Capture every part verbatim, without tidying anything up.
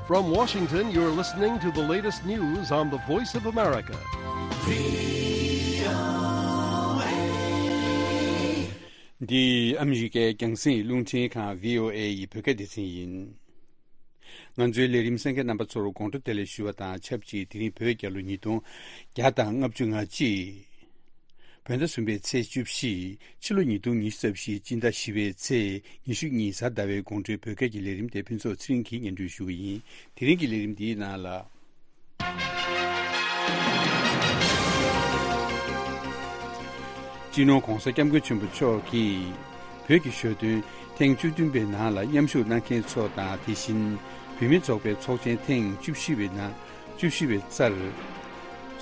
From Washington, you're listening to the latest news on the Voice of America. འདི་ཨ་མི་རི་ཀའི་རྒྱང་སྲིང་རླུང་འཕྲིན་ཁང་བྷི་ཨོ་ཨེ་ཡི་བོད་སྐད་སྡེ་ཚན་ཡིན། ང་ཚོའི་ལས་རིམ་གསན་མཁན་རྣམ་པ་ཚོར་དགོང་དྲོ་བདེ་ལེགས་ཞུ་བ་དང་ཆབས་ཅིག་དེ་རིང་བོད་རྒྱལ་ལོ་ཉིས་སྟོང་བརྒྱ་དང་ལྔ་བཅུ་ང་གཅིག་བོད་ཟླ་གསུམ་པའི་ཚེས་བཅུ་བཞི། ཕྱི་ལོ་ཉིས་སྟོང་ཉི་ཤུ་རྩ་བཞི། སྤྱི་ཟླ་བཞི་པའི་ཚེས་ཉི་ཤུ་གཉིས། གཟའ་ཟླ་བའི་དགོང་དྲོའི་བོད་སྐད་ཀྱི་ལས་རིམ་དེ་ཕུན་ཚོགས་ཚེ་རིང་གིས་སྙན་སྒྲོན་ཞུ་གི་ཡིན། དེ་རིང་གི་ལས་རིམ་འདིའི་ནང་ལ། སྤྱི་ནོར་༧གོང་ས་༧སྐྱབས་མགོན་ཆེན་པོ་མཆོག་གིས་བོད་ཀྱི་ཞོ་སྟོན་ཐེངས་བཅུ་བདུན་པའི་ནང་ལ་མཉམ་ཞུགས་གནང་མཁན་ཚོ་དང་། དེ་བཞིན་བོད་མི་ཚོགས་པའི་ཚོགས་ཆེན་ཐེངས་བཅུ་བཞི་པའི་ནང་བཅུ་བཞི་པའི་རྩར་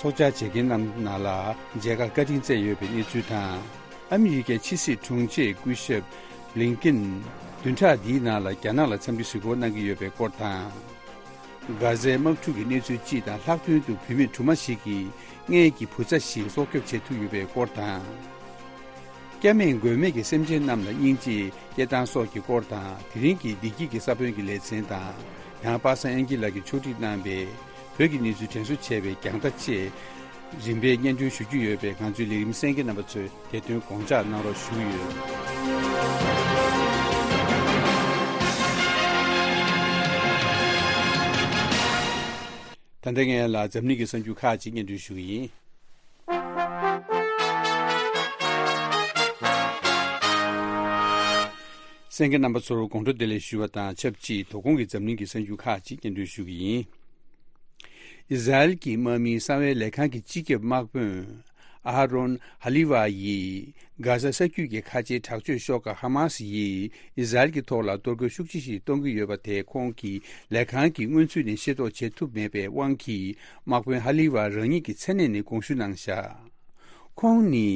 ཚོགས་བཅར་བྱེད་མཁན་རྣམས་ནང་ལ་མཇལ་ཁ་བཀའ་དྲིན་བསྩལ་ཡོད་པའི་གནས་ཚུལ་དང་། ཨ་མི་རི་ཀའི་ཕྱི་སྲིད་དྲུང་ཆེ་སྐུ་ཞབས་བྷི་ལིན་ཀིན་བདུན་ཕྲག་འདིའི་ནང་ལ་རྒྱ་ནག་ལ་འཚམས་འདྲི་གཟིགས་སྐོར་གནང་གི་ཡོད་པའི་སྐོར་དང་། གྷ་ཟའི་དམག་འཁྲུག་གི་གནས་ཚུལ་སྤྱི་དང་། ལྷག་དོན་དུ་བུད་མེད་གྲུབ་མ་ཞིག་གིས་མངལ་གྱི་བུ་ཚ་ཞིག་སྲོག་སྐྱོབ་བྱེད་ཐུབ་ཡོད་པའི་སྐོར་དང་། སྐྱབས་མེད་མགོན་མེད་ཀྱི་སེམས་ཅན་རྣམས་ལ་སྙིང་རྗེ་སྐྱེ་སྟངས་སོགས་ཀྱི་སྐོར་དང་། དེ་རིང་གི་བདེ་སྐྱིད་ཀྱི་ས་བོན་གྱི་ལེ་ཚན་དང་། ཡང་པ་སངས་དབྱངས་སྐྱིད་ལགས་ཀྱིས་ཕྱོགས་སྒྲིག་གནང་བའི་བོད་ཀྱི་གནས་ཚུལ་དྲན་གསོ་བྱས་པའི་རྒྱང་ལྟ་བཅས་རིམ་པས་སྙན་སྒྲོན་ཞུ་རྒྱུ་ཡོད་པས། ང་ཚོའི་ལས་རིམ་གསན་མཁན་རྣམ་པ་ཚོས་དེ་དོན་དགོངས་འཇགས་གནང་རོགས་ཞུ་གི་ཡོད། ད་ལྟ་ངས་ལ་འཛམ་གླིང་གི་གསར་འགྱུར་ཁག་ཅིག་སྙན་སྒྲོན་ཞུ་གི་ཡིན། གསན་མཁན་རྣམ་པ་ཚོར་དགོང་དྲོ་བདེ་ལེགས་ཞུ་བ་དང་ཆབས་ཅིག་དོ་དགོང་གི་འཛམ་གླིང་གི་གསར་འགྱུར་ཁག་ཅིག་སྙན་སྒྲོན་ཞུ་གི་ཡིན། ཨི་ཟ་རེལ་གྱི་དམག་མིའི་གསང་བའི་ལས་ཁང་གི་སྤྱི་ཁྱབ་དམག་དཔོན་ཨ་ཧ་རོན་ཧ་ལི་ཝ་ཡིས་གྷ་ཟ་ས་རྒྱུད་ཀྱི་ཁ་ཆེའི་དྲག་སྤྱོད་ཤོག་ཁག་ཧ་མ་སི་ཡིས་ཨི་ཟ་རེལ་གྱི་ཐོག་ལ་གཏོར་རྒོལ་ཤུགས་ཆེ་ཞིག་གཏོང་གི་ཡོད་པ་དེ་ཁོང་གི་ལས་ཁང་གི་སྔོན་ཚུད་ནས་ཤེས་རྟོགས་བྱེད་ཐུབ་མེད་པའི་དབང་གིས། དམག་དཔོན་ཧ་ལི་ཝ་རང་ཉིད་ཀྱི་མཚན་གནས་ནས་དགོངས་ཞུ་གནང་བཞག་ཁོང་ནི།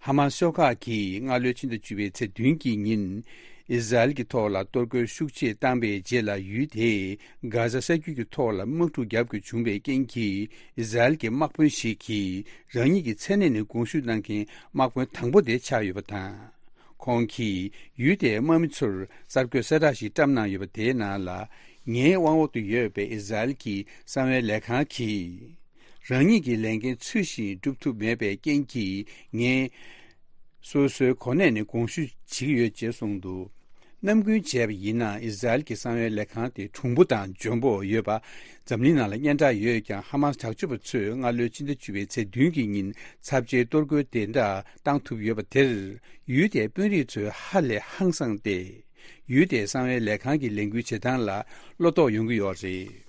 ཧ་མ་སི་ཤོག་ཁག་གིས་སྔ་ལོའི་ཕྱི་ཟླ་བཅུ་པའི་ཚེས་བདུན་གྱི་ཉིན། ཨི་ཟ་རེལ་གྱི་ཐོག་ལ་གཏོར་རྒོལ་ཤུགས་ཆེ་བཏང་པའི་རྗེས་ལ། ཡུལ་དེའི་གྷ་ཟ་ས་རྒྱུད་ཀྱི་ཐོག་ལ་དམག་འཁྲུག་བརྒྱབ་དགོས་བྱུང་བའི་རྐྱེན་གྱིས། ཨི་ཟ་རེལ་གྱི་དམག་དཔོན་ཞིག་གིས་རང་ཉིད་ཀྱི་མཚན་གནས་ནས་དགོངས་ཞུ་གནང་མཁན་དམག་དཔོན་དང་པོ་དེ་ཆགས་ཡོད་པ་དང་། ཁོང་གིས་ཡུལ་དེའི་དམག་མི་ཚོར་གསར་འགོད་གསལ་བསྒྲགས་ཤིག་བཀྲམ་གནང་ཡོད་པ། དེའི་ནང་ལ། ངའི་དབང་འོག་ཏུ་ཡོད་པའི་ཨི་ཟ་རེལ་གྱི་གསང་བའི་ལས་ཁང་གིས། རང་ཉིད་ཀྱི་ལས་འགན་ཚུལ་བཞིན་སྒྲུབ་ཐུབ་མེད་པའི་རྐྱེན་གྱིས། ངས་སོ་སོའི་གོ་གནས་ནས་དགོངས་ཞུ་བྱེད་ཀྱི་ཡོད་ཅེས་གསུངས་འདུག་རྣམ་ཀུན་བྱས་པ་ཡིན་ན། ཨི་ཟ་རེལ་གྱི་གསང་བའི་ལས་ཁང་དེ་གྲུང་པོ་དང་འཇོན་པོ་ཡོད་པ་འཛམ་གླིང་ནང་ལ་སྙན་གྲགས་ཡོད་ཀྱང་། ཧ་མ་སི་དྲག་སྤྱོད་པ་ཚོས་སྔ་ལོའི་ཕྱི་ཟླ་བཅུ་པའི་ཚེས་བདུན་གྱི་ཉིན་ཚབས་ཆེའི་གཏོར་རྒོལ་དེ་འདྲ་བཏང་ཐུབ་ཡོད་པ་དེར། ཡུལ་དེའི་དཔོན་རིགས་ཚོས་ཧ་ལས་ཧང་སངས་ཏེ། ཡུལ་དེའི་གསང་བའི་ལས་ཁང་གི་ལས་འགུལ་བྱེད་སྟངས་ལ་བློ་དོགས་ཡོང་གི་ཡོད་རེད།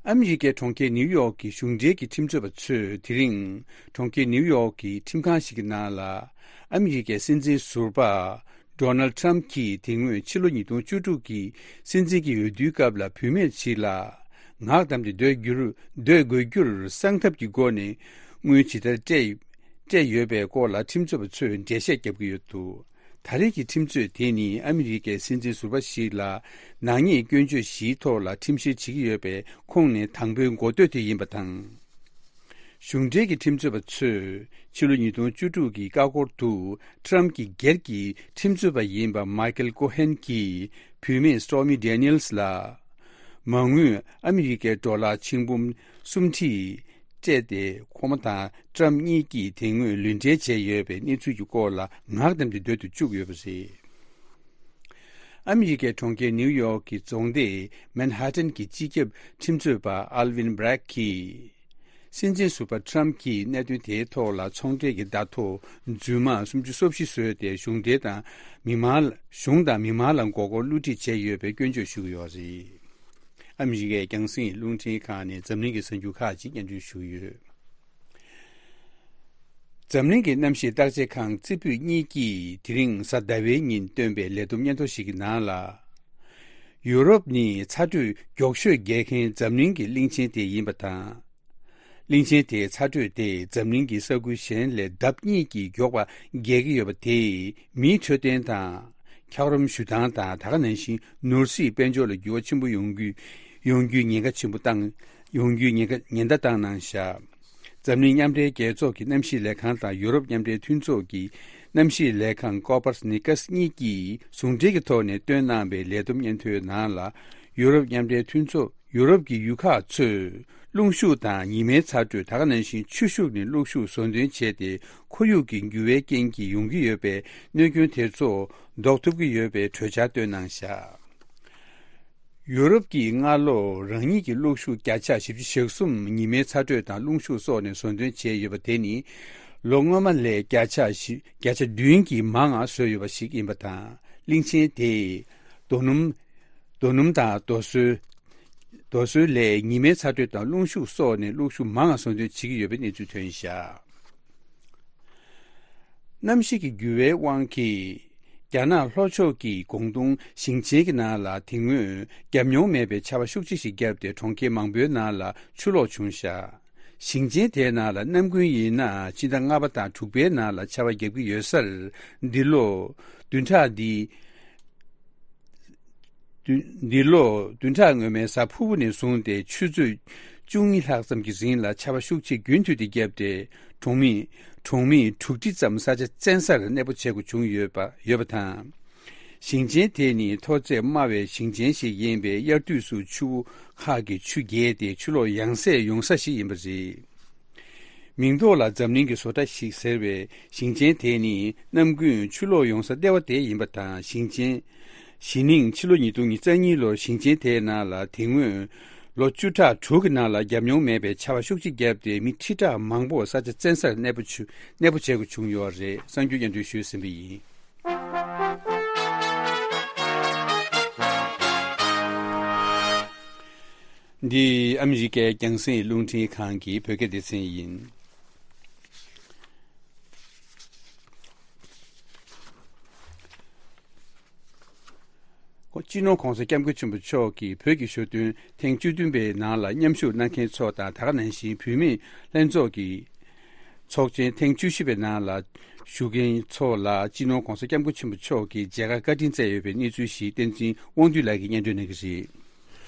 ཨ་མི་རི་ཀའི་གྲོང་ཁྱེར་ནིའུ་ཡོག་གི་གཞུང་འབྲེལ་གྱི་ཁྲིམས་རྩོད་པ་ཚོས་དེ་རིང་གྲོང་ཁྱེར་ནིའུ་ཡོག་གི་ཁྲིམས་ཁང་ཞིག་གི་ནང་ལ། ཨ་མི་རི་ཀའི་སྲིད་འཛིན་ཟུར་པ་ཌོ་ནལ་ཊམ་གྱིས་དེ་སྔོན་ཕྱི་ལོ་ཉིས་སྟོང་བཅུ་དྲུག་གི་སྲིད་འཛིན་གྱི་འོས་བསྡུའི་སྐབས་ལ། བུད་མེད་ཞིག་ལ་ངག་བསྡམས་ཏེ་སྡོད་རྒྱུར་སྡོད་དགོས་རྒྱུར་གསང་ཐབས་ཀྱི་སྒོ་ནས་དངུལ་ཇི་ལྟར་སྤྲད་སྤྲད་ཡོད་པའི་སྐོར་ལ་ཁྲིམས་རྩོད་པ་ཚོས་འགྲེལ་བཤད་བརྒྱབ་ཀྱི་ཡོད་འདུག་ད་རེས་ཀྱི་ཁྲིམས་རྩོད་དེ་ནི་ཨ་མི་རི་ཀའི་སྲིད་འཛིན་ཟུར་པ་ཞིག་ལ་ནག་ཉེས་སྐྱོན་བརྗོད་བཞིའི་ཐོག་ལ་ཁྲིམས་བཤེར་བྱེད་ཀྱི་ཡོད་པའི་ཁོངས་ནས་དང་པོའི་འགོ་སྟོད་དེ་ཡིན་པ་དང་། གཞུང་འབྲེལ་གྱི་ཁྲིམས་རྩོད་པ་ཚོས་ཕྱི་ལོ་ཉིས་སྟོང་བཅུ་དྲུག་གི་ཀ་ཀོར་དུ་ཊམ་གྱི་སྒེར་གྱི་ཁྲིམས་རྩོད་པ་ཡིན་པ་མའི་ཀལ་ཀོ་ཧན་གྱིས་བུད་མེད་སི་ཊོར་མི་ཌེ་ནི་ཡལ་སི་ལ་མ་དངུལ་ཨ་མི་རི་ཀའི་ཌོ་ལར་ཆིག་འབུམ་སུམ་ཁྲི་སྤྲད་དེ། ཁོ་མོ་དང་ཊམ་གཉིས་ཀྱིས་དེ་སྔོན་ལུས་འབྲེལ་བྱས་ཡོད་པའི་གནས་ཚུལ་གྱི་སྐོར་ལ་ངག་བསྡམས་ཏེ་སྡོད་དུ་བཅུག་ཡོད་པ་རེད། ཨ་མི་རི་ཀའི་གྲོང་ཁྱེར་ནིའུ་ཡོག་གི་རྫོང་སྡེ་མན་ཧ་ཏན་གྱི་སྤྱི་ཁྱབ་ཁྲིམས་རྩོད་པ་ཨལ་ཝིན་བྷི་རེག་གིས། སྲིད་འཛིན་ཟུར་པ་ཊམ་གྱིས་གནད་དོན་དེའི་ཐོག་ལ་ཚོང་འབྲེལ་གྱི་བརྡ་ཐོ་རྫུན་མ་སུམ་ཅུ་སོ་བཞི་བཟོས་ཏེ། གཞུང་འབྲེལ་དང་མི་མང་ལ་གཞུང་དང་མི་མང་ལ་མགོ་སྐོར་བསླུ་བྲིད་བྱས་ཡོད་པའི་སྐྱོན་བརྗོད་ཞུ་གི་ཡོད་རེད། ཨ་མི་རི་ཀའི་རྒྱང་སྲིང་རླུང་འཕྲིན་ཁང་ནས་འཛམ་གླིང་གི་གསར་འགྱུར་ཁག་ཅིག་སྙན་སྒྲོན་ཞུ་གི་ཡོད། འཛམ་གླིང་གི་གནམ་གཤིས་བརྟག་དཔྱད་ཁང་རྩེ་ཕུད་གཉིས་ཀྱིས་དེ་རིང་གཟའ་ཟླ་བའི་ཉིན་བཏོན་པའི་ལས་བསྡོམས་སྙན་ཐོ་ཞིག་གི་ནང་ལ། ཡུ་རོབ་ནི་ཚ་དྲོད་མགྱོགས་ཤོས་རྒྱས་མཁན་འཛམ་གླིང་གི་གླིང་ཆེན་དེ་ཡིན་པ་དང་། གླིང་ཆེན་དེའི་ཚ་དྲོད་དེ་འཛམ་གླིང་གི་ས་ཁུལ་གཞན་ལས་ལྡབ་གཉིས་ཀྱིས་མགྱོགས་པ་རྒྱས་ཀྱི་ཡོད་པ་དེས་མིའི་འཕྲོད་བསྟེན་དང་། འཁྱགས་རོམ་བཞུ་སྟངས་དང་། ད་ག་ནང་བཞིན་ནོར་སྲིད་དཔལ་འབྱོར་ལ་འགྱུར་བ་ཆེན་པོ་ཡོང་རྒྱུའི་ཡོང་རྒྱུའི་ཉེན་ཁ་ཆེན་པོ་བཏང་ཡོང་རྒྱུའི་ཉེན་ཁ་ཉེན་བརྡ་བཏང་གནང་བཞག་འཛམ་གླིང་མཉམ་འབྲེལ་རྒྱལ་ཚོགས་ཀྱི་གནམ་གཤིས་ལས་ཁང་དང་ཡུ་རོབ་མཉམ་འབྲེལ་མཐུན་ཚོགས་ཀྱི་གནམ་གཤིས་ལས་ཁང་ཀོ་པར་ནི་ཀཱས་གཉིས་ཀྱིས་ཟུང་འབྲེལ་གྱི་ཐོག་ནས་བཏོན་གནང་བའི་ལས་བསྡོམས་སྙན་ཐོའི་ནང་ལ། ཡུ་རོབ་མཉམ་འབྲེལ་མཐུན་ཚོགས། ཡུ་རོབ་ཀྱི་ཡུལ་ཁག་ཚོས་རླུང་ཤུགས་དང་ཉི་མའི་ཚ་དྲོད། ད་ག་ནང་བཞིན་ཆུ་ཤུགས་ནས་རླུང་ཤུགས་བཟོ་འདྲེན་བྱས་ཏེ། ཁོར་ཡུག་གི་འགྱུར་བའི་རྐྱེན་གྱིས་ཡོང་གི་ཡོད་པའི་གནོད་སྐྱོན་དེ་ཚོ་ཟློག་ཐུབ་ཀྱི་ཡོད་པའི་གྲོས་འཆར་བཏོན་གནང་བཞག་ཡུ་རོབ་ཀྱིས་སྔ་ལོ་རང་ཉིད་ཀྱི་གློག་ཤུགས་བརྒྱ་ཆ་བཞི་བཅུ་ཞེ་གསུམ་ཉི་མའི་ཚ་དྲོད་དང་རླུང་ཤུགས་སོགས་ནས་བཟོ་འདྲེན་བྱས་ཡོད་པ་དེ་ནི། ལོ་སྔོན་མ་ལས་བརྒྱ་ཆ་བཞི། བརྒྱ་ཆ་བདུན་གྱིས་མང་ང་བཟོས་ཡོད་པ་ཞིག་ཡིན་པ་དང་། གླིང་ཆེན་དེས་རྡོ་སྣུམ། རྡོ་སྣུམ་དང་རྡོ་སོལ། རྡོ་སོལ་ལས་ཉི་མའི་ཚ་དྲོད་དང་རླུང་ཤུགས་སོགས་ནས་གློག་ཤུགས་མང་ང་བཟོ་འདྲེན་བྱེད་ཀྱི་ཡོད་པའི་གནས་ཚུལ་ཐོན་བཞག་གནམ་གཤིས་ཀྱི་འགྱུར་བའི་དབང་གིས། རྒྱ་ནག་ལྷོ་ཕྱོགས་ཀྱི་ཀོང་ཏུང་ཞིང་ཆེན་གྱི་ནང་ལ་དེ་སྔོན་བརྒྱབ་མྱོང་མེད་པའི་ཆར་པ་ཤུགས་ཆེ་ཞིག་བརྒྱབ་སྟེ། གྲོང་ཁྱེར་མང་པོའི་ནང་ལ་ཆུ་ལོག་བྱུང་བཞག་ཞིང་ཆེན་དེའི་ནང་ལ་གནམ་དགུན་ཡིན་ན་ཕྱི་ཟླ་ལྔ་པ་དང་དྲུག་པའི་ནང་ལ་ཆར་པ་བརྒྱབ་ཀྱི་ཡོད་སར། འདི་ལོ་བདུན་ཕྲག་འདི། བདུན། འདི་ལོ་བདུན་ཕྲག་སྔོན་མའི་གཟའ་ཕུར་བུ་ནས་བཟུང་སྟེ་ཆུ་ཚོད་བཅུ་གཉིས་ལྷག་ཙམ་གྱི་རིང་ལ་ཆར་པ་ཤུགས་ཆེ་རྒྱུན་མཐུད་དེ་བརྒྱབ་སྟེ། གྲོང་མི། གྲོང་མི་དྲུག་ཁྲི་ཙམ་ས་ཆ་བཙན་སར་གནས་སྤོ་བྱེད་དགོས་བྱུང་ཡོད་པ། ཡོད་པ་དང་། ཞིང་ཆེན་དེ་ནི་མཐོ་ཚད་དམའ་བའི་ཞིང་ཆེན་ཞིག་ཡིན་པས། དབྱར་དུས་སུ་ཆུ་བོ་ཁག་གི་ཆུ་རྒྱས་ཏེ་ཆུ་ལོག་ཡང་སེ་ཡོང་ས་ཞིག་ཡིན་པ་རེད། མིང་ཐོག་ལ་འཛམ་གླིང་གི་བཟོ་གྲྭ་ཞིག་ཟེར་བའི་ཞིང་ཆེན་དེ་ནི་གནམ་དགུན་ཆུ་ལོག་ཡོང་ས་ལྟེ་བ་དེ་ཡིན་པ་དང་། ཞིང་ཆེན། གཞེས་ནིང་ཕྱི་ལོ་ཉིས་སྟོང་ཉི་ཤུ་རྩ་གཉིས་ལོར་ཞིང་ཆེན་དེའི་ནང་ལ་དེ་སྔོན་ལོ་བཅུ་ཕྲག་དྲུག་གི་ནང་ལ་བརྒྱབ་མྱོང་མེད་པའི་ཆར་པ་ཤུགས་ཆེ་བརྒྱབ་སྟེ། མི་ཁྲི་ཕྲག་མང་པོ་ས་ཆ་བཙན་སར་གནས་སྤོ་བྱུ། གནས་སྤོ་བྱེད་དགོས་བྱུང་ཡོད་རེད། གསར་འགྱུར་སྙན་སྒྲོན་ཞུས་ཟིན་པ་ཡིན། འདི་ཨ་མི་རི་ཀའི་རྒྱང་སྲིང་རླུང་འཕྲིན་ཁང་གི་བོད་སྐད་སྡེ་ཚན་ཡིན། སྤྱི་ནོར་༸གོང་ས་༸སྐྱབས་མགོན་ཆེན་པོ་མཆོག་གིས་བོད་ཀྱི་ཞོ་སྟོན་ཐེངས་བཅུ་བདུན་པའི་ནང་ལ་མཉམ་ཞུགས་གནང་མཁན་ཚོ་དང་། ད་ག་ནང་བཞིན་བོད་མིའི་ལྷན་ཚོགས་ཀྱི་ཚོགས་ཆེན་ཐེངས་བཅུ་བཞི་པའི་ནང་ལ་ཞུགས་མཁན་ཚོ་ལ། སྤྱི་ནོར་༸གོང་ས་༸སྐྱབས་མགོན་ཆེན་པོ་མཆོག་གིས་མཇལ་ཁ་བཀའ་དྲིན་སྩལ་ཡོད་པའི་གནས་ཚུལ་ཞིག་བསྟན་འཛིན་དབང་འདུས་ལགས་ཀྱིས་སྙན་སྒྲོན་གནང་གི་རེད།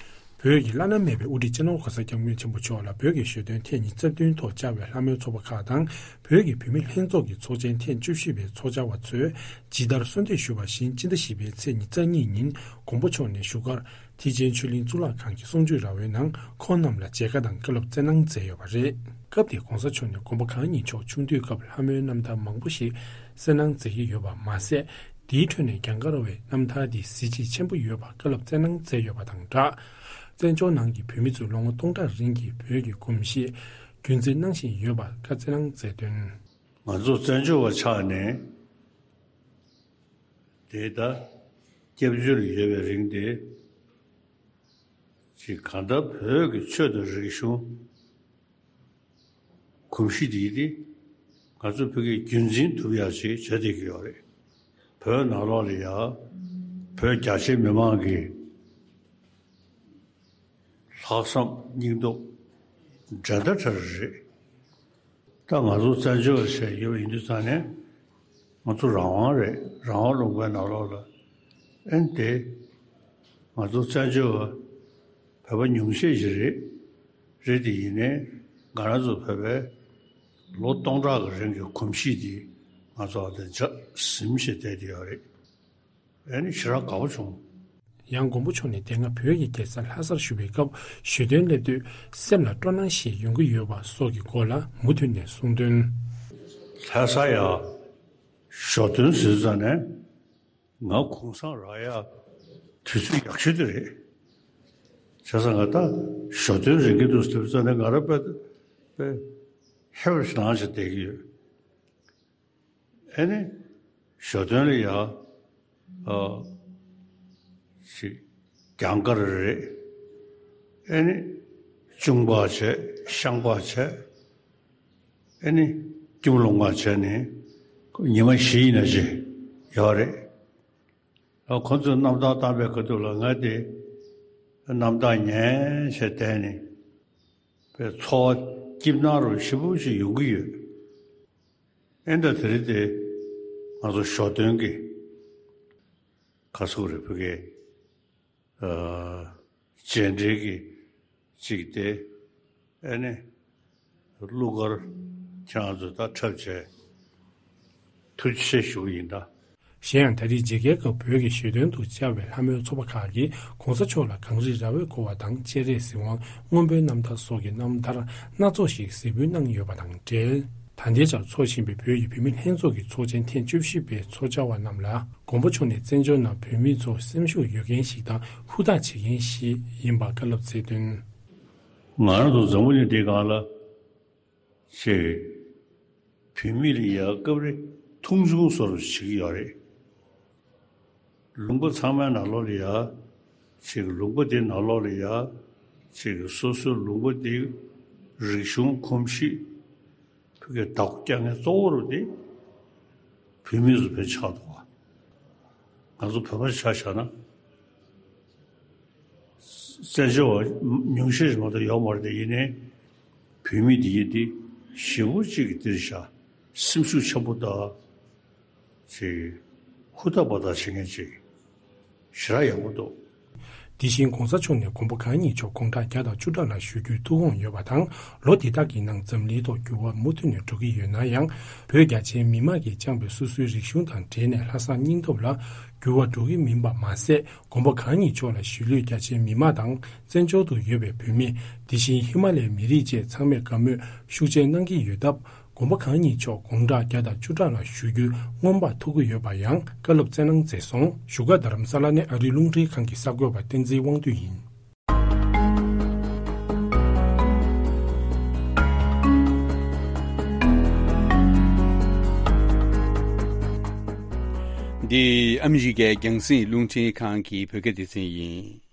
བོད་ཀྱི་བླ་ན་མེད་པའི་དབུ་ཁྲིད་སྤྱི་ནོར་༸གོང་ས་༸སྐྱབས་མགོན་ཆེན་པོ་མཆོག་ལ་བོད་ཀྱི་ཞོ་སྟོན་ཐེངས་ཉི་ཤུ་རྩ་བདུན་ཐོག་བཅར་བའི་ལྷ་མོའི་ཚོགས་པ་ཁག་དང་། བོད་ཀྱི་བུད་མེད་ལྷན་ཚོགས་ཀྱི་ཚོགས་ཆེན་ཐེངས་བཅུ་བཞི་པའི་ཚོགས་བཅར་བ་ཚོས་ཇི་ལྟར་གསོལ་འདེབས་ཞུས་པ་བཞིན། སྤྱི་ཟླ་བཞི་པའི་ཚེས་ཉི་ཤུ་རྩ་གཉིས་ཉིན་མགོན་པོ་མཆོག་ནས་བཞུགས་སྒར་མཐིལ་ཆེན་ཆོས་གླིང་གཙུག་ལག་ཁང་གི་གསུང་ཆོས་ར་བའི་ནང་ཁོང་རྣམས་ལ་མཇལ་ཁ་དང་བཀའ་སློབ་སྩལ་གནང་མཛད་ཡོད་པ་རེད། སྐབས་དེར་༸གོང་ས་མཆོག་ནས་མགོན་པོ་གང་ཉིད་མཆོག་ཆུང་དུས་སྐབས་ལྷ་མོའི་རྣམ་ཐར་མང་པོ་ཞིག་གསན་གནང་མཛད་ཀྱི་ཡོད་པ་མ་ཟད། དེའི་ཁྲོད་ནས་གྱང་དཀར་བའི་རྣམ་ཐར་འདི་གཟི་བརྗིད་ཆེན་པོ་ཡོད་པ་བཀའ་སློབ་སྩལ་གནང་མཛད་ཡོད་པ་དང་སྦྲགས། བཙན་བྱོལ་ནང་གི་བོད་མི་ཚོས་ལོ་ངོ་སྟོང་ཕྲག་རིང་གི་བོད་ཀྱི་གོམས་གཤིས་རྒྱུན་འཛིན་གནང་བཞིན་ཡོད་པར་བཀའ་སྩལ་གནང་མཛད་དོན། ང་ཚོ་བཙན་བྱོལ་བ་ཆགས་ནས་དེ་ད་སྐྱབས་བཅོལ་ཡོད་པའི་རིང་དེ། ཅིག་གང་ལྟར་བོད་ཀྱི་ཆོས་དང་རིག་གཞུང་གོམས་གཤིས་དེ་དེ་ང་ཚོ་བོད་ཀྱིས་རྒྱུན་འཛིན་ཐུབ་ཡག་ཅིག་བྱ་བསྡད་ཀྱི་ཡོད་རེད། བོད་ནང་ལོགས་ལ་ཡ་བོད་རྒྱ་ཆེ་མི་མང་གི་ལྷག་བསམ་སྙིང་སྟོབས་འགྲན་ཟླ་བྲལ་རེད། ད་ང་ཚོ་བཙན་བྱོལ་བ་ཞིག་ཡོད་པ་ཡིན་དུས་ཙང་ནས་ང་ཚོ་རང་དབང་རེད། རང་དབང་ལུང་པའི་ནང་ལོགས་ལ་ཨེ་དེ་ང་ཚོ་བཙན་བྱོལ་བ་བོད་པ་ཉུང་ཤས་ཤིག་རེད། རེད་དེ་ཡིན་ནའི་ང་རང་ཚོ་བོད་པའི་ལོ་སྟོང་ཕྲག་གི་རིང་གི་གོམས་གཤིས་དེ་ང་ཚོ་ཨ་དེ་འཇགས་ཟིན་བྱས་བསྡད་དེ་ཡོད་རེད། ཨེ་ནི་ཞེ་དྲག་དགའ་པོ་བྱུང་། ཡང་མགོན་པོ་མཆོག་ནས་དེ་སྔ་བོད་ཀྱི་རྒྱལ་ས་ལྷ་སར་བཞུགས་པའི་སྐབས་ཞོ་སྟོན་སླེབས་དུས་སེམས་ལ་སྤྲོ་སྣང་ཞིག་ཡོང་གི་ཡོད་པ་སོགས་ཀྱི་སྐོར་ལ་མུ་མཐུད་ནས་གསུངས་དོན། ལྷ་ས་ཡ་ཞོ་སྟོན་ཟེར་ཙང་ནས་ང་གུང་སེང་རག་ཡ་དུས་ཚོད་ཡག་ཤོས་དེ་རེད། བྱས་ཙང་ང་ད་ཞོ་སྟོན་རེད་གི་འདུག་ཟེར་ཙང་ནས་ང་རང་དཔེ་དཔེ་ཧེ་བར་ཞིག་ལངས་བྱས་བསྡད་ཀྱི་ཡོད། ཨེ་ནི། ཞོ་སྟོན་ལ་ཡ། ཨ། ཞིག་གྱང་དཀར་རེད། ཨེ་ནི། གཅུང་པ་བྱས་ཤངས་པ་བྱས། ཨེ་ནི། སྐྱིད་མོ་ལོང་བ་བྱས་ནས་ཉི་མ་བཞི་ཡིན་ན་ཅི་ཡོད་རེད། ཨ་ཁོ་ཚོས་གནམ་ཐང་བཏང་པའི་ཁ་ཐུག་ལ་ང་དེ་གནམ་ཐང་ཉན་བྱས་བསྡད་ནས་པའི་འཚོ་བ་སྐྱིད་སྣང་རུ་ཞེ་པོ་ཞིག་ཡོང་གི་ཡོད། ཨེ་འདྲ་དེ་རིང་དེ་ང་ཚོ་ཞོ་སྟོན་གྱི་ཁ་སུག་རེ་ཕུ་གེ་རྗེས་འབྲེལ་གྱི་གཅིག་དེ་ཨེ་ནི་གླུ་གར་ཁྱེད་རང་ཚོ་ད་འཁྲབ་བྱས་ཐུགས་རྗེ་ཆེ་ཞུ་གི་ཡིན་ད། གཞན་ཡང་ད་རེས་མཇལ་ཁའི་སྐབས་བོད་ཀྱི་བཞེད་དོན་དུ་བཅར་བའི་ལྷ་མོའི་ཚོགས་པ་ཁག་གིས་གོང་ས་མཆོག་ལ་གངས་རི་ར་བས་བསྐོར་བ་དང་སྤྱན་རས་གཟིགས་དབང་སྔོན་པོའི་རྣམ་ཐར་སོགས་ཀྱི་རྣམ་ཐར་སྣ་ཚོགས་ཤིག་གཟིགས་འབུལ་གནང་ཡོད་པ་དང་འབྲེལ། ད་ལྟའི་ཆར་འཚོགས་བཞིན་པའི་བོད་ཀྱི་བུད་མེད་ལྷན་ཚོགས་ཀྱི་ཚོགས་ཆེན་ཐེངས་བཅུ་བཞི་པའི་ཚོགས་བཅར་བ་རྣམས་ལ་དགོངས་པ་མཆོག་ནས་བཙན་བྱོལ་ནང་བོད་མི་ཚོ་སེམས་ཤུགས་ཡོད་མཁན་ཞིག་དང་ཧུར་ཐག་བྱེད་མཁན་ཞིག་ཡིན་པ་བཀའ་སློབ་སྩལ་དོན། ང་རང་ཚོ་འཛམ་བུ་གླིང་འདིའི་སྒང་ལ་ཅིག་བུད་མེད་ལ་ཡ་སྐབས་རེ་མཐོང་ཆུང་བཟོ་འདྲ་བྱེད་ཀྱི་ཡོད་རེད། ལུང་པ་ཚང་མའི་ནང་ལོགས་ལ་ཡ། ཅིག་ལུང་པ་དེའི་ནང་ལོགས་ལ་ཡ། ཅིག་སོ་སོའི་ལུང་པ་དེའི་རིག་གཞུང་གོམས་གཤིས། བོད་ཀྱི་བདག་པོ་རྒྱག་མཁན་གཙོ་བོ་རུ་དེ་བུད་མེད་ཚོ་བས་ཆགས་འདུག་བ། ང་ཚོ་བོད་པ་ཆ་བཞག་ན། བཙན་བྱོལ་བ་ཉུང་ཤས་ཤིག་མ་གཏོགས་ཡོད་མ་རེད་དེ། ཡིན་ནའི་བུད་མེད་འདི་ཡིན་ཏེ་ཞེ་པོ་ཅིག་གི་འདིར་བཞག་སེམས་ཤུགས་ཆེན་པོ་དང་། ཅིག་ཧུར་ཐག་པ་ཐག་བྱེད་མཁན་ཅིག་ཞེ་དྲག་ཡག་པོ་འདུག། དེ་བཞིན་གོང་ས་མཆོག་ནས་དགོངས་པ་གང་ཉིད་མཆོག་དགུང་གྲངས་བརྒྱ་དང་བཅུ་ཕྲག་ལ་བཞུགས་རྒྱུའི་ཐུགས་དགོངས་ཡོད་པ་དང་། ལོ་འདི་དག་གི་ནང་འཛམ་གླིང་ཐོག་འགྱུར་བ་མུ་མཐུད་ནས་འགྲོ་གི་ཡོད་ན་ཡང་། བོད་རྒྱ་ཆེའི་མི་མང་གིས་བཅངས་པའི་སོ་སོའི་རིག་གཞུང་དང་འབྲེལ་ནས་ལྷག་བསམ་སྙིང་སྟོབས་ལ་འགྱུར་བ་འགྲོ་གི་མིན་པ་མ་ཟད། དགོངས་པ་གང་ཉིད་མཆོག་ལ་གཞིས་ལུས་རྒྱ་ཆེའི་མི་མང་དང་། བཙན་བྱོལ་དུ་ཡོད་པའི་བོད་མི། དེ་བཞིན་ཧི་མ་ལའི་མི་རིགས་བཅས་ཚང་མས་དགའ་མོས་ཤུགས་ཆེ་གནང་གི་ཡོད་སྟབས། དགོངས་པ་གང་ཉིད་མཆོག་དགུང་གྲངས་བརྒྱ་དང་བཅུ་ཕྲག་ལ་བཞུགས་རྒྱུའི་མངོན་པ་ཐོབ་ཀྱི་ཡོད་པ་ཡང་བཀའ་སློབ་སྩལ་གནང་མཛད་སོང་། བཞུགས་སྒར་རྡ་རམ་ས་ལ་ནས་ཨ་རིའི་རླུང་འཕྲིན་ཁང་གི་གསར་འགོད་པ་བསྟན་འཛིན་དབང་འདུས་ཡིན། འདི་ཨ་མི་རི་ཀའི་རྒྱང་སྲིང་རླུང་འཕྲིན་ཁང་གི་བོད་སྐད་སྡེ་ཚན་ཡིན།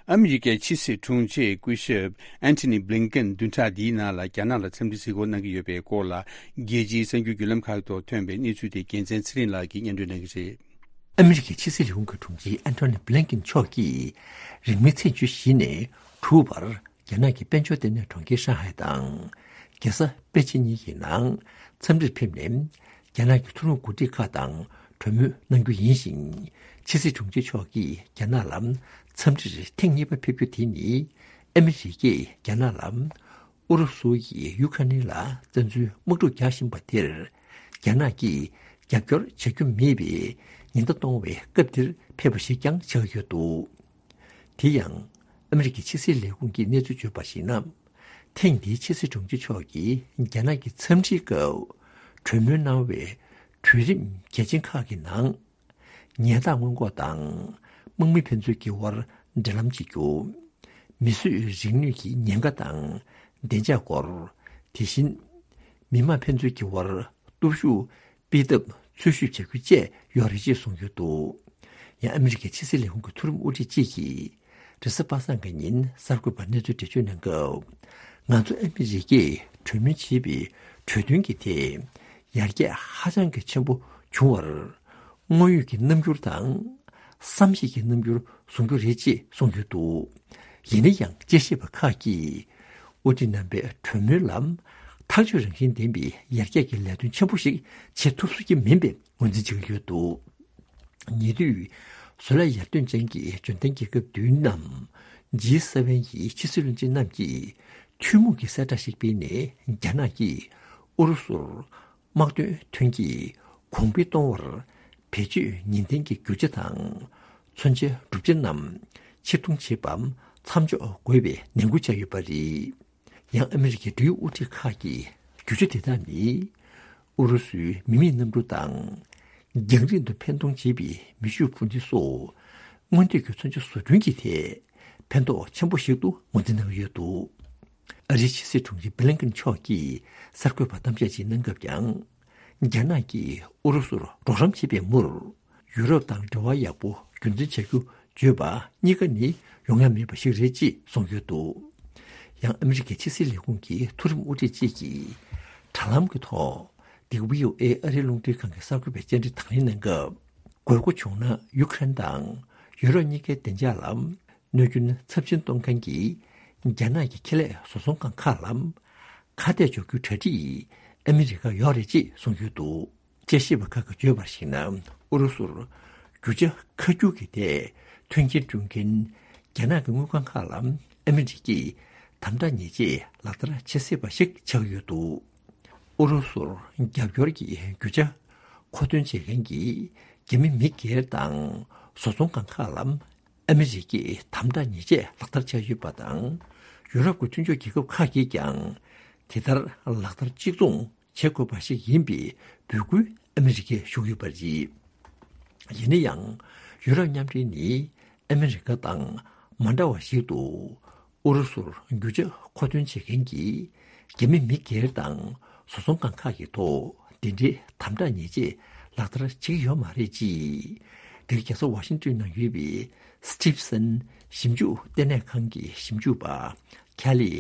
ཨ་མི་རི་ཀའི་ཕྱི་སྲིད་དྲུང་ཆེ་སྐུ་ཞབས་ཨན་ཐོ་ནི་བྷི་ལིན་ཀེན་བདུན་ཕྲག་འདིའི་ནང་ལ་རྒྱ་ནག་ལ་འཚམས་འདྲི་གཟིགས་སྐོར་གནང་གི་ཡོད་པའི་སྐོར་ལ། རྒྱལ་སྤྱིའི་གསར་འགྱུར་བརྒྱུད་ལམ་ཁག་ཐོག་ཐོན་པའི་གནས་ཚུལ་དེ་རྒྱལ་མཚན་ཚེ་རིང་ལགས་ཀྱིས་སྙན་སྒྲོན་གནང་གི་རེད། ཨ་མི་རི་ཀའི་ཕྱི་སྲིད་ལས་ཁུངས་ཀྱི་དྲུང་ཆེ་ཨན་ཐོ་ནི་བྷི་ལིན་ཀེན་མཆོག་གིས་རིང་མིན་ཚེས་བཅུ་བཞི་ནས་དྲུག་བར། རྒྱ་ནག་གི་དཔལ་འབྱོར་ལྟེ་གནས་གྲོང་ཁྱེར་ཧྲང་ཧའེ་དང་། རྒྱལ་ས་པེ་ཅིན་གཉིས་ཀྱི་ནང་འཚམས་འདྲིར་ཕེབས་ནས། རྒྱ་ནག་གི་མཐོ་རིམ་འགོ་ཁྲིད་ཁག་དང་གྲོས་མོལ་གནང་རྒྱུ་ཡིན་ཞིང་། ཕྱི་སྲིད་དྲུང་ཆེ་མཆོག་གིས་རྒྱ་ནག་ལ་འཚམས་འདྲིར་ཐེངས་གཉིས་པ་ཕེབས་རྒྱུ་དེ་ནི། ཨ་མི་རི་ཀས་རྒྱ་ནག་ལ་ཨུ་རུ་སུ་ཡིས་ཡུ་ཁ་ནི་ལ་བཙན་འཛུལ་དམག་འཁྲུག་རྒྱག་བཞིན་པ་དེར། རྒྱ་ནག་གིས་རྒྱབ་སྐྱོར་བྱ་རྒྱུ་མེད་པའི་ཉེན་བརྡ་གཏོང་བའི་སྐབས་དེར་ཕེབས་པ་ཞིག་ཀྱང་ཆགས་ཡོད་འདུག། དེ་ཡང་། ཨ་མི་རི་ཀའི་ཕྱི་སྲིད་ལས་ཁུངས་ཀྱིས་གནས་ཚུལ་བརྗོད་པར་གཞིགས་ན། ཐེངས་འདིའི་ཕྱི་སྲིད་དྲུང་ཆེ་མཆོག་གིས་རྒྱ་ནག་གི་འཚམས་འདྲིའི་སྐབས། གྲོས་མོལ་གནང་བའི་གྲོས་རིམ་གལ་ཆེན་ཁག་གི་ནང་། ཉལ་ཐང་སྔོན་འགོག་དང་། དམག་མི་ཕན་ཚུན་གྱི་དབར་འབྲེལ་ལམ་བྱེད་རྒྱུ། མིས་བཟོས་རིག་ནུས་ཀྱི་ཉེན་ཁ་དང་བདེ་འཇགས་སྐོར། དེ་བཞིན། མི་དམངས་ཕན་ཚུན་གྱི་དབར་སྟོབས་ཤུགས་སྤེལ་ཐབས་འཚོལ་ཞིབ་བྱ་རྒྱུ་བཅས་ཡོད་རེད་ཅེས་གསུངས་ཡོད་འདུག། ཡང་ཨ་མི་རི་ཀའི་ཕྱི་སྲིད་ལས་ཁུངས་ཀྱི་མཐོ་རིམ་དབུ་ཁྲིད་ཅིག་གིས། རེས་གཟའ་པ་སངས་ཀྱི་ཉིན་གསར་འགོད་པར་གནས་ཚུལ་འགྲེལ་བརྗོད་གནང་སྐབས། ང་ཚོ་ཨ་མི་རི་ཀས་གྲོས་མོལ་བྱས་པའི་གྲོས་མཐུན་གྱི་ཐད། ཡར་རྒྱས་ཧ་ཅང་གི་ཆེན་པོ་བྱུང་བར། དངོས་ཡོད་ཀྱི་རྣམ་འགྱུར་དང་། བསམ་ཤེས་ཀྱི་རྣམ་འགྱུར་བཟུང་རྒྱུ་རེད་ཅེས་གསུངས་ཡོད་འདུག། ཡིན་ན་ཡང་དཔྱད་ཞིབ་པ་ཁག་གིས། དབུ་ཁྲིད་རྣམ་པའི་གྲོས་མོལ་ལ། ཐག་གཅོད་རང་བཞིན་ལྡན་པའི་ཡར་རྒྱས་ཀྱི་ལས་དོན་ཆེན་པོ་ཞིག་བྱེད་ཐུབ་སྲིད་ཀྱི་མིན་པའི་ངོས་འཛིན་བྱེད་ཀྱི་ཡོད་འདུག། ཉེ་དུས། བཟོ་ལས་ཡར་ཐོན་ཅན་གྱི་འབྱོར་ལྡན་རྒྱལ་ཁབ་བདུན་ནམ། ཇི་སེ་ཝེན་ཡི་ཕྱི་སྲིད་བློན་ཆེན་རྣམས་ཀྱིས་ཐུན་མོང་གི་གསལ་བསྒྲགས་ཤིག་སྤེལ་ནས། རྒྱ་ནག་གིས་ཨུ་རུ་སུར་དམག་དོན་ཐོན་སྐྱེད་གོང་འཕེལ་གཏོང་བར་བེད་སྤྱོད་ནུས་ལྡན་གྱི་རྒྱུ་ཆ་དང་མཚོན་ཆའི་གྲུབ་ཆ་རྣམས་ཕྱིར་གཏོང་བྱེད་པ་མཚམས་འཇོག་དགོས་པའི་ནན་སྐུལ་བྱས་ཡོད་པ་རེད། ཡང་ཨ་མི་རི་ཀའི་འབྲེལ་ཡོད་དབུ་ཁྲིད་ཁག་གིས་རྒྱུ་ཆ་དེ་དག་ནི། ཨུ་རུ་སུའི་མི་མེད་གནམ་གྲུ་དང་། རྒྱང་རིང་དུ་འཕེན་གཏོང་བྱེད་པའི་མེ་ཤུགས་འཕུར་མདེལ་སོགས། སྔོན་ཐོན་གྱི་མཚོན་ཆ་བཟོ་སྐྲུན་གྱི་ཐད། ཕན་ཐོགས་ཆེན་པོ་ཞིག་ཏུ་ངོས་འཛིན་གནང་ཡོད་འདུག། ཨ་རིའི་ཕྱི་སྲིད་དྲུང་ཆེ་བྷི་ལིན་ཀེན་མཆོག་གིས་གསར་འགོད་པར་གཏམ་བཤད་ཅིག་གནང་སྐབས་ཀྱང་། རྒྱ་ནག་གིས་ཨུ་རུ་སུར་རོགས་རམ་བྱེད་པའི་མུར། ཡུ་རོབ་དང་འབྲེལ་བ་ཡག་པོ་རྒྱུན་འཛིན་བྱ་རྒྱུ་བརྗོད་པ་གཉིས་ཀ་ནི་ཡོང་ཡ་མེད་པ་ཞིག་རེད་ཅེས་གསུངས་ཡོད་འདུག། ཡང་ཨ་མི་རི་ཀའི་ཕྱི་སྲིད་ལས་ཁུངས་ཀྱི་མཐོ་རིམ་དབུ་ཁྲིད་ཅིག་གིས་དྲ་ལམ་གྱི་ཐོག་འདི་ག་བྷི་ཨོ་ཨེ་ཨ་རིའི་རླུང་འཕྲིན་ཁང་གི་གསར་འགོད་པའི་བཅར་འདྲི་དང་ལེན་གནང་སྐབས། དགོས་མཁོ་བྱུང་ན་ཡུ་ཀེ་རེན་དང་ཡུ་རོབ་གཉིས་ཀའི་བདེ་འཇགས་ལ་གནོད་སྐྱོན་ཚབས་ཆེན་གཏོང་མཁན་གྱི་རྒྱ་ནག་གི་ཁེ་ལས་བཟོ་ཚོང་ཁང་ཁག་ལ་ཁ་གཏད་གཅོག་རྒྱུའི་གྲ་སྒྲིག་ཨ་མི་རི་ཀར་ཡོད་རེད་ཅེས་གསུངས་ཡོད་འདུག། དཔྱད་ཞིབ་པ་ཁག་གིས་བརྗོད་པར་གཞིགས་ན། ཨུ་རུ་སུར་རྒྱུ་ཆ་ཁ་སྒྱུར་གྱི་ཐད་མཐུན་རྐྱེན་བསྐྲུན་མཁན་རྒྱ་ནག་གི་དངུལ་ཁང་ཁག་ལ་ཨ་མི་རི་ཀས་དམ་དྲག་ཉེས་ཆད་ལག་བསྟར་བྱེད་སྲིད་པ་ཞིག་ཆགས་ཡོད་འདུག། ཨུ་རུ་སུར་རྒྱབ་སྐྱོར་གྱི་རྒྱུ་ཆ་ མཁོ་འདོན་བྱེད་མཁན་གྱི་རྒྱ་མི་མི་སྒེར་དང་བཟོ་ཚོང་ཁང་ཁག་ལ་ཨ་མི་རི་ཀས་དམ་དྲག་ཉེས་ཆད་ལག་བསྟར་བྱས་ཡོད་པ་དང་། ཡུ་རོབ་ཀྱི་མཐུན་ཕྱོགས་རྒྱལ་ཁབ་ཁག་གིས་ཀྱང་དེ་ལྟར་ལག་བསྟར་གཅིག་མཚུངས་བྱེད་དགོས་པ་ཞིག་ཡིན་པའི་འབོད་སྐུལ་ཨ་མི་རི་ཀས་ཞུས་ཡོད་པ་རེད། ཡིན་ན་ཡང་། ཡུ་རོབ་མཉམ་འབྲེལ་ནི་ཨ་མི་རི་ཀ་དང་མ་འདྲ་བ་ཞིག་ཏུ། ཨུ་རུ་སུར་རྒྱུ་ཆ་མཁོ་འདོན་བྱེད་མཁན་གྱི་རྒྱ་མི་མི་སྒེར་དང་བཟོ་ཚོང་ཁང་ཁག་གི་ཐོག་དེ་འདྲའི་དམ་དྲག་ཉེས་ཆད་ལག་བསྟར་བྱེད་ཀྱི་ཡོད་མ་རེད་ཅེས། འདིར་རྒྱལ་ས་ཝ་ཤིང་ཏོན་ནང་ཡོད་པའི་སི་ཊི་བི་སན་ཞིབ་འཇུག་ལྟེ་གནས་ཁང་གི་ཞིབ་འཇུག་པ་ཁེ་ལི་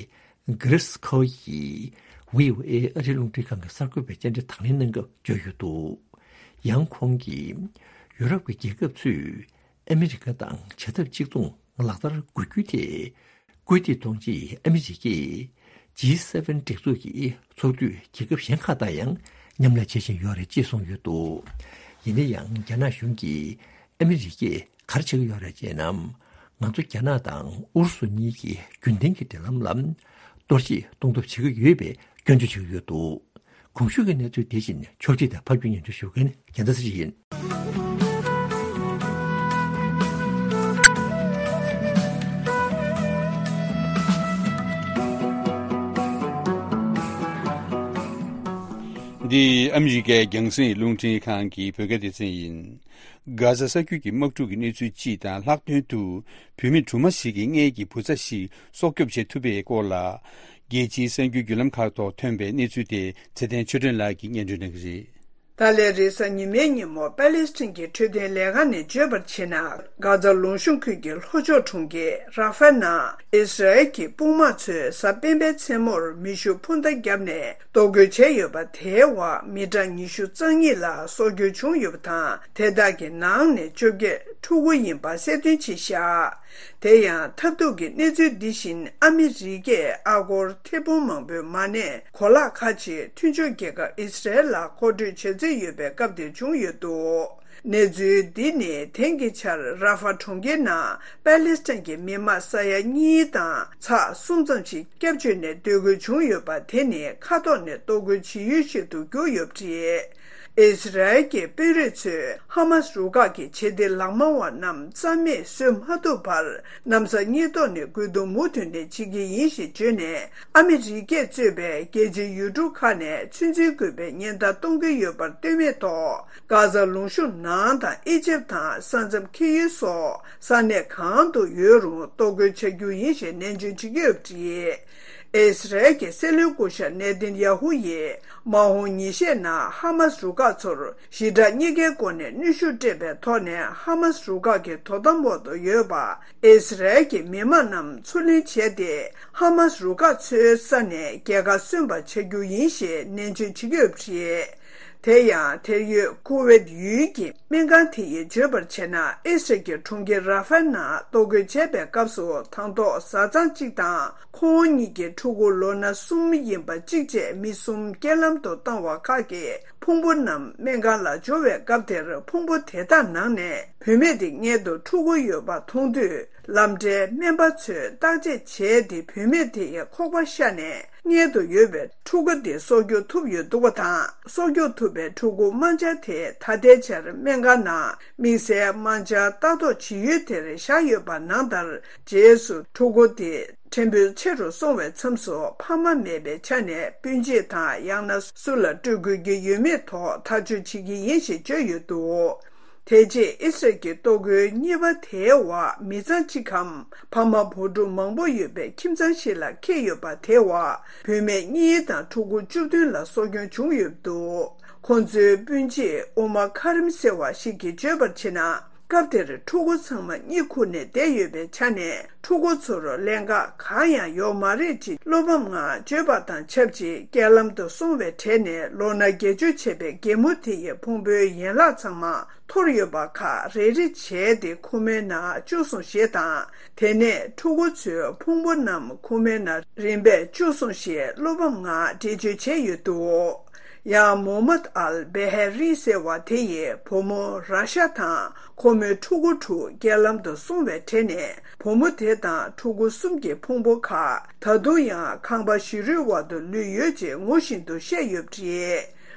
གྷི་རིས་ཁོ་ཡིས་བྷི་ཨོ་ཨེ་ཨ་རིའི་རླུང་འཕྲིན་ཁང་གི་གསར་འགོད་པའི་བཅར་འདྲི་དང་ལེན་གནང་སྐབས་བརྗོད་ཡོད་འདུག། ཡང་ཁོང་གིས་ཡུ་རོབ་ཀྱི་རྒྱལ་ཁབ་ཚོས་ཨ་མི་རི་ཀ་དང་བྱ་ཐབས་གཅིག་མཚུངས་ལག་བསྟར་དགོས་རྒྱུ་དེ་སྐུལ་འདེད་གཏོང་ཆེད་ཨ་མི་རི་ཀས་ཇི་སེ་ཝེན་སྒྲིག་འཛུགས་ཀྱི་ཚོགས་འཐུས་རྒྱལ་ཁབ་གཞན་ཁག་དང་ཡང་མཉམ་ལས་བྱེད་བཞིན་ཡོད་རེད་ཅེས་གསུངས་ཡོད་འདུག། ཡིན་ན་ཡང་རྒྱ་ནག་གཞུང་གིས་ཨ་མི་རི་ཀས་ག་རེ་བྱེད་ཀྱི་ཡོད་རེད་ཅེ་ན། ང་ཚོ་རྒྱ་ནག་དང་ཨུ་རུ་སུ་གཉིས་ཀྱི་རྒྱུན་ལྡན་གྱི་འབྲེལ་ལམ་ལ་གཏོར་བཤིག་གཏོང་ཐབས་བྱེད་ཀྱི་ཡོད་པའི་སྐྱོན་བརྗོད་བྱེད་ཀྱི་ཡོད་འདུག། གོང་ཞུས་ཀྱི་གནས་ཚུལ་དེ་བཞིན་ཕྱོགས་སྒྲིག་དང་ཕབ་སྒྱུར་སྙན་སྒྲོན་ཞུ་མཁན་རྒྱལ་མཚན་ཚེ་རིང་ཡིན། འདི་ཨ་མི་རི་ཀའི་རྒྱང་སྲིང་རླུང་འཕྲིན་ཁང་གི་བོད་སྐད་སྡེ་ཚན་ཡིན། གྷ་ཟ་ས་རྒྱུད་ཀྱི་དམག་འཁྲུག་གི་གནས་ཚུལ་སྤྱི་དང་ལྷག་དོན་དུ་བུད་མེད་སྦྲུམ་མ་ཞིག་གི་མངལ་གྱི་བུ་ཚ་ཞིག་སྲོག་སྐྱོབ་བྱེད་ཐུབ་པའི་སྐོར་ལ། རྒྱལ་སྤྱིའི་གསར་འགྱུར་བརྒྱུད་ལམ་ཁག་ཐོག་ཐོན་པའི་གནས་ཚུལ་དེ་ཚེ་བརྟན་ཆོས་སྒྲོན་ལགས་ཀྱིས་སྙན་སྒྲོན་གནང་གི་རེད། ད་ལན་རེས་གཟའ་ཉི་མའི་ཉིན་མོ་པ་ལེ་སི་ཐན་གྱི་འཕྲོད་བསྟེན་ལས་ཁང་ནས་བརྗོད་པར་བྱས་ན། གྷ་ཛ་ལུང་གཤོང་ཁུལ་གྱི་ལྷོ་ཕྱོགས་གྲོང་ཁྱེར་ར་ཧྥ་ནང་ཨིས་ར་ཨེལ་གྱི་དཔུང་དམག་ཚོས་གཟའ་སྤེན་པའི་མཚན་མོར་མེ་ཤུགས་འཕུར་མདའ་བརྒྱབ་ནས་གཏོར་རྒོལ་བྱས་ཡོད་པ། དེའི་འོག་མི་གྲངས་ཉི་ཤུ་རྩ་གཉིས་ལ་སྲོག་སྐྱོན་བྱུང་ཡོད་པ་དང་། དེ་དག་གི་ནང་ནས་བཅོ་བརྒྱད་ཕྲུ་གུ་ཡིན་པ་གསལ་སྟོན་བྱས་བཞག། དེ་ཡང་ཐབས་སྡུག་གི་གནས་ཚུལ་འདི་བཞིན་ཨ་མི་རི་ཀས་ཨ་སྒོར་ཐེར་འབུམ་མང་པོའི་མ་གནས་གོ་ལག་ཁག་ཅིག་མཐུན་ཕྱོགས་རྒྱལ་ཁབ་ཨི་སི་རལ་ལ་མཁོ་སྤྲོད་བྱེད་རྩིས་ཡོད་པའི་སྐབས་དེར་བྱུང་ཡོད་འདུག། གནས་ཚུལ་འདི་ནི་དེང་གི་ཆར་ར་ཧྥ་གྲོང་ཁྱེར་ནང་པ་ལེ་སི་ཐན་གྱི་མི་མང་ས་ཡ་གཉིས་དང་ཚེག་གསུམ་ཙམ་ཞིག་སྐྱབས་བཅོལ་ནས་སྡོད་དགོས་བྱུང་ཡོད་པ། དེ་ནི་མཁའ་ཐོག་ནས་གཏོར་རྒོལ་བྱེད་ཡུལ་ཞིག་ཏུ་གྱུར་ཡོད་པ་རེད། ཨི་སི་རལ་གྱི་དཔོན་རིགས་ཚོས་ཧ་མ་སི་རུ་ཁག་གི་བྱེད་གཏེ་ལག་དམར་བ་རྣམས་རྩ་མེད་བཟོ་མ་ཐུབ་པར་གནམ་ས་སྙིགས་དོར་ནས་རྒུད་འཐུང་མུ་མཐུད་ནས་བྱེད་ཀྱི་ཡིན་ཞེས་བརྗོད་ནས། ཨ་མི་རི་ཀས་གཙོས་པའི་རྒྱལ་སྤྱིའི་ཡུལ་གྲུ་ཁག་ནས་ཚོད་འཛིན་དགོས་པའི་ཉེན་བརྡ་གཏོང་གི་ཡོད་པར་ལྟོས་མེད་ཐོག་གྷ་ཟ་ལུང་གཤོང་ནང་དང་ཨི་ཇེབ་དང་ས་མཚམས་འཁེལ་ཡུལ་སོགས་ས་གནས་གང་དུ་ཡོད་རུང་གཏོར་རྒོལ་བྱ་རྒྱུ་ཡིན་ཞེས་ནན་བརྗོད་བྱེད་ཀྱི་ཡོད་པ་རེད། ཨི་སི་རལ་གྱི་སྲིད་བློན་སྐུ་ཞབས་ནེ་ཐན་ཡ་ཧུ་ཡིས་མ་འོངས་ཉིན་ཤས་ནང་ཧ་མ་སི་རུ་ཁག་ཚོར་ཞི་དྲག་གཉིས་ཀའི་སྒོ་ནས་གནོན་ཤུགས་སྤྲད་པའི་ཐོག་ནས་ཧ་མ་སི་རུ་ཁག་གི་དོ་དམ་འོག་ཏུ་ཡོད་པ་ཨི་སི་རལ་གྱི་མི་མང་རྣམས་ཚུར་ལེན་བྱས་ཏེ། ཧ་མ་སི་རུ་ཁག་ཚོའི་ས་ནས་རྒྱལ་ཁ་སོན་པ་བྱ་རྒྱུ་ཡིན་ཞེས་ནན་བརྗོད་བྱེད་ཀྱི་ཡོད་པ་རེད། དེ་ཡང་། དེར་ཡོད་ཀུ་ཝེད་ཡུལ་གྱི་སྨན་ཁང་དེ་ཡིས་བརྗོད་པར་བྱས་ན། ཨི་སི་རལ་གྱི་གྲོང་ཁྱེར་ར་ཧྥ་ནང་གཏོར་རྒོལ་བྱས་པའི་སྐབས་སུ། དང་ཐོག་བཟའ་ཚང་གཅིག་དང་ཁོང་གཉིས་ཀྱི་ཕྲུ་གུ་ལོ་ན་གསུམ་ཡིན་པ་གཅིག་བཅས་མི་གསུམ་རྐྱེན་ལམ་དུ་བཏང་བ་ཁག་གི་ཕུང་པོ་རྣམས་སྨན་ཁང་ལ་འབྱོར་བའི་སྐབས་དེར། ཕུང་པོ་དེ་དག་ནང་ནས་བུད་མེད་དེ་མངལ་དུ་ཕྲུ་གུ་ཡོད་པ་མཐོང་དུས། ལམ་འབྲས་སྨན་པ་ཚོས་བརྟག་དཔྱད་བྱས་ཏེ། བུད་མེད་དེ་ཡི་ཁོག་པ་ཤ་ནས་མངལ་དུ་ཡོད་པའི་ཕྲུ་གུ་དེ་སྲོག་སྐྱོབ་ཐུབ་ཡོད་འདུག་པ་དང་། སྲོག་སྐྱོབ་ཐུབ་པའི་ཕྲུ་གུ་རྨ་བྱ་དེ་ད་ལྟའི་ཆར་སྨན་ཁང་ནང་དམིགས་བསལ་རྨ་བྱ་ལྟ་རྟོག་བྱེད་ཡུལ་དེར་བཞག་ཡོད་པ་ནང་ལྟར། རྗེས་སུ་ཕྲུ་གུ་དེ་ཕྲན་བུ་ཆེ་རུ་སོང་བའི་མཚམས་སུ། ཕ་མ་མེད་པའི་ཆ་ནས་སྤུན་མཆེད་དང་། ཡང་ན་སུ་ལ་སྤྲོད་དགོས་ཀྱི་ཡོད་མེད་ཐོག་ཐག་གཅོད་བྱེད་ཀྱི་ཡིན་ཞེས་བརྗོད་ཡོད་འདུག། དེ་རྗེས་ཨི་སི་རལ་གྱི་གཏོར་རྒོལ་གཉིས་པ་དེའི་འོག་མི་ཚང་གཅིག་གམ་ཕ་མ་བུ་ཕྲུག་མང་པོ་ཡོད་པའི་ཁྱིམ་ཚང་ཞིག་ལ་འཁེལ་ཡོད་པ། དེའི་འོག་བུད་མེད་གཉིས་དང་ཕྲུ་གུ་བཅུ་བདུན་ལ་སྲོག་སྐྱོན་བྱུང་ཡོད་འདུག། ཁོང་ཚོའི་སྤུན་མཆེད་ཨུ་མ་ཁ་རིམ་ཟེར་བ་ཞིག་གིས་བརྗོད་པར་བྱས་ན། སྐབས་དེར་ཕྲུ་གུ་ཚང་མ་གཉིད་ཁུག་ནས་བསྡད་ཡོད་པའི་ཆ་ནས། ཕྲུ་གུ་ཚོར་ཀླན་ཀ་གང་ཡང་ཡོད་མ་རེད་ཅེས་བློ་ཕམ་ངང་བརྗོད་པ་དང་ཆབས་ཅིག། རྐྱེན་ལམ་དུ་སོང་བའི་གྲས་ནས་ལོ་ན་བརྒྱད་ཅུ་བྱས་པའི་རྒན་མོ་དེ་ཡི་ཕུང་པོའི་ཡན་ལག་ཚང་མ་འཐོར་ཡོད་པ་ཁག་རེ་རེ་བྱས་ཏེ་ཁུག་མའི་ནང་བཅུག་སོང་ཞེས་དང་། དེ་ནས་ཕྲུ་གུ་ཚོའི་ཕུང་པོ་རྣམས་ཁུག་མའི་ནང་རིམ་པས་བཅུག་སོང་ཞེས་བློ་ཕམ་ངང་འགྲེལ་བརྗོད་བྱས་ཡོད་འདུག། ཡང་མོ་མད་ཨལ་བེ་ཧེ་རི་ཟེར་བ་དེ་ཡི་བུ་མོ་ར་ཤ་དང་ཁོ་མོའི་ཕྲུ་གུ་དྲུག་རྐྱེན་ལམ་དུ་སོང་བའི་གྲས་ནས། བུ་མོ་དེ་དང་ཕྲུ་གུ་གསུམ་གྱི་ཕུང་པོ་ཁག་ད་དུང་ཡང་ཁང་པ་ཞིག་རུའི་འོག་ཏུ་ལུས་ཡོད་ཅེས་ངོ་ཤེས་འདུག་བཤད་ཡོད་པ་རེད།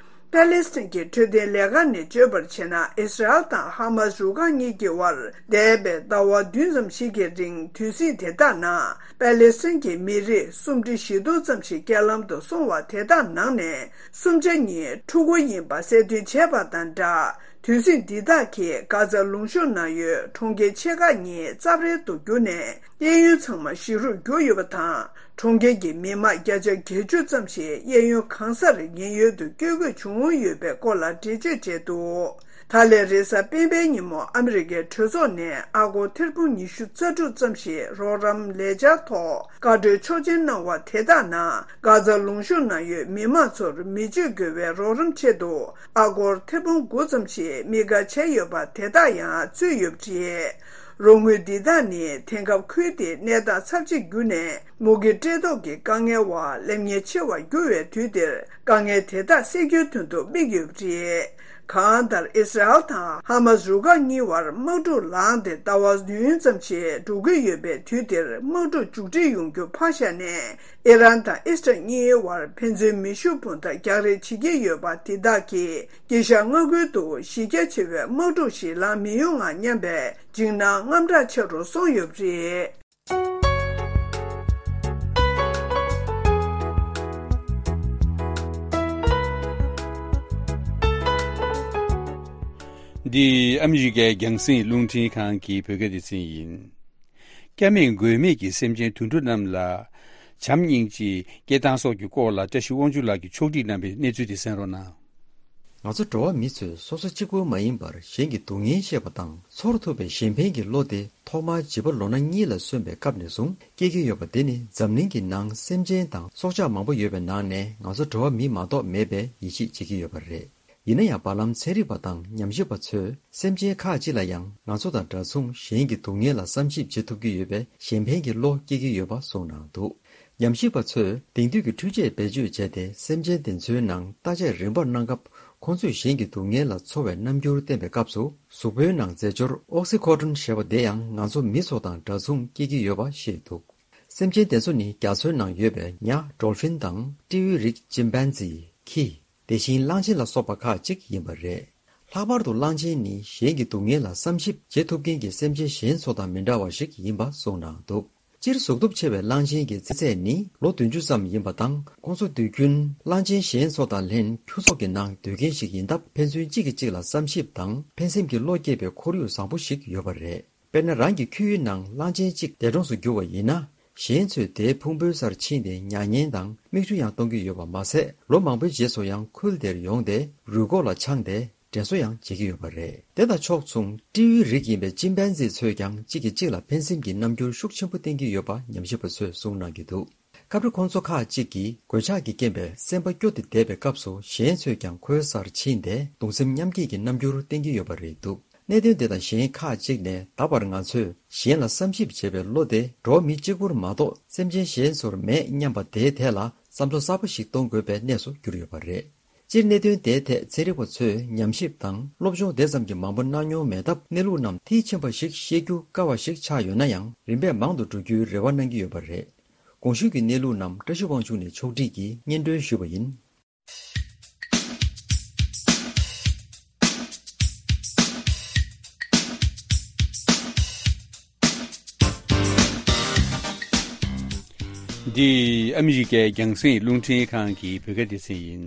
པེ་ལེ་སི་ཐན་གྱི་འཕྲོད་བསྟེན་ལས་ཁང་ནས་བརྗོད་པར་བྱས་ན། ཨི་སི་རལ་དང་ཧ་མ་སི་རུ་ཁག་གཉིས་ཀྱི་དབར་འདས་པའི་ཟླ་བ་བདུན་ཙམ་ཞིག་གི་རིང་དུས་ཟིང་དེ་དག་ནང་པེ་ལེ་སི་ཐན་གྱི་མི་རིགས་སུམ་ཁྲི་བཞི་སྟོང་ཙམ་ཞིག་རྐྱེན་ལམ་དུ་སོང་བ་དེ་དག་ནང་ནས་སུམ་ཆ་གཉིས་ཕྲུ་གུ་ཡིན་པ་གསལ་སྟོན་བྱས་པ་དང་སྦྲགས། དུས་ཟིང་འདི་དག་གིས་གྷ་ཛ་ལུང་གཤོང་ནང་ཡོད་གྲོང་ཁྱེར་ཆེ་ཁག་གཉིས་རྩབ་ཧྲལ་དུ་གྱུར་ནས། གཡས་གཡོན་ཚང་མ་ཞིག་རུ་གྱུར་ཡོད་པ་དང་། གྲོང་ཁྱེར་གྱི་མི་མང་བརྒྱ་ཆ་བརྒྱད་ཅུ་ཙམ་ཞིག་གཡས་གཡོན་གང་སར་ཉེན་གཡོལ་དུ་བསྐྱོད་དགོས་བྱུང་ཡོད་པའི་སྐོར་ལ་འགྲེལ་བརྗོད་བྱས་འདུག་ད་ལན་རེས་གཟའ་སྤེན་པའི་ཉིན་མོ་ཨ་མི་རི་ཀའི་གྲོས་ཚོགས་ནས་ཨ་སྒོར་ཐེར་འབུམ་ཉི་ཤུ་རྩ་དྲུག་ཙམ་ཞིག་རོགས་རམ་ལས་འཆར་ཐོག་བཀའ་འཁྲོལ་ཆོག་མཆན་གནང་བ་དེ་དག་ནང་གྷ་ཛ་ལུང་གཤོང་ནང་ཡོད་མི་མང་ཚོར་མི་སྤྱོད་དགོས་པའི་རོགས་རམ་ཆེད་དུ་ཨ་སྒོར་ཐེར་འབུམ་དགུ་ཙམ་ཞིག་དམིགས་བཀར་བྱས་ཡོད་པ་དེ་དག་ཡང་ཚུད་ཡོད་པ་རེད། རོགས་དངུལ་འདི་དག་ནི་དེང་སྐབས་ཁུལ་དེའི་གནས་སྟངས་ཚབས་ཆེར་གྱུར་ནས། མུ་གེ་བཀྲེས་ལྟོགས་ཀྱི་དཀའ་ངལ་བ་སླེབས་ཉེན་ཆེ་བར་གྱུར་བའི་དུས་འདིར། དཀའ་ངལ་དེ་དག་སེལ་རྒྱུའི་དོན་དུ་དམིགས་ཡོད་པ་རེད། གང་ལྟར། ཨི་སི་རལ་དང་ཧ་མ་སི་རུ་ཁག་གཉིས་བར་དམག་འཁྲུག་ལངས་ཏེ་ཟླ་བ་བདུན་ཙམ་ཞིག་འགྲོ་གི་ཡོད་པའི་དུས་འདིར། དམག་འཁྲུག་མཇུག་སྒྲིལ་ཡོང་རྒྱུ་ཕར་བཞག་ནས། ཨི་རན་དང་ཨི་སི་རལ་གཉིས་བར་ཕན་ཚུན་མེ་ཤུགས་འཕུར་མདའ་རྒྱག་རེས་བྱེད་ཀྱི་ཡོད་པ་འདི་དག་གིས། དཀྱིལ་ཤར་མངའ་ཁུལ་དུ་གཞི་རྒྱ་ཆེ་བའི་དམག་འཁྲུག་ཞིག་ལངས་མི་ཡོང་ངམ་སྙམ་པའི་འཇིགས་སྣང་དངངས་སྐྲག་ཆེ་རུ་སོང་ཡོད་པ་རེད། འདི་ཨ་མི་རི་ཀའི་རྒྱང་སྲིང་རླུང་འཕྲིན་ཁང་གི་བོད་སྐད་སྡེ་ཚན་ཡིན། སྐྱབས་མེད་མགོན་མེད་ཀྱི་སེམས་ཅན་དུད་འགྲོ་རྣམས་ལ། བྱམས་སྙིང་རྗེ། སྐྱེ་སྟངས་སོགས་ཀྱི་སྐོར་ལ་བཀྲ་ཤིས་དབང་ཕྱུག་ལགས་ཀྱིས་ཕྱོགས་སྒྲིག་གནང་པའི་གནས་ཚུལ་དེ་གསན་རོགས་གནང་། ང་ཚོ་འགྲོ་བ་མི་ཚོས་སོ་སོ་གཅིག་པུ་མ་ཡིན་པར་གཞན་གྱི་སྡུག་བསྔལ་ཤེས་པ་དང་། ཚོར་ཐུབ་པའི་གཞན་ཕན་གྱི་བློ་དེ་ཐོག་མར་བྱིས་པ་ལོ་ན་གཉིས་ལ་སོན་པའི་སྐབས་ནས་བཟུང་སྐྱེ་གི་ཡོད་པ་དེ་ནི། འཛམ་གླིང་གི་ནང་སེམས་ཅན་དང་སྲོག་ཆགས་མང་པོ་ཡོད་པའི་ནང་ནས་ང་ཚོ་འགྲོ་བ་མི་མ་གཏོགས་མེད་པའི་ཡིད་ཆེས་བྱེད་ཀྱི་ཡོད་པ་རེད། ཡིན་ན་ཡང་། བར་ལམ་ཚན་རིག་པ་དང་ཉམས་ཞིབ་པ་ཚོས་སེམས་ཅན་ཁག་ཅིག་ལ་ཡང་ང་ཚོ་དང་འདྲ་མཚུངས་གཞན་གྱི་སྡུག་བསྔལ་ལ་བསམ་ཞིབ་བྱེད་ཐུབ་ཀྱི་ཡོད་པའི་གཞན་ཕན་གྱི་བློ་སྐྱེ་གི་ཡོད་པ་གསུངས་གནང་འདུག་ཉམས་ཞིབ་པ་ཚོས་དེང་དུས་ཀྱི་འཕྲུལ་ཆས་བེད་སྤྱོད་བྱས་ཏེ། སེམས་ཅན་དེ་ཚོའི་ནང་བརྟག་དཔྱད་རིམ་པར་གནང་སྐབས། ཁོང་ཚོས་གཞན་གྱི་སྡུག་བསྔལ་ལ་ཚོར་བའི་རྣམ་འགྱུར་བསྟན་པའི་སྐབས་སུ། གཟུགས་པོའི་ནང་རྫས་སྦྱོར་ཨོག་སི་ཁོ་ཊོན་ཞེས་པ་དེ་ཡང་ང་ཚོ་མི་ཚོ་དང་འདྲ་མཚུངས་སྐྱེ་གི་ཡོད་པ་བཤད་འདུག་སེམས་ཅན་དེ་ཚོ་ནི་རྒྱ་མཚོའི་ནང་ཡོད་པའི་ཉ། ཌོལ་ཕིན་དང་སྤྲེའུའི་རིགས་ཅིམ་པན་ཛི། ཁྱི། དེ་བཞིན་གླང་ཆེན་ལ་སོགས་པ་ཁག་ཅིག་ཡིན་པ་རེད། ལྷག་པར་དུ་གླང་ཆེན་ནི་གཞན་གྱི་སྡུག་བསྔལ་ལ་བསམ་ཞིབ་བྱེད་ཐུབ་མཁན་གྱི་སེམས་ཅན་གཞན་ཚོ་དང་མི་འདྲ་བ་ཞིག་ཡིན་པ་གསུངས་གནང་འདུག་སྤྱིར་གཟུགས་སྟོབས་ཆེ་བའི་གླང་ཆེན་གྱི་རྩིས་ཚད་ནི་ལོ་བདུན་ཅུ་ཙམ་ཡིན་པ་དང་། ཁོང་ཚོ་དུས་རྒྱུན་གླང་ཆེན་གཞན་ཚོ་དང་ལྷན་ཁྱུ་ཚོགས་ཀྱི་ནང་སྡོད་མཁན་ཞིག་ཡིན་སྟབས། ཕན་ཚུན་གཅིག་གིས་གཅིག་ལ་བསམ་ཞིབ་དང་ཕན་སེམས་ཀྱི་བློ་སྐྱེད་པའི་ཁོར་ཡུག་བཟང་པོ་ཞིག་ཡོད་པ་རེད། དཔེར་ན། རང་གི་ཁྱིའི་ནང་གླང་ཆེན་གཅིག་འདས་གྲོངས་སུ་གྱུར་བ་ཡིན་ན། གཞན་ཚོས་དེའི་ཕུང་པོའི་སར་ཕྱིན་ཏེ་མྱ་ངན་དང་མིག་ཆུ་ཡང་གཏོང་གི་ཡོད་པ་མ་ཟད། ལོ་མང་པོའི་རྗེས་སུ་ཡང་ཁུལ་དེར་ཡོང་སྟེ་རུས་ཁོག་ལ་འཆང་སྟེ་དྲན་གསོ་ཡང་བྱེད་ཀྱི་ཡོད་པ་རེད། དེ་དང་ཕྱོགས་མཚུངས། སྤྲེའུའི་རིགས་ཡིན་པའི་ཅིམ་པན་ཛི་ཚོས་ཀྱང་གཅིག་གིས་གཅིག་ལ་ཕན་སེམས་ཀྱི་རྣམ་འགྱུར་ཤུགས་ཆེན་པོ་བསྟན་གྱི་ཡོད་པ་ཉམས་ཞིབ་པ་ཚོས་གསུངས་གནང་གི་འདུག་སྐབས་རེ་ཁོང་ཚོ་ཁག་ཅིག་གིས་གོད་ཆག་གི་རྐྱེན་པས་སེམས་པ་སྐྱོ་སྟེ་བསྡད་པའི་སྐབས་སུ། གཞན་ཚོས་ཀྱང་ཁོའི་སར་ཕྱིན་ཏེ་གདུང་སེམས་མཉམ་སྐྱེད་ཀྱི་རྣམ་འགྱུར་བསྟན་གྱི་ཡོད་པ་རེད་འདུག་གནད་དོན་དེ་དང་གཞན་ཁག་ཅིག་ནས། ད་བར་ང་ཚོས་གཞན་ལ་བསམ་ཞིབ་བྱེད་པའི་བློ་དེ་འགྲོ་བ་མི་གཅིག་པུར་མ་གཏོགས་སེམས་ཅན་གཞན་ཚོར་མེད་སྙམ་པ་དེའི་ཐད་ལ་བསམ་བློ་གསར་པ་ཞིག་གཏོང་དགོས་པའི་གནས་སུ་གྱུར་ཡོད་པ་རེད། སྤྱིར་གནད་དོན་དེའི་ཐད་ཚན་རིག་པ་ཚོས་ཉམས་ཞིབ་དང་སློབ་སྦྱོང་དེ་ཙམ་གྱིས་མང་པོ་གནང་མྱོང་མེད་སྟབས། གནས་ལུགས་རྣམས་མཐིལ་ཕྱིན་པ་ཞིག་ཤེས་རྒྱུ་དཀའ་བ་ཞིག་ཆགས་ཡོད་ན་ཡང་། རིམ་པས་མང་དུ་འགྲོ་རྒྱུའི་རེ་བ་གནང་གི་ཡོད་པ་རེད། གོང་ཞུས་ཀྱི་གནས་ལུགས་རྣམས་བཀྲ་ཤིས་དབང་ཕྱུག་ནས་ཕྱོགས་སྒྲིག་གིས་སྙན་སྒྲོན་ཞུས་པ་ཡིན། འདི་ཨ་མི་རི་ཀའི་རྒྱང་སྲིང་རླུང་འཕྲིན་ཁང་གི་བོད་སྐད་སྡེ་ཚན་ཡིན།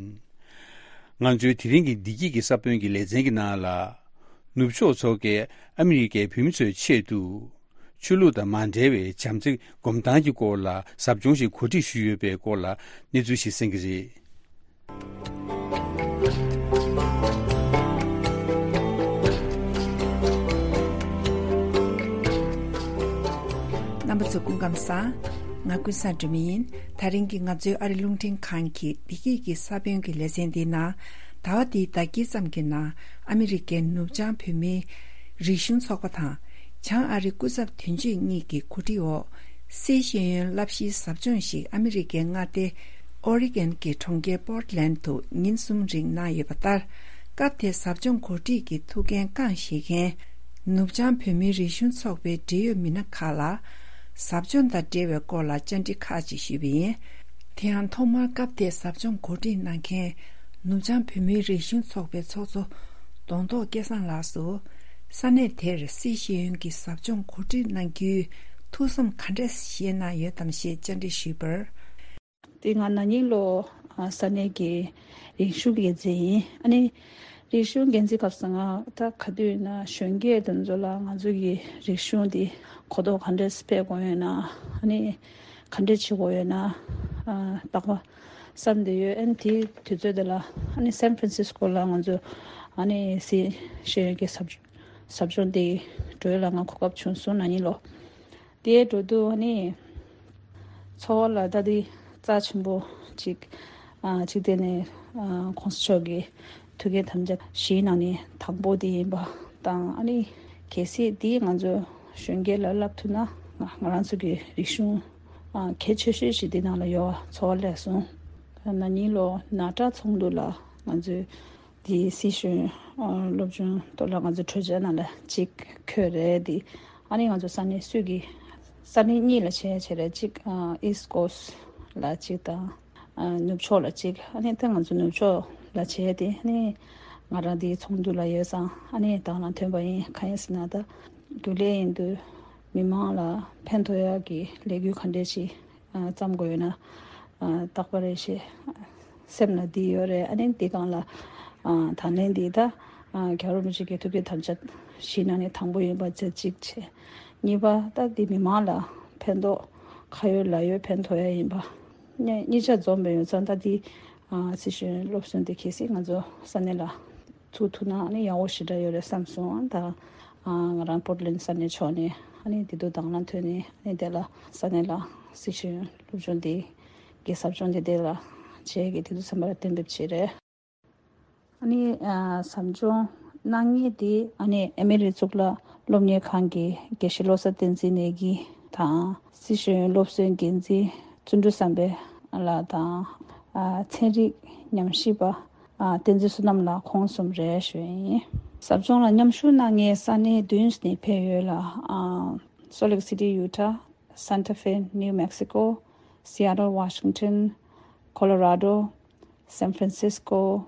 ང་ཚོའི་དེ་རིང་གི་བདེ་སྐྱིད་ཀྱི་ས་བོན་གྱི་ལེ་ཚན་གྱི་ནང་ལ། ནུབ་ཕྱོགས་ཚོགས་པས་ཨ་མི་རི་ཀའི་བོད་མི་ཚོའི་ཆེད་དུ། ཆོས་ལུགས་དང་མ་འབྲེལ་བའི་བྱམས་བརྩེ་སྒོམ་སྟངས་ཀྱི་སྐོར་ལ་ཟབ་སྦྱོང་ཞིག་གོ་སྒྲིག་ཞུས་ཡོད་པའི་སྐོར་ལ་གནས་ཚུལ་ཞིག་གསན་གྱི་རེད། རྣམ་པ་ཚོ་སྐུ་ཁམས་བཟང་། ང་ཀུན་བཟང་སྒྲོལ་མ་ཡིན། ད་རིང་གི་ང་ཚོའི་ཨ་རི་རླུང་འཕྲིན་ཁང་གི་བདེ་སྐྱིད་ཀྱི་ས་བོན་གྱི་ལེ་ཚན་འདིའི་ནང་། ཟླ་བ་འདིའི་ཟླ་དཀྱིལ་ཙམ་གྱི་ནང་ཨ་མི་རི་ཀའི་ནུབ་བྱང་བོད་མིའི་རིག་གཞུང་ཚོགས་པ་དང་། བྱང་ཨ་རི་སྐུ་ཚབ་དོན་གཅོད་གཉིས་ཀྱི་གོ་སྒྲིག་འོག་སའི་ཤེས་ཡོན་བསླབ་གཞིའི་ཟབ་སྦྱོང་ཞིག་ཨ་མི་རི་ཀའི་མངའ་སྡེ་ཨོ་རི་གན་གྱི་གྲོང་ཁྱེར་པོར་ཊི་ལན་དུ་ཉིན་གསུམ་རིང་གནང་ཡོད་པ་ལྟར། སྐབས་དེའི་ཟབ་སྦྱོང་གོ་སྒྲིག་གི་ཐུགས་འགན་བསྐྱངས་བཞེས་མཁན། ནུབ་བྱང་བོད་མིའི་རིག་གཞུང་ཚོགས་པའི་འབྲེལ་ཡོད་མི་སྣ་ཁག་ལ། ཟབ་སྦྱོང་དང་འབྲེལ་བའི་སྐོར་ལ་བཅར་འདྲི་ཁག་ཅིག་ཞུས་པ་ཡིན། དེ་ཡང་ཐོག་མར་སྐབས་དེའི་ཟབ་སྦྱོང་གོ་སྒྲིག་གནང་མཁན། ནུབ་བྱང་བོད་མིའི་རིག་གཞུང་ཚོགས་པའི་ཚོགས་གཙོ་གདོང་ཐོག་སྐལ་བཟང་ལགས་སུ། ས་གནས་དེར་སི་ཤེས་ཡོན་གྱི་ཟབ་སྦྱོང་གོ་སྒྲིག་གནང་རྒྱུའི་ཐུགས་བསམ་ག་འདྲ་བཞེས་གནང་ཡོད་དམ་ཞེས་བཅར་འདྲི་ཞུས་པར། དེ་ང་ན་ནིང་ལོ་ཨ་ས་གནས་ཀྱི་རིག་གཞུང་འགན་འཛིན་ཡིན། ཨ་ནི་རིག་གཞུང་འགན་འཛིན་སྐབས་སུ་ང་ད་ག་དུས་ན་གཞོན་སྐྱེས་དེ་ཚོ་ལ་ང་ཚོ་གི་རིག་གཞུང་འདི་གོ་རྟོགས་ག་འདྲས་སྤེལ་དགོས་ཡོད་ན། ཨ་ནི་ག་འདྲས་བྱེད་དགོས་ཡོད་ན། ཨ་རྟག་པར་བསམ་བསྡད་ཡོད། ཨ་ནི་དེའི་དུས་ཚོད་དེ་ལ་ཨ་ནི་སན་ཧྥ་རན་སིས་ཀོ་ལ་ང་ཚོ་ཨ་ནི་སི་ཤེས་ཡོན་གྱི་ཟབ་ཟབ་སྦྱོང་དེ་འགྲོ་ཡ་ལ་ང་གོ་སྐབས་བྱུང་སོང་། ན་ནིང་ལོ། དེའི་འགྲོ་དུས་ཨ་ནི་འཚོ་བ་ལ་ད་དེ་རྩ་ཆེན་པོ་གཅིག་ཨ་གཅིག་དེ་ནས་ཨ་གོང་ས་མཆོག་གི་ཐུགས་འགན་དམ་བཅའ་བཞིའི་ནང་ནས་དང་པོ་དེ་ཡིན་པ་དང་། ཨ་ནི་གལ་སྲིད་དེ་ང་ཚོ་གཞོན་སྐྱེས་ལ་བསླབ་ཐུབ་ན་ང་ང་རང་ཚོ་གི་རིག་གཞུང་ཨ་གལ་ཆེ་ཤོས་ཤིག་དེ་ནང་ལ་ཡོད་པ་ཚོར་བ་སླེབས་སོང་། ན་ནིང་ལོ་ནཱ་ཊ་ཚོགས་འདུ་ལ་ང་ཚོས་དེའི་སི་ཤེས་ཡོན་སློབ་སྦྱོང་ཐོག་ལ་ང་ཚོ་གྲོས་འཆར་ནང་ལ་གཅིག་འཁོད་རེད། དེ་ཨ་ནི་ང་ཚོ་ས་གནས་སུ་གི་ས་གནས་གཉིས་ལ་བྱས་བྱས་རེད། གཅིག་ཨ་ཨིསཊ་ཀོ་སི་ཊི་ལ་གཅིག་དང་ཨ་ནུབ་ཕྱོགས་ལ་གཅིག་ཨ་ནི་ད་ང་ཚོ་ནུབ་ཕྱོགས་ལ་བྱས་ཏེ། ཨ་ནི་ང་རང་དེའི་ཚོགས་འདུ་ལ་ཡོད་ཙང་ཨ་ནི་དང་ལ་ཐོན་པ་ཡིན། གང་ཡིན་ཟེར་ན་ད་རྒྱུན་ལས་ཡིན་དུས་མི་མང་ལ་ཕན་ཐོགས་ཡག་གི་ལས་འགུལ་ག་འདྲས་ཤིག་ཨ་བརྩམ་དགོས་ཡོད་ན་ཨ་རྟག་པར་རེ་ཞིག་སེམས་ལ་འདི་ཡོད་རེད། ཨ་ནི་འདི་སྒང་ལ་ཨ་དང་ལེན་འདི་ད་ཨ་རྒྱལ་བ་རིན་པོ་ཆེ་གི་ཐུགས་ཀྱི་དམ་བཅའ་བཞིའི་ནང་ནས་དང་པོ་ཡིན་པ་བྱས་གཅིག་བྱས། གཉིས་པ་ད་འདི་མི་མང་ལ་ཕན་ཐོགས་ཁ་ཡོད་ལག་ཡོད་ཕན་ཐོགས་ཡ་ཡིན་པ། གཉིས་གཉིས་ཆ་འཛོམས་པའི་ཡོད་ཙང་ད་འདི་ཨ་སི་ཤེས་ཡོན་སློབ་གསོ་འདི་གལ་སྲིད་ང་ཚོ་ས་གནས་ལ་ཚུགས་ཐུབ་ན་ཨ་ནི་ཡག་པོ་ཞེ་དྲག་ཡོད་རེད་བསམ་སོང་། ད་ང་རང་པོར་ཊི་ལེན་ཌི་ས་གནས་ཕྱོགས་ནས་ཨ་ནི་དེ་དུས་དང་བླངས་ཐོན་ནས་ཨ་ནི་དེ་ལ་ས་གནས་ལ་སི་ཤེས་ཡོན་སློབ་སྦྱོང་དེ་གི་ཟབ་སྦྱོང་དེ་དེ་ལ་བྱས་ཀྱི་དེ་དུས་ཚན་པ་ལ་གཏན་འབེབས་བྱས་རེད། ཨ་ནི་ཟབ་སྦྱོང་གནང་མཁན་དེ་ཨ་ནི་ཨེ་མེ་རི་གཙུག་ལག་སློབ་གཉེར་ཁང་གི་དགེ་བཤེས་བློ་བཟང་བསྟན་འཛིན་ནས་ཀྱི་དང་སི་ཤེས་ཡོན་སློབ་གསོའི་འགན་འཛིན་བརྩོན་འགྲུས་བསམ་འཕེལ་ལགས་དང་ཚན་རིག་ཉམས་ཞིབ་པ། ཨ་བསྟན་འཛིན་བསོད་ནམས་ལགས་ཁོང་གསུམ་རེད་ཞུ་ཡིན། ཟབ་སྦྱོང་ལ་མཉམ་ཞུགས་གནང་མཁན་ས་གནས་བདུན་ནས་ཕེབས་ཡོད་ལ། ཨ་Salt Lake City Utah, Santa Fe New Mexico, Seattle Washington, Colorado, San Francisco,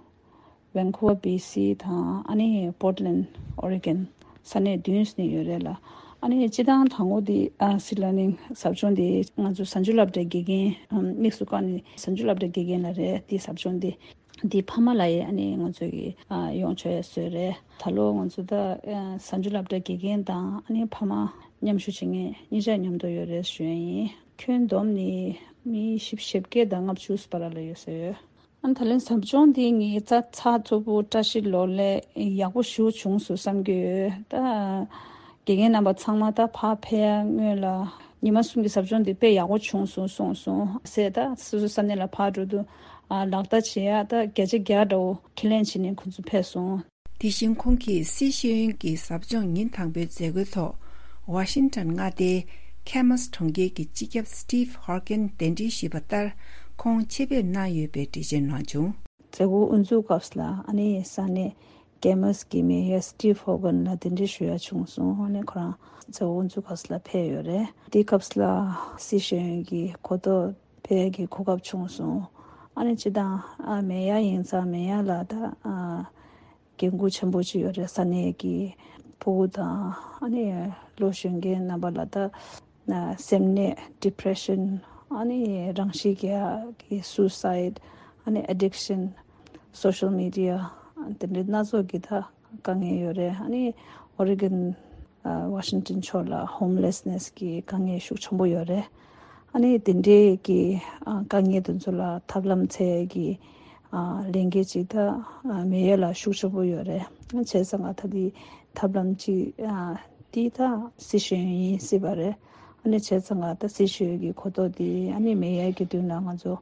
Vancouver B C དང་ཨ་ནི་Portland Oregon ས་གནས་བདུན་ནས་ཡོད་རེད་ལ། ཨ་ནི་སྤྱི་བཏང་དང་པོ་འདི་ཨ་སི་ལར་ནིང་ཟབ་སྦྱོང་འདི་ང་ཚོ་གཟའ་མཇུག་སློབ་གྲྭའི་དགེ་རྒན་དམིགས་སུ་བཀར་ནས་གཟའ་མཇུག་སློབ་གྲྭའི་དགེ་རྒན་ལ་རེད། འདི་ཟབ་སྦྱོང་འདི། འདི་ཕ་མ་ལ་ཡི་ཨ་ནི་ང་ཚོ་གི་ཨ་ཡོང་ཆོག་ཡ་བཟོས་རེད། ད་ལོ་ང་ཚོ་ད་ཨ་གཟའ་མཇུག་སློབ་གྲྭ་དགེ་རྒན་དང་ཨ་ནི་ཕ་མ་མཉམ་ཞུགས་བྱེད་མཁན་གཉིས་ཆ་མཉམ་དུ་ཡོད་རེད་ཞུ་ཡ་ཡིན། ཁྱོན་བསྡོམས་ནི་མི་བཞི་བཅུ་ཞེ་བརྒྱད་དང་ལྔ་བཅུ་བར་ལ་ཡོད་ས་ཡོད། ཨ་ནི་ད་ལན་ཟབ་སྦྱོང་འདི་ངའི་རྩ་ཚགས་ཚུད་པོ་བཀྲ་ཤིས་ལོ་ལེགས་ཡག་པོ་ཞེ་པོ་བྱུང་སོང་བསམ་གྱི་ཡོད། ད་དགེ་རྒན་རྣམ་པ་ཚང་མ་ད་ཕར་ཕེབས་ཡ་སྔོན་ལ་ཉི་མ་གསུམ་གྱི་ཟབ་སྦྱོང་འདི་དཔེ་ཡག་པོ་བྱུང་སོང་གསུངས་སོང་ཟེར། ད་སོ་སོ་ས་གནས་ལ་ཕར་འགྲོ་དུས་ཨ་ལག་བརྡ་བྱེད་ཡ་ད་བརྒྱ་ཆ་བརྒྱ་འདྲ་བོ་ཁས་ལེན་བྱས་ནས་ཁོང་ཚོ་ཕེབས་སོང་། དེ་བཞིན་ཁོང་གིས་སི་ཤེས་ཡོན་གྱི་ཟབ་སྦྱོང་ཉིན་དང་པོའི་མཛད་སྒོའི་ཐོག་ཝ་ཤིང་ཊོན་མངའ་སྡེའི་ཁེ་མོ་སི་གྲོང་ཁྱེར་གྱི་སྤྱི་ཁྱབ་སི་ཊིབ་ཧོར་ཀེན་གདན་འདྲེན་ཞུས་པ་ལྟར་ཁོང་ཆེད་ཕེབས་གནང་ཡོད་པའི་འགྲེལ་བརྗོད་གནང་བྱུང་། མཛད་སྒོ་དབུ་འཛུགས་སྐབས་ལ་ཨ་ནི་ས་གནས་ཀེ་མོ་སི་གི་མེ་ཡར་སི་ཊིབ་ཧོར་ཀེན་ལ་གདན་འདྲེན་ཞུ་ཡ་བྱུང་སོང་། ཨ་ནི་ཁོ་རང་མཛད་སྒོ་དབུ་འཛུགས་སྐབས་ལ་ཕེབས་ཡོད་རེད། དེའི་སྐབས་ལ་སི་ཤེས་ཡོན་གྱི་གོ་རྟོགས་སྤེལ་གྱི་གོ་སྐབས་བྱུང་སོང་། ཨ་ནི་སྤྱི་བཏང་ཨ་མེ་ཡར་ཡིན་ཙང་མེ་ཡར་ལ་ད་ཨ་འགན་ཁུར་ཆེན་པོ་ཅིག་ཡོད་རེད། ས་གནས་ཀྱི་ཕྲུ་གུ་དང་ཨ་ནི་ལོ་གཞོན་མཁན་རྣམ་པ་ལ་ད་ན་སེམས་ནད་ཌི་པི་རེ་ཤན། ཨ་ནི་རང་ཤི་རྒྱག་གི་སུའི་སའིཌ། ཨ་ནི་ཨེ་ཌིག་ཤན། སོ་ཤལ་མི་ཌི་ཡ་དེ་འདྲའི་སྣ་ཚོགས་ཀྱི་ད་དཀའ་ངལ་ཡོད་རེད། ཨ་ནི་ཨོ་རི་གོན་ཨ་ཝ་ཤིང་ཊོན་ཕྱོགས་ལ་ཧོམ་ལེ་སི་ནེ་སི་གི་དཀའ་ངལ་ཤུགས་ཆེན་པོ་ཡོད་རེད། ཨ་ནི་དེ་འདྲའི་གི་ཨ་དཀའ་ངལ་དེ་ཚོ་ལ་ཐབས་ལམ་འཚོལ་གི་ཨ་ལས་འགན་ཅིག་ད་ཨ་མེ་ཡར་ལ་ཤུགས་ཆེན་པོ་ཡོད་རེད། བྱས་ཙང་ང་ད་དེ་ཐབས་ལམ་ཅིག་ཨ་དེ་ད་སི་ཤེས་ཡོན་ཡིན་སྲིད་པ་རེད། ཨ་ནི་བྱས་ཙང་ང་ད་སི་ཤེས་ཡོན་གྱི་གོ་རྟོགས་དེ་ཨ་ནི་མེ་ཡར་གྱི་མདུན་ལ་ང་ཚོ་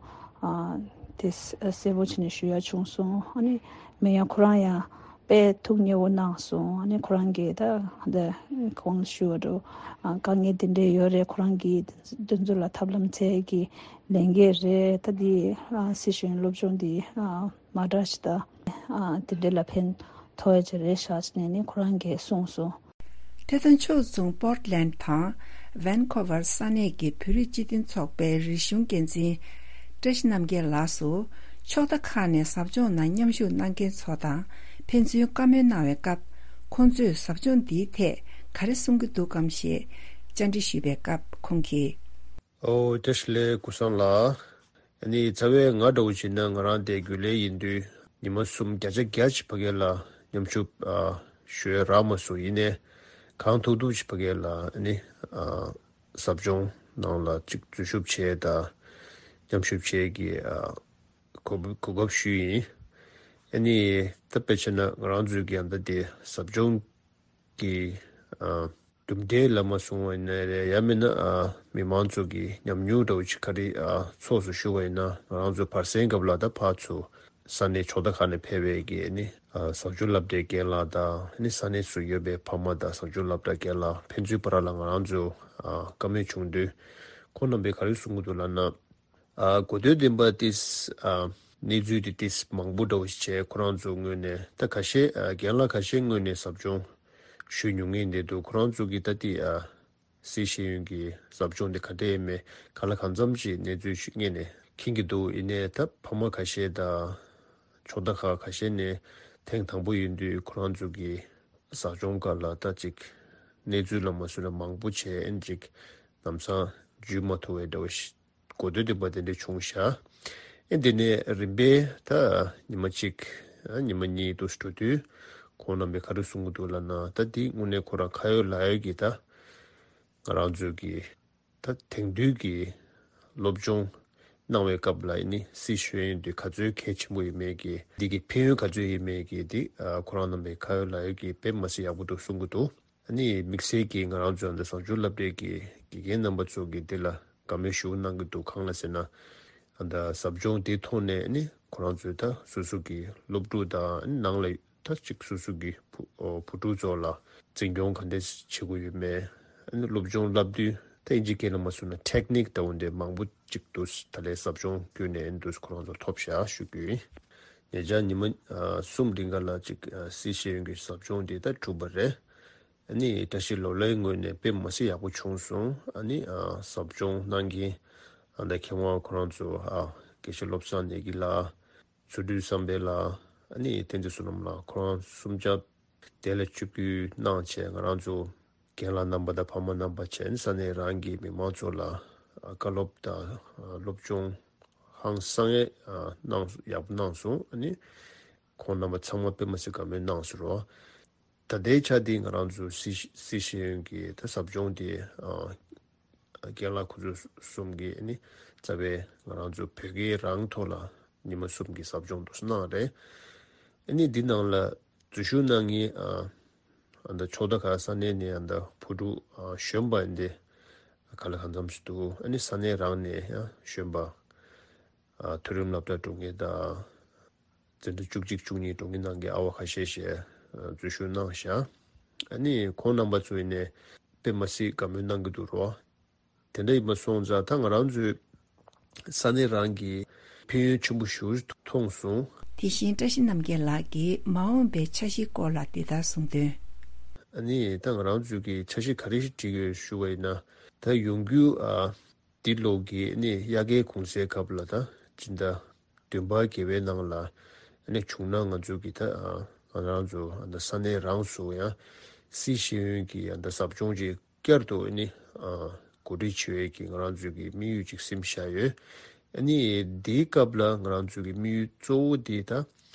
ཨ་དེ་གསལ་པོ་བྱས་ནས་ཞུ་ཡ་བྱུང་སོང་། ཨ་ནི་མེ་ཡར་ཁོ་རང་ཡང་དཔེ་ཐུགས་མཉེས་པོ་གནང་སོང་། ཨ་ནི་ཁོ་རང་གིས་ད་ད་གོང་ཞུ་བ་འགྲོ་ཨ་དཀའ་ངལ་དེ་འདྲས་ཡོད་རེད། ཁོ་རང་གིས་དེ་ཚོ་ལ་ཐབས་ལམ་འཚོལ་གྱི་ལས་འགན་རེད། ད་དེ་ཨ་སི་ཤེས་ཡོན་སློབ་སྦྱོང་དེ་ཨ་མ་འདྲ་ཞིག་ད་ཨ་དེ་འདྲས་ལ་ཕན་ཐོགས་ཡ་ཅིག་རེད་ཤག་ཅེས་ནས་ནི་ཁོ་རང་གིས་གསུངས་སོང་། དེ་དང་ཕྱོགས་མཚུངས་པོར་ཊི་ལེན་ཌི་དང་ཝན་ཁོ་ཝར་ས་གནས་ཀྱི་བོད་རིགས་སྤྱི་མཐུན་ཚོགས་པའི་རིག་གཞུང་འགན་འཛིན་བཀྲ་ཤིས་རྣམ་རྒྱལ་ལགས་སུ། ཕྱོགས་མཐའ་ཁག་ནས་ཟབ་སྦྱོང་ནང་མཉམ་ཞུགས་གནང་མཁན་ཚོ་དང་ཕན་ཚུན་བཀའ་མོལ་གནང་བའི་སྐབས། ཁོང་ཚོས་ཟབ་སྦྱོང་འདིའི་ཐད་ག་རེ་གསུང་གི་འདུག་གམ་ཞེས་བཅར་འདྲི་ཞུས་པའི་སྐབས་ཁོང་གིས། ཨོ་བཀྲ་ཤིས་བདེ་ལེགས་ཀུན་བཟང་ལགས། ཨ་ནི་རྩ་བའི་ང་འདྲ་བོ་བྱས་ན་ང་རང་དེ་རྒྱུན་ལས་ཡིན་དུས་ཉི་མ་གསུམ་བརྒྱ་ཆ་བརྒྱ་ཅིག་ཕ་གི་ལ་མཉམ་ཞུགས་ཨ་ཞུ་ཡ་རག་མ་སོང་། ཡིན་ནའི་གང་ཐུབ་ཐུབ་ཅིག་ཕ་གི་ལ་ཨ་ནི་ཨ་ཟབ་སྦྱོང་ནང་ལ་ཅིག་འཛུལ་ཞུགས་བྱས་དང་མཉམ་ཞུགས་བྱས་ཀྱི་ཨ་གོ་གོ་སྐབས་ཞུས་ཡིན། ཨ་ནི་ད་དཔེ་བྱས་ན་ང་རང་ཚོའི་གི་ཨ་ད་དེ་ཟབ་སྦྱོང་གི་ཨ་གྲུབ་འབྲས་ལ་མ་སོང་བ་ཡིན་ན་རེད། ཡང་མིན་ན་ཨ་མི་མང་ཚོ་གི་ཉམས་མྱོང་འདྲ་བོ་ཅིག་ག་རེ་ཨ་ཚོགས་སུ་ཞུགས་པ་ཡིན་ན་ང་རང་ཚོ་བར་གསེང་སྐབས་ལ་ད་ཕར་ཚུར་ས་གནས་ཕྱོགས་མཐའ་ཁག་ནས་ཕེབས་པའི་གི་ཨ་ནི་ཨ་ཟབ་སྦྱོང་སློབ་གྲྭའི་རྒན་ལགས་དང་ཨ་ནི་ས་གནས་སུ་ཡོད་པའི་ཕ་མ་དང་ཟབ་སྦྱོང་སློབ་གྲྭ་རྒན་ལགས་ཕན་ཚུན་བར་ལ་ང་རང་ཚོ་ཨ་བཀའ་མོལ་བྱུང་དུས་ཁོང་རྣམ་པས་ག་རེ་གསུང་གི་འདུག་ལབ་ན། ཨ་གོ་ཐོས་ལྡན་པ་ཏིས་ཨ་གནས་ཚུལ་དེ་ཏིས་མང་པོ་འདྲ་བོ་ཞིག་བྱས། ཁོ་རང་ཚོ་ངོས་ནས་ད་ཁ་ཤས་ཨ་རྒན་ལགས་ཁ་ཤས་ངོས་ནས་ཟབ་སྦྱོང་ཞུས་མྱོང་མཁན་དེ་འདུག་ཁོ་རང་ཚོ་གིས་ད་ཏི་ཨ་སི་ཤེས་ཡོན་གྱི་ཟབ་སྦྱོང་དེ་ག་འདྲ་ཡིན་མེད་ག་ལ་གང་འཚམ་ཞིག་གནས་ཚུལ་ཞིག་སྔོན་ནས་མཁྱེན་གྱི་འདུག་ཡིན་ནའི་ད་ཕ་མ་ཁ་ཤས་དང་ཕྱོགས་མཐའ་ཁག་ཁ་ཤས་ནས་ཐེངས་དང་པོ་ཡིན་དུས་ཁོ་རང་ཚོ་གི་ཟབ་སྦྱོང་སྐབས་ལ་ད་ཅིག་གནས་ཚུལ་ལ་མ་སོན་ན་མང་པོ་བྱས་ཨེན་ཅིག་ལམ་སང་འཇུས་མ་ཐུབ་པའི་འདྲ་བོ་ཞིག་གོ་ཐོས་ལྡན་པ་དེ་འདྲ་བྱུང་ཤག་ཨེ་དེ་ནས་རིམ་པས་ད་ཉི་མ་གཅིག་ཨ་ཉི་མ་གཉིས་དུ་འགྲོ་དུས་ཁོང་རྣམ་པས་ག་རེ་གསུང་གི་འདུག་ལབ་ན། ད་འདི་དངོས་གནས་ཁོ་རང་ཁ་ཡོད་ལག་ཡོད་ཀྱི་ད་ང་རང་ཚོའི་གི་ད་དེང་དུས་ཀྱི་སློབ་སྦྱོང་གནང་བའི་སྐབས་ལ་ཨེ་ནི་སི་ཤེས་ཡོན་འདི་ག་ཚོད་གལ་ཆེན་པོ་ཡིན་མེད་ཀྱི་འདི་གི་ཕན་ཡོན་ག་ཚོད་ཡིན་མེད་ཀྱི་འདི་ཨ་ཁོ་རང་རྣམ་པས་ཁ་ཡོད་ལག་ཡོད་ཀྱི་དཔེ་མི་སྲིད་ཡག་པོ་འདུག་གསུང་གི་འདུག་ཨ་ནི་དམིགས་བསལ་གྱིས་ང་རང་ཚོ་འདི་ཟབ་སྦྱོང་སློབ་གྲྭའི་གི་དགེ་རྒན་རྣམ་པ་ཚོ་གིས་འདི་ལ་བཀའ་མོལ་ཞུ་གནང་གི་འདུག་གང་ལ་ཟེར་ན། ཨ་ད་ཟབ་སྦྱོང་འདི་ཐོག་ནས་ཨ་ནི་ཁོ་རང་ཚོས་ད་སོ་སོ་གི་སློབ་ཕྲུག་དང་ཨ་ནི་ནང་ལ་ད་ཅིག་སོ་སོ་གི་བུ་ཨོ་བུ་ཕྲུག་ཚོ་ལ་འཛིན་སྐྱོང་ག་འདྲས་བྱེད་དགོས་ཡོད་མེད། ཨ་ནི་སློབ་སྦྱོང་བསླབ་དུས་ད་ཨིན་ཇི་སྐད་ལ་མ་སོང་ན་ཊེག་ནིག་ལྟ་བུ་འདི་མང་པོ་ཅིག་འདུག་ད་ལས་ཟབ་སྦྱོང་བརྒྱུད་ནས་ཨ་ནི་འདུག་ཁོ་རང་ཚོ་ཐོབ་བཞག་ཞུ་རྒྱུ་ཡིན། ཉེ་ཆར་ཉི་མ་ཨ་གསུམ་རིང་ག་ལ་ཅིག་ཨ་སི་ཤེས་ཡོན་གྱི་ཟབ་སྦྱོང་འདི་ད་གྲུབ་པ་རེད། ཨ་ནི་བཀྲ་ཤིས་ལོ་ལོན་ངོས་ནས་དཔེ་མ་སྲིད་ཡག་པོ་བྱུང་སོང་། ཨ་ནི་ཨ་ཟབ་སྦྱོང་གནང་མཁན་ཨ་ད་མཁས་དབང་ཁོ་རང་ཚོ་ཨ་དགེ་བཤེས་བློ་བཟང་ནས་ཀྱི་ལ་ཚུལ་ཁྲིམས་བསམ་འཕེལ་ལགས་ཨ་ནི་བསྟན་འཛིན་བསོད་ནམས་ལགས་ཁོ་རང་གསུམ་ཆ་དེ་ལ་བཅུ་དགུ་གནང་བྱས། ང་རང་ཚོ་རྒན་ལགས་རྣམ་པ་དང་ཕ་མ་རྣམ་པ་བྱས་ནས་ས་གནས་རང་གི་མི་མང་ཚོ་ལ་ཨ་བཀའ་སློབ་དང་ཨ་སློབ་སྦྱོང་ཧང་སང་ཡས་ཨ་གནང་ཡག་པོ་གནང་སོང་། ཨ་ནི་ཁོང་རྣམ་པ་ཚང་མ་དཔེ་མ་སྲིད་དགའ་མོས་གནང་སོང་རོ། ད་ལྟའི་ཆ་འདི་ང་རང་ཚོ་སི་སི་ཤེས་ཡོན་གྱི་ད་ཟབ་སྦྱོང་དེ་ཨ་རྒན་ལགས་ཁོ་ཚོ་གསུམ་གྱིས་ཨ་ནི་རྩ་བའི་ང་རང་ཚོ་བོད་སྐད་རང་ཐོག་ལ་ཉི་མ་གསུམ་གྱི་ཟབ་སྦྱོང་དུ་གནང་རེད། ཨ་ནི་འདི་ནང་ལ་འཛུལ་ཞུགས་གནང་མཁན་ཨ་ཨ་ད་ཕྱོགས་མཐའ་ཁག་ས་གནས་ནས་ཨ་ད་བུ་ཕྲུག་ཨ་གཞོན་པ་འདི་ག་ལ་གང་འཚམ་ཞིག་འདུག་ཨ་ནི་ས་གནས་རང་ནས་ཡང་གཞོན་པ་ཨ་མཐོ་རིམ་སློབ་གྲྭ་འགྲོ་མཁན་དང་། འཛིན་གྲྭ་བཅུ་གཅིག་བཅུ་གཉིས་འགྲོ་མཁན་ནང་གི་ཨ་བ་ཁ་ཤས་ཤིག་ཨ་འཛུལ་ཞུགས་གནང་ཤག་ཨ་ནི་ཁོང་རྣམ་པ་ཚོ་ཡིན་ནའི་དཔེ་མ་སྲིད་དགའ་མོས་གནང་གི་འདུག་རོ། དེ་འདྲ་ཡིན་པ་སོང་ཙང་ད་ང་རང་ཚོའི་ས་གནས་རང་གི་ཕན་ཡོན་ཆེན་པོ་ཞེ་པོ་མཐོང་སོང་། དེ་བཞིན་བཀྲ་ཤིས་རྣམ་རྒྱལ་ལགས་ཀྱིས་མ་འོངས་པའི་འཆར་གཞིའི་སྐོར་ལ་འདི་ལྟར་གསུངས་དོན། ཨ་ནི་ད་ང་རང་ཚོའི་གི་འཆར་གཞི་ག་རེ་ཞིག་བྲིས་ཡོད་ཞུ་བ་ཡིན་ན། ད་ཡོང་རྒྱུ་ཨ་འདི་ལོ་གི་ཨ་ནི་དབྱར་ཁའི་གུང་སེང་སྐབས་ལ་ད་སྤྱི་ཟླ་བདུན་པ་བརྒྱད་པའི་ནང་ལ་ཨ་ནི་བྱུང་ན་ང་ཚོ་གི་ད་ཨ་ང་རང་ཚོ་ཨ་ད་ས་གནས་རང་སུ་ཡང་སི་ཤེས་ཡོན་གྱི་ཨ་ད་ཟབ་སྦྱོང་ཅིག་བསྐྱར་དུ་ཨ་ནི་ཨ་གོ་སྒྲིག་བྱེད་པའི་གི་ང་རང་ཚོའི་གི་དམིགས་ཡུལ་ཅིག་སེམས་བཞག་ཡོད། ཨ་ནི་འདིའི་སྐབས་ལ་ང་རང་ཚོའི་གི་དམིགས་ཡུལ་གཙོ་བོ་འདི་ད་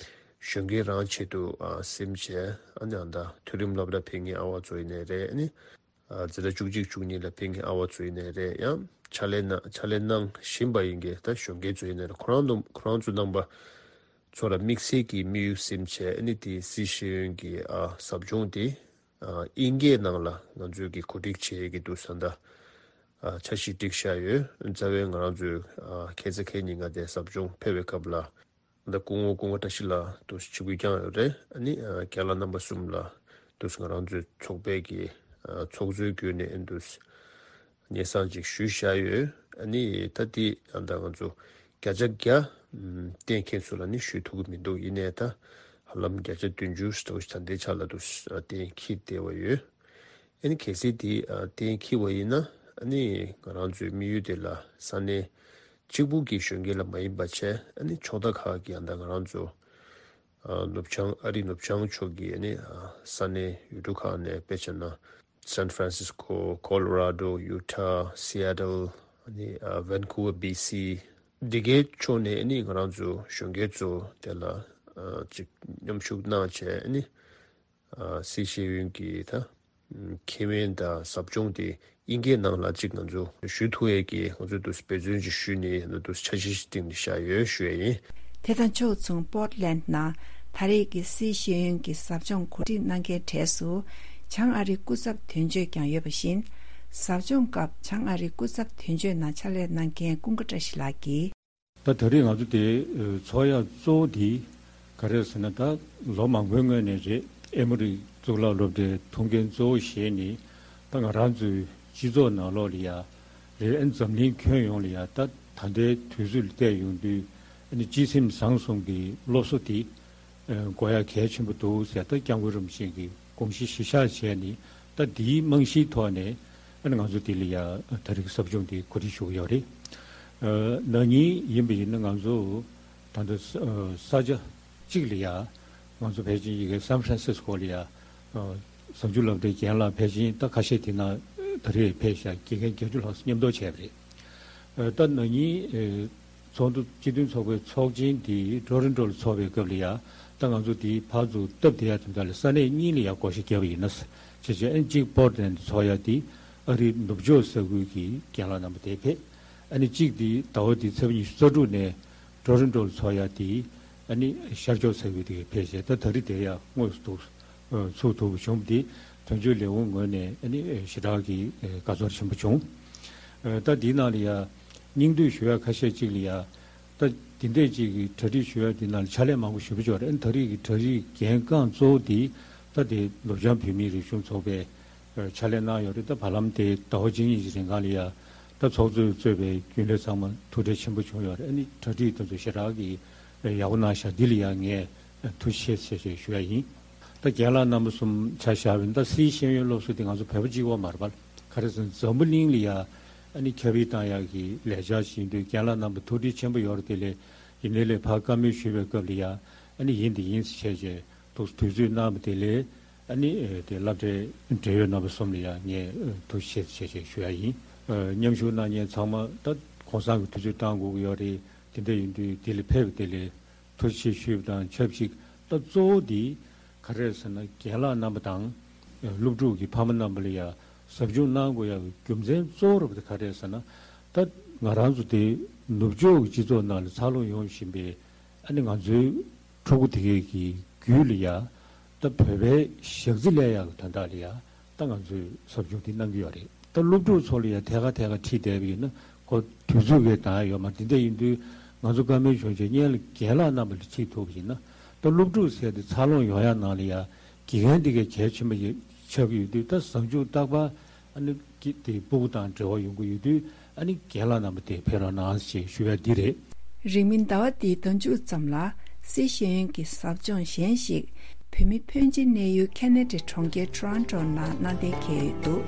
གཞོན་སྐྱེས་རང་ཆེད་དུ་ཨ་སེམས་བྱས། ཨ་ནི་ཨ་ད་མཐོ་རིམ་སློབ་གྲྭ་ཕེབས་མཁན་ཨ་བ་ཚོ་ཡིན་ནའི་རེད། ཨ་ནི་ཨ་འཛིན་གྲྭ་བཅུ་གཅིག་བཅུ་གཉིས་ལ་ཕེབས་མཁན་ཨ་བ་ཚོ་ཡིན་ནའི་རེད། ཡང་ཕྱག་ལས་གནང་ཕྱག་ལས་གནང་བཞིན་པ་ཡིན་གྱི་ད་གཞོན་སྐྱེས་ཚོ་ཡིན་ནའི་རེད། ཁོ་རང་ཚོ་ཁོ་རང་ཚོ་རྣམ་པ་ཚོ་ལ་དམིགས་བསལ་གྱི་དམིགས་ཡུལ་སེམས་བྱས། ཨ་ནི་དེ་སི་ཤེས་ཡོན་གྱི་ཨ་ཟབ་སྦྱོང་དེ་ཨ་དབྱིན་སྐད་ནང་ལ་ང་ཚོས་ཀྱི་གོ་སྒྲིག་བྱེད་ཀྱི་འདུག་ས་ད་ཨ་འཆར་གཞི་བསྒྲིགས་བཞག་ཡོད། རྩ་བའི་ང་རང་ཚོའི་ཨ་ཁ་སང་ཁ་ཉིན་ང་དེ་ཟབ་སྦྱོང་ཕེབས་པའི་སྐབས་ལ། ད་སྐུ་ངོ་སྐུ་ངོ་བཀྲ་ཤིས་ལགས་དུ་ཆིབས་བསྒྱུར་བསྐྱངས་ཡོད་རེད། ཨ་ནི་ཨ་རྒན་ལགས་རྣམ་པ་གསུམ་ལ་དུ་ང་རང་ཚོའི་ཚོགས་པའི་གི་ཨ་ཚོགས་གཙོའི་བརྒྱུད་ནས་ཨ་དུ་སྙན་སེང་ཅིག་ཞུས་བཞག་ཡོད། ཨ་ནི་ད་དེ་ཨ་ད་ང་ཚོ་བརྒྱ་ཆ་བརྒྱ་ཨམ་གཏན་འཁེལ་ཚུལ་ལ་ནི་ཞུ་ཐུབ་ཀྱི་མི་འདུག་ཡིན་ནའི་ད་ཧ་ལམ་བརྒྱ་ཆ་བདུན་ཅུ་ཙམ་ཞིག་ད་ལྟའི་ཆ་ལ་དུ་ཨ་གཏན་འཁེལ་བསྡད་པ་ཡོད། ཨ་ནི་གལ་སྲིད་དེ་ཨ་གཏན་འཁེལ་བ་ཡིན་ན་ཨ་ནི་ང་རང་ཚོའི་དམིགས་ཡུལ་དེ་ལ་ས་གནས་ གཅིག་པུ་གི་གཞོན་སྐྱེས་ལ་མ་ཡིན་པ་བྱས། ཨ་ནི་ཕྱོགས་མཐའ་ཁག་གི་ཡང་ད་ང་རང་ཚོ་ཨ་ནུབ་བྱང་ཨ་རི་ནུབ་བྱང་ཕྱོགས་ཀྱི་ཨ་ནི་ཨ་ས་གནས་ཡུལ་གྲུ་ཁག་ནས། དཔེ་བྱས་ན་སན་ཧྥ་རན་སིས་ཀོ། ཀོ་ལོ་ར་ཌོ། ཡུ་ཊ། སི་ཨེ་ཊལ། ཨ་ནི་ཨ་ཝན་ཀུ་ཝར། བྷི་སི། འདི་གའི་ཕྱོགས་ནས་ཨ་ནི་ང་རང་ཚོ་གཞོན་སྐྱེས་ཚོ་དེ་ལ་ཨ་ཅིག་མཉམ་ཞུགས་གནང་བྱས། ཨ་ནི་ཨ་སི་ཤེས་ཡོན་གྱི་ད་ཁེ་ཕན་དང་ཟབ་སྦྱོང་དེ་དབྱིན་སྐད་ནང་ལ་ཅིག་ང་ཚོ་ཞུ་ཐུབ་ཡས་ཀྱི་ང་ཚོས་འདུག་འབད་བརྩོན་ཅིག་ཞུས་ནས་ད་འདུག་འཆར་གཞི་ཞིག་བཏིང་ནས་བཞག་ཡོད་ཞུ་ཡས་ཡིན། དེ་དང་ཕྱོགས་མཚུངས། པོར་ཊ་ལེན་ཌི་ནང་ད་རེས་ཀྱི་སི་ཤེས་ཡོན་གྱི་ཟབ་སྦྱོང་གོ་སྒྲིག་གནང་མཁན་གྲས་སུ་བྱང་ཨ་རིའི་སྐུ་ཚབ་དོན་གཅོད་ཀྱང་ཡོད་པ་བཞིན། ཟབ་སྦྱོང་སྐབས་བྱང་ཨ་རིའི་སྐུ་ཚབ་དོན་གཅོད་ནང་ཕྱག་ལས་གནང་མཁན་ཀུན་དགའ་བཀྲ་ཤིས་ལགས་ཀྱིས། ད་ད་རེས་ང་ཚོ་དེ་ཚོགས་ཡ་གཙོ་བོ་དེ་ག་རེ་ཟེར་ན། ད་ལོ་མང་པོའི་སྔོན་ནས་རེད། ཨེ་མོ་རི་གཙུག་ལག་སློབ་གྲྭའི་ཐུགས་འགན་གཙོ་བོ་བཞེས་ནས། ད་ང་རང་ཚོའི་སྤྱི་ཚོགས་ནང་ལོགས་ལ་ཡ་རེད། ཨ་ནི་འཛམ་གླིང་ཁྱོན་ཡོངས་ལ་ཡ་ད་ད་ལྟའི་དུས་ཚོད་ལ་བལྟས་ཡོང་དུས། ཨ་ནི་སྤྱི་སེམས་བཟང་གསུམ་གྱི་སློབ་གསོ་དེ་དགོས་ཡ་གལ་ཆེན་པོ་འདུག་ཟེར། ད་སྐྱབས་མགོན་རིན་པོ་ཆེ་གི་དགོངས་གཞི་གཞི་བཞག་བྱས་ནས། ད་འདིའི་རྨང་གཞིའི་ཐོག་ནས་ཨ་ནི་ང་ཚོ་འདི་ལ་ཡ་ད་རེས་ཟབ་སྦྱོང་འདི་གོ་སྒྲིག་ཞུ་གི་ཡོད་རེད། ཨ་ན་ནིང་ཡིན་པ་ཡིན་ན་ང་ཚོ་ད་ལྟ་ས་ས་ཆ་གཅིག་ལ་ཡ་ང་ཚོ་ཕལ་ཆེར་ཡི་གེ་སན་ཧྥ་རན་སིས་ཀོ་ལ་ཡ་ཟབ་འཇུག་སློབ་གྲྭའི་རྒན་ལགས་ཕལ་ཆེར་ད་ཁ་ཤས་དེ་ན་ད་རེས་ཕེབས་ཤག་དགེ་རྒན་བརྒྱད་ཅུ་ལྷག་མཉམ་དུ་བྱས་པ་རེད། ཨ་ད་ན་ནིང་ཨ་ཚོགས་འདུ་སྤྱི་མཐུན་ཚོགས་པའི་ཚོགས་ཆེན་དེ་ཊོ་རོན་ཊོ་ལ་ཚོགས་པའི་སྐབས་ལ་ཡ། ད་ང་ཚོ་དེ་ཕར་ཚུར་སྟབས་བདེ་ཡ་དེ་འདྲ་ལ་ས་གནས་གཉིས་ལ་ཡ་བགོ་བཤའ་བརྒྱབ་པ་ཡིན་ན། བྱས་བྱས་ཨ་ནི་གཅིག་པོར་ཊ་ལེན་ཌི་ཚོགས་ཡ་དེ་ཨ་རིའི་ནུབ་ཕྱོགས་ས་ཁུལ་གྱི་རྒན་ལགས་རྣམ་པ་དེ་ཕེབས། ཨ་ནི་གཅིག་དེ་ཟླ་བ་འདིའི་ཚེས་པ་ཉི་ཤུ་རྩ་དྲུག་ནས་ཊོ་རོན་ཊོ་ལ་ཚོགས་ཡ་དེ་ཨ་ནི་ཤར་ཕྱོགས་ས་ཁུལ་དེ་ཕེབས་བྱས། ད་ད་རེས་དེ་ཡ་དངོས་སུ་འདུག་ཚུགས་ཐུབ་པ་བྱུང་བ་དེ་དོན་གཅོད་ལས་ཁུངས་ངོས་ནས་ཨ་ནི་ཞེ་དྲག་གི་དགའ་ཚོར་ཆེན་པོ་བྱུང་། ད་འདིའི་ནང་ལ་ཡ་སྙིང་བསྡུས་ཞུ་ཡ་ཁ་ཤས་ཅིག་ལ་ཡ། ད་འདི་འདྲས་ཅིག་གི་གྲ་སྒྲིག་ཞུ་ཡ་འདི་ནང་ལ་ཕྱག་ལས་མང་པོ་ཞེ་པོ་ཅིག་ཡོད་རེད། ཨ་ནི་ད་རེས་ཀྱི་གྲ་སྒྲིག་འགན་རྐང་གཙོ་བོ་དེ་ད་དེ་ནུབ་བྱང་བོད་མིའི་རིག་གཞུང་ཚོགས་པས་ཕྱག་ལས་གནང་ཡོད་རེད། ད་བར་ལམ་དེ་ཟླ་བ་གཅིག་གཉིས་ཀྱི་རིང་གང་ལ་ཡ་ད་ཚོགས་གཙོས་གཙོས་པའི་རྒྱུན་ལས་ཚང་མ་ཐུགས་ཁྲལ་ཆེན་པོ་བྱུང་ཡོད་རེད། ཨ་ནི་གྲ་སྒྲིག་དེ་ཚོ་ཞེ་དྲག་གི་ཡག་པོ་གནང་ཤག་འདི་ལ་ཡ་ངས་ཐུགས་རྗེ་ཆེ་ཞེས་ཞུ་ཡ་ཡིན། ད་རྒན་ལགས་རྣམ་པ་གསུམ་ཆ་བཞག་པ་ཡིན་ན། ད་སིའི་ཤེས་ཡོན་སློབ་གསོ་དེ་ང་ཚོ་བོད་པ་གཅིག་པོ་མ་རེད་པ། ག་རེ་ཟེར་ན་འཛམ་བུ་གླིང་ལ་ཡ་ཨ་ནི་ཁྱབ་སྤེལ་བཏང་ཡག་གི་ལས་འཆར་ཞིག་ཡིན་དུས། རྒན་ལགས་རྣམ་པ་ཐུགས་ཁྲལ་ཆེན་པོ་ཡོད་རེད། དེ་ལས་ཡིན་ནའི་ལས་ཕར་བཀའ་མོལ་ཞུས་པའི་སྐབས་ལ་ཡ་ཨ་ནི་ཡིན་དེ་ཡིན་ཟེར་བྱས་བྱས་འདུག་དུས་ཚོད་གནང་བ་དེ་ལས། ཨ་ནི་དེ་སློབ་གྲྭའི་འབྲེལ་ཡོད་རྣམ་པ་གསུམ་ལ་ཡ་ངས་ཐུགས་རྗེ་ཆེ་ཞེས་ཞུ་ཡ་ཡིན། མཉམ་ཞུགས་གནང་མཁན་ཚང་མ་ད་གུང་སེང་གི་དུས་ཚོད་བཏང་དགོས་ཀྱི་ཡོད་རེད། དེ་འདྲ་ཡིན་དུས་དེ་ལ་ཕེབས་པ་དེ་ལས་ཐུགས་རྗེ་ཆེ་ཞུས་པ་དང་ཆབས་ཅིག་ད་གཙོ་བོ་དེ་ག་རེ་རེད་ཟེར་ན། རྒན་ལགས་རྣམ་པ་དང་སློབ་ཕྲུག་གི་ཕ་མ་རྣམ་པ་ལ་ཡ་ཟབ་སྦྱོང་གནང་དགོས་ཡག་གི་རྒྱུ་མཚན་གཙོ་བོ་རུ་དེ་ག་རེ་རེད་ཟེར་ན། ད་ང་རང་ཚོ་དེ་ནུབ་ཕྱོགས་ཀྱི་སྤྱི་ཚོགས་ནང་ལ་འཚར་ལོངས་ཡོང་བཞིན་པའི་ཨ་ནི་ང་ཚོའི་ཕྲུ་གུ་དེ་གས་ཀྱི་རྒྱུད་ལ་ཡ་ད་བོད་པའི་ཞག་རྩི་ལས་ཡག་གི་དོན་དག་ལ་ཡ་ད་ང་ཚོས་ཟབ་སྦྱོང་འདི་གནང་གི་ཡོད་རེད། ད་སློབ་ཕྲུག་ཚོ་ལ་ཡ་ཐད་ཀར་ཐད་ཀར་ཁྲིད་བསྡད་པ་ཡིན་ན་ཁོ་དུས་ཚོད་ཀྱིས་འདང་ཡ་ཡོད་མ་རེད། འདི་འདྲ་ཡིན་དུས་ང་ཚོ་བཀའ་མོལ་བྱུང་རྗེས་སྔོན་ལ་རྒན་ལགས་རྣམ་པ་ལ་ཁྲིད་ཐུབ་པ་ཡིན་ན། ད་སློབ་ཕྲུག་ཟེར་དེ་འཚར་ལོངས་ཡོང་ཡ་ནང་ལ་ཡ་དགེ་རྒན་འདི་གས་གལ་ཆེན་པོ་ཡོད་ཆགས་ཀྱི་ཡོད་དུས། ད་ཟབ་སྦྱོང་རྟག་པར་ཨ་ནི་ཀི་དེ་སྤུ་གུ་དང་འབྲེལ་བ་ཡོང་གི་ཡོད་དུས། ཨ་ནི་རྒན་ལགས་རྣམ་པ་དེ་ཕེབས་རོགས་གནང་ཞེས་ཞུ་ཡ་འདི་རེད། རིང་མིན་ཟླ་བ་འདིའི་ཟླ་མཇུག་ཙམ་ལ་སི་ཤེས་ཡོན་གྱི་ཟབ་སྦྱོང་གཞན་ཞིག་བོད་མི་ཕོན་ཆེ་གནས་ཡུལ་ཁེ་ན་ཌའི་གྲོང་ཁྱེར་ཊོ་རོན་ཊོ་ནང་གནང་གཏན་འཁེལ་ཡོད་འདུག་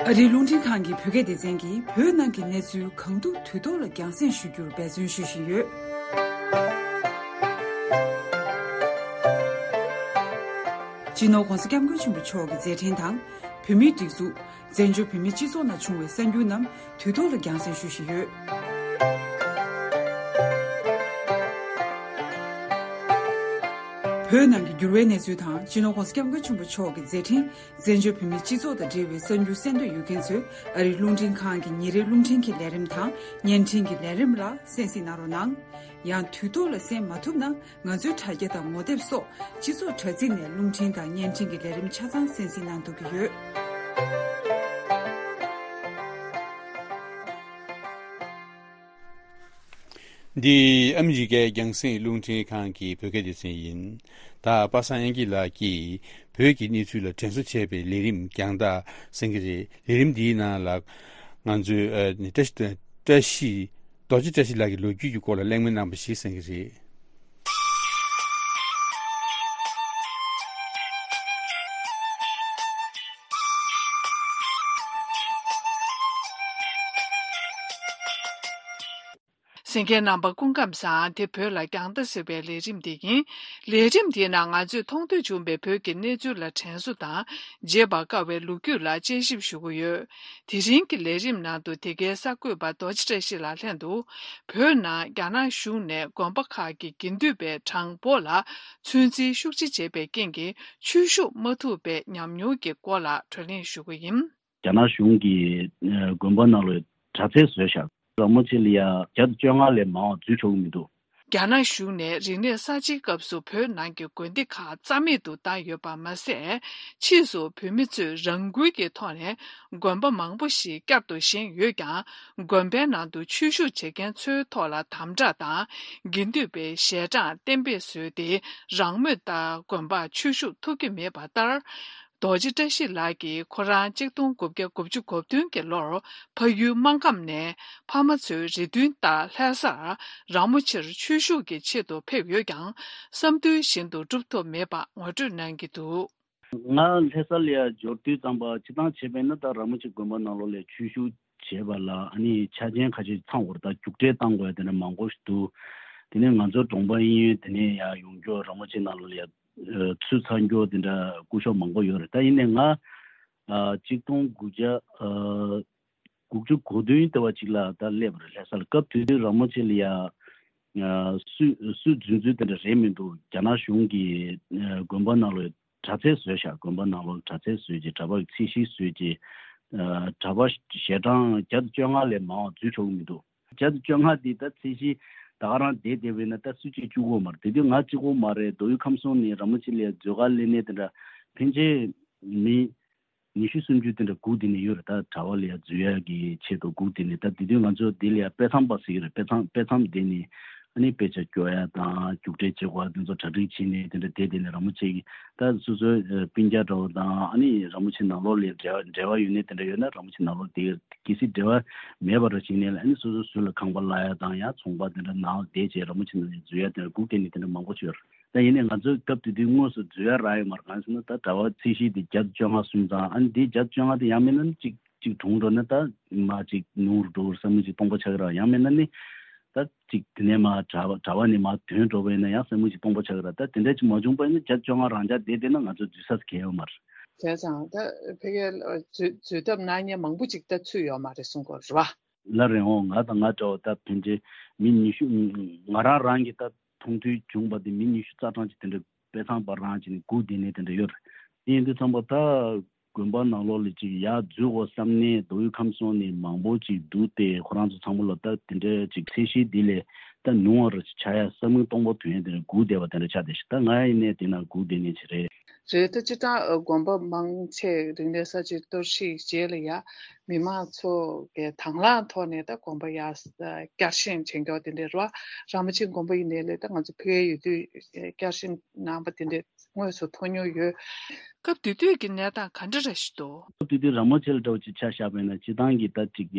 ཨ་རིའི་རླུང་འཕྲིན་ཁང་གི་བོད་སྐད་སྡེ་ཚན་གྱིས་བོད་ནང་གི་གནས་ཚུལ་གང་ཐུབ་དུས་ཐོག་ལ་རྒྱང་སྲིང་ཞུ་རྒྱུར་འབད་བརྩོན་ཞུ་བཞིན་ཡོད། སྤྱི་ནོར་༧གོང་ས་༧སྐྱབས་མགོན་ཆེན་པོ་མཆོག་གི་མཛད་འཕྲིན་དང་། བོད་མིའི་སྒྲིག་འཛུགས། བཙན་བྱོལ་བོད་མིའི་སྤྱི་ཚོགས་ནང་བྱུང་བའི་གསར་འགྱུར་རྣམས་དུས་ཐོག་ལ་རྒྱང་སྲིང་ཞུ་བཞིན་ཡོད། བོད་ནང་གི་འགྱུར་བའི་གནས་ཚུལ་དང་། སྤྱི་ནོར་༧གོང་ས་༧སྐྱབས་མགོན་ཆེན་པོ་མཆོག་གི་མཛད་འཕྲིན། བཙན་བྱོལ་བོད་མིའི་སྤྱི་ཚོགས་དང་འབྲེལ་བའི་གསར་འགྱུར་གསན་འདོད་ཡོད་མཁན་ཚོས་ཨ་རིའི་རླུང་འཕྲིན་ཁང་གི་ཉིན་རེའི་རླུང་འཕྲིན་གྱི་ལས་རིམ་དང་བརྙན་འཕྲིན་གྱི་ལས་རིམ་ལ་གསན་གཟིགས་གནང་རོགས་གནང་། ཡང་དུས་ཐོག་ལ་གསན་མ་ཐུབ་ན། ང་ཚོའི་དྲ་རྒྱ་དང་ངོ་དེབ་སོགས་སྤྱི་ཚོགས་དྲ་ཚིགས་ནས་རླུང་འཕྲིན་དང་བརྙན་འཕྲིན་གྱི་ལས་རིམ་ཆ་ཚང་གསན་གཟིགས་གནང་ཐུབ་ཀྱི་ཡོད། འདི་ཨ་མི་རི་ཀའི་རྒྱང་སྲིང་རླུང་འཕྲིན་ཁང་གི་བོད་སྐད་སྡེ་ཚན་ཡིན། ད་པ་སངས་དབྱངས་སྐྱིད་ལགས་ཀྱིས་བོད་ཀྱི་གནས་ཚུལ་ལ་དྲན་གསོ་བྱས་པའི་ལས་རིམ་རྒྱང་ལྟ་གསན་གྱི་རེད། ལས་རིམ་འདིའི་ནང་ལ་ང་ཚོས་ཨ་བཀྲ་ཤིས་བཀྲ་ཤིས་རྡོ་རྗེ་བཀྲ་ཤིས་ལགས་ཀྱི་ལོ་རྒྱུས་ཀྱི་སྐོར་ལ་གླེང་མོལ་གནང་པ་ཞིག་གསན་གྱི་རེད། གསན་མཁན་རྣམ་པ་སྐུ་ཁམས་བཟང་། དེ་བོད་ལ་རྒྱང་ལྟ་ཟེར་བའི་ལས་རིམ་དེ་ཡིན། ལས་རིམ་དེའི་ནང་ང་ཚོས་མཐོང་ཐོས་བྱུང་བའི་བོད་ཀྱི་གནས་ཚུལ་ལ་དྲན་གསོ་དང་། བརྗེད་པར་དཀའ་བའི་ལོ་རྒྱུས་ལ་དཔྱད་ཞིབ་ཞུ་གི་ཡོད། དེ་རིང་གི་ལས་རིམ་ནང་དུ་དེ་གའི་གསར་འགོད་པ་རྡོ་རྗེ་བཀྲ་ཤིས་ལགས་ལྷན་དུ། བོད་ནང་རྒྱ་ནག་གཞུང་ནས་དགོན་པ་ཁག་གི་དགེ་འདུན་པའི་གྲངས་འབོར་ལ་ཚོད་འཛིན་ཤུགས་ཆེ་བྱས་པའི་རྐྱེན་གྱིས་ཆོས་ཞུགས་མ་ཐུབ་པའི་ཉམས་མྱོང་གི་སྐོར་ལ་བགྲོ་གླེང་ཞུ་གི་ཡིན། རྒྱ་ནག་གཞུང་གིས་ཨ་དགོན་པ་ནང་ལ་དྲག་རྩལ་བཟོས་ཤག་ར་མོ་ཆེ་ལ་ཡ་བརྒྱ་དང་བཅོ་ལྔ་ལས་མང་བ་འཛུལ་ཆོག་གི་མི་འདུག་རྒྱ་ནག་གཞུང་ནས་རིག་གནས་གསར་བརྗེའི་སྐབས་སུ་བོད་ནང་གི་དགོན་སྡེ་ཁག་རྩ་མེད་དུ་བཏང་ཡོད་པ་མ་ཟད། ཕྱིས་སུ་བོད་མི་ཚོས་རང་འགུལ་གྱི་ཐོག་ནས་དགོན་པ་མང་པོ་ཞིག་བསྐྱར་དུ་བཞེངས་ཡོད་ཀྱང་། དགོན་པའི་ནང་དུ་ཆོས་ཞུགས་བྱེད་མཁན་ཚོའི་ཐོག་ལ་དམ་དྲག་དང་། དགེ་འདུན་པའི་ཞལ་གྲངས་གཏན་འབེབས་བཟོས་ཏེ། རང་མོས་ལྟར་དགོན་པར་ཆོས་ཞུགས་ཐུབ་ཀྱི་མེད་པ་ལྟར། རྡོ་རྗེ་བཀྲ་ཤིས་ལགས་ཀྱིས་ཁོ་རང་གཅིག་སྟོང་དགུ་བརྒྱ་དགུ་བཅུ་གོ་བདུན་གྱི་ལོར་ཕ་ཡུལ་སྨར་ཁམས་ནས་ཕ་མ་ཚོའི་རེ་འདུན་ལྟར་ལྷ་སར་ར་མོ་ཆེར་ཆོས་ཞུགས་ཀྱི་ཆེད་དུ་ཕེབས་ཡོད་ཀྱང་། བསམ་འདུན་བཞིན་དུ་འགྲུབ་ཐུབ་མེད་པ་ངོ་སྤྲོད་གནང་གི་འདུག་ང་ལྷ་ས་ལ་ཡ་འབྱོར་དུས་ཙམ་པ་སྤྱིར་བཏང་བྱས་པས་ན། ད་ར་མོ་ཆེ་དགོན་པ་ནང་ལོགས་ལ་ཆོས་ཞུགས་བྱས་པ་ལ་ཨ་ནི་ཆ་རྐྱེན་ཁ་ཤས་ཚང་དགོས་རེད། ད་རྒྱུགས་སྤྲོད་བཏང་དགོས་ཡ་དེ་འདྲ་མང་པོ་ཞིག་འདུག་དེ་ནས་ང་ཚོ་གྲོང་པ་གཡས་གཡོན་དེ་ནས་ཡ་ཡོང་རྒྱུ་ར་མོ་ཆེ་ནང་ལོགས་ལ་ཡ་ཚུར་ཚར་རྒྱུ་དེ་འདྲ་སྐུ་ཞབས་མང་པོ་ཡོད་རེད། ད་ཡིན་ནའི་ང་ཨ་གཅིག་སྟོང་དགུ་བརྒྱ་ཨ་དགུ་བཅུ་གོ་བདུན་དེ་བ་ཅིག་ལ་ད་སླེབས་པ་རེད། ལྷ་ས་ལ་སྐབས་དེ་དུས་ར་མོ་ཆེ་ལ་ཡ་ཨ་སུས་སུས་རྫུན་རྫུན་དེ་འདྲ་རེད་མི་འདུག་རྒྱ་ནག་གཞུང་གིས་ཨ་དགོན་པ་ནང་ལ་དྲག་རྩལ་བཟོས་ཤག་དགོན་པ་ནང་ལོགས་དྲག་རྩལ་བཟོས་ཀྱི་གྲྭ་པ་གི་ཚད་གཞི་བཟོས་ཀྱི་ཨ་གྲྭ་པ་ཞལ་གྲངས་བརྒྱ་དང་བཅོ་ལྔ་ལས་མང་བ་འཛུལ་ཆོག་གི་མི་འདུག་བརྒྱ་དང་བཅོ་ལྔ་འདི་ད་ཚད་གཞི་ད་ག་རང་བསྡད་བསྡད་པས་ན་ད་སུ་གཅིག་བཅུག་གི་ཡོད་མ་རེད། དེ་དུས་ང་གཅིག་པོ་མ་རེད། མདོ་དབུས་ཁམས་གསུམ་ནས་ར་མོ་ཆེ་ལ་ཡ་མཛོད་དཀར་ལས་སྣེ་དེ་འདྲ་ཕན་ཆད་མི་ཉི་ཤུ་སུམ་ཅུ་དེ་འདྲ་སྒུག་བསྡད་ནས་ཡོད་རེད། ད་གྲྭ་པ་ལ་ཡ་འཛུལ་ཡ་གི་ཆེད་དུ་སྒུག་བསྡད་ནས། ད་དེ་དུས་ང་ཚོ་འདི་ལ་ཡ་དཔེ་མཚམས་པ་ཟེར་གྱི་རེད། དཔེ་མཚམས་དཔེ་མཚམས་བསྡད་ནས་ཨ་ནི་དཔེ་ཆ་སྐྱོར་ཡ་དང་རྒྱུགས་སྤྲོད་བྱེད་དགོས་ཡ་དེ་ཚོ་གྲ་སྒྲིག་བྱས་ནས་དེ་འདྲ་བསྡད་བསྡད་ནས་ར་མོ་ཆེ་གི་ད་སོ་སོའི་ཨ་སྤུན་ཀྱག་འདྲ་བོ་དང་ཨ་ནི་ར་མོ་ཆེ་ནང་ལོགས་ལ་འབྲེལ་བ་འབྲེལ་བ་ཡོད་ནས་དེ་འདྲ་ཡོད་ན་ར་མོ་ཆེ་ནང་ལོགས་དེ་གལ་སྲིད་འབྲེལ་བ་མེད་པ་འདྲ་བྱས་ནས་ཨ་ནི་སོ་སོ་ཟུར་ལ་ཁང་པ་གླ་ཡ་དང་ཡང་ཚོང་པ་དེ་འདྲ་ནང་བསྡད་བྱས་ར་མོ་ཆེ་ནང་ལ་འཛུལ་ཡ་དེ་འདྲ་སྒུག་བསྡད་ནས་དེ་འདྲ་མང་པོ་ཅིག་ཡོད་རེད། ད་ཡིན་ནའི་ང་ཚོའི་སྐབས་དེ་དུས་དངོས་སུ་འཛུལ་ཡ་རག་ཡོད་མ་རེད། གང་ཟེར་ན་ད་གྲྭ་པ་ཚད་གཞི་དེ་བརྒྱ་དང་བཅོ་ལྔ་སོང་ཙང་ཨ་ནི་དེ་བརྒྱ་དང་བཅོ་ལྔ་དེ་ཡང་མིན་ན་ནི་གཅིག་གཅིག་གྲོངས་འགྲོ་ན་ད་མ་གཅིག་ཉུང་རུ་འགྲོ་གི་རེད་བསམ་གྱི་གཅིག་སྟོང་པ་ཆགས་ཀྱི་རེད། ཡང་མིན་ན་ནི་ད་གཅིག་དེ་ནས་མ་གྲྭ་པ་གྲྭ་པ་ནས་མ་ཐོན་འགྲོ་བས་ན་ཡང་བསམ་གྱི་གཅིག་སྟོང་པ་ཆགས་ཀྱི་རེད། ད་དེ་འདྲ་ཅིག་མ་བྱུང་བ་ཡིན་ན་བརྒྱ་དང་བཅོ་ལྔ་རང་འཇགས་བསྡད་བསྡད་ན་ང་ཚོ་འཛུལ་ས་གང་ཡང་ཡོད་མ་རེད། བྱས་ཙང་ད་ཕ་གིར་འཛུལ་འཛུལ་ཐབས་གནང་མཁན་མང་པོ་ཅིག་ད་ཚུད་ཡོད་མ་རེད་གསུང་གི་ཡོད་རེད་བ། ལ་རེད་འོང་། ང་དང་ང་འདྲ་བ་ད་ཕན་ཆད་མི་ཉི་ཤུ། ང་རང་རང་གི་ད་མཐོང་ཐོས་བྱུང་བ་དེ་མི་ཉི་ཤུ་རྩ་གྲངས་ཅིག་དེ་འདྲ་དཔེ་མཚམས་པ་རང་ཅིག་ནས་སྒུག་བསྡད་ནས་དེ་འདྲ་ཡོད་རེད། དེ་ཡིན་དུས་ཙམ་པ་ད་དགོན་པ་ནང་ལོགས་ལ་ཅིག་ཡར་འཛུལ་དགོས་བསམ་ནས་མདོ་དབུས་ཁམས་གསུམ་ནས་མང་པོ་ཅིག་འདུག་སྟེ་ཁོ་རང་ཚོ་ཚང་མ་ལ་ད་དེ་འདྲ་ཅིག་ཚད་གཞི་འདི་ལས་ད་ཉུང་བ་རུ་ཆགས་ཡ་བསམ་བློ་གཏོང་ཕོད་དོན་དེ་འདྲ་སྒུག་བསྡད་པ་དེ་འདྲ་ཆགས་བསྡད་ཤག་ད་ང་ཡིན་ནའི་དེ་ན་སྒུག་བསྡད་ནས་ཅིག་རེད། རེད། ད་སྤྱིར་བཏང་ཨ་དགོན་པ་མང་ཆེ་རིག་གནས་གསར་བརྗེའི་གཏོར་བཤིག་རྗེས་ལ་ཡ་མི་མང་ཚོ་གི་དང་བླངས་ཐོག་ནས་ད་དགོན་པ་ཡར་བསྐྱར་བཞེངས་བྱེད་མཁན་དེ་འདྲ་རེད་བ། ར་མོ་ཆེ་དགོན་པ་ཡིན་ནའི་ལས་ད་ང་ཚོ་ཕ་གིར་ཡོད་དུས་བསྐྱར་བཞེངས་གནང་བ་དེ་འདྲ་དངོས་སུ་མཐོང་མྱོང་ཡོད། སྐབས་དེ་དུས་ཀྱི་གནས་སྟངས་ག་འདྲ་རེ་ཞིག་འདུག་སྐབས་དེ་དུས་ར་མོ་ཆེ་ལ་འདྲ་བོ་ཅིག་ཆ་བཞག་པ་ཡིན་ན་སྤྱིར་བཏང་གི་ད་ཅིག་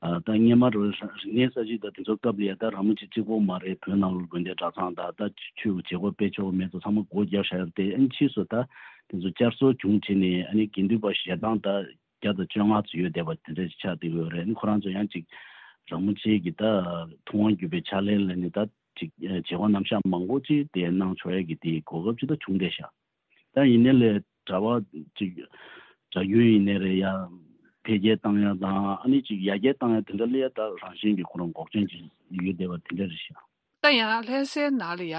ཨ་ད་སྔོན་མ་རུ་རིག་གནས་གསར་བརྗེ་དང་དེ་ཚོ་སྐབས་ལ་ཡ་ད་ར་མོ་ཆེ་གཅིག་པོ་མ་རེད། བོད་ནང་ལ་དགོན་སྡེ་གྲྭ་ཚང་དང་ད་ཆོས་ཀྱི་བྱེད་སྒོ་སྤེལ་ཆོག་མེད་ཚོ་ཚང་མ་སྒོ་བརྒྱབ་བཞག་ཡོད་དེ། ཨ་ནི་ཕྱིས་སུ་ད་དེ་ཚོ་བསྐྱར་གསོ་བྱུང་བྱས་ནས་ཨ་ནི་དགེ་འདུན་པ་ཞལ་གྲངས་ད་བརྒྱ་དང་བཅོ་ལྔ་ཙམ་ཡོད་བསྡད་པ་དེ་འདྲ་ཆགས་བསྡད་ཡོད་རེད། ཨ་ནི་ཁོ་རང་ཚོ་ཡང་ཅིག་ར་མོ་ཆེ་གི་ད་ཐུབ་དབང་བརྒྱུད་པའི་ཕྱག་ལེན་ལ་ནི་ད་ཅིག་བྱེད་སྒོ་རྣམ་གཞག་མང་པོ་ཅིག་དེ་གནང་ཆོག་ཡ་གི་དེ་གོ་སྐབས་ཅིག་ད་བྱུང་བསྡད་ཤག་ད་ཡིན་ནའི་ལས་གྲྭ་པ་ཅིག་གྲྭ་རྒྱུན་ཡིན་ནའི་རེད་ཡ། འཕེལ་རྒྱས་བཏང་ཡ་དང་ཨ་ནི་ཅིག་ཡར་རྒྱས་བཏང་ཡ་དེ་འདྲ་ལ་ཡ་ད་རང་བཞིན་གྱིས་ཁོ་རང་འགོག་རྐྱེན་ཅིག་ཡོད་བསྡད་པ་དེ་འདྲ་རེད་ཤག་ད་ཡང་ལྷ་སའི་ནང་ལ་ཡ།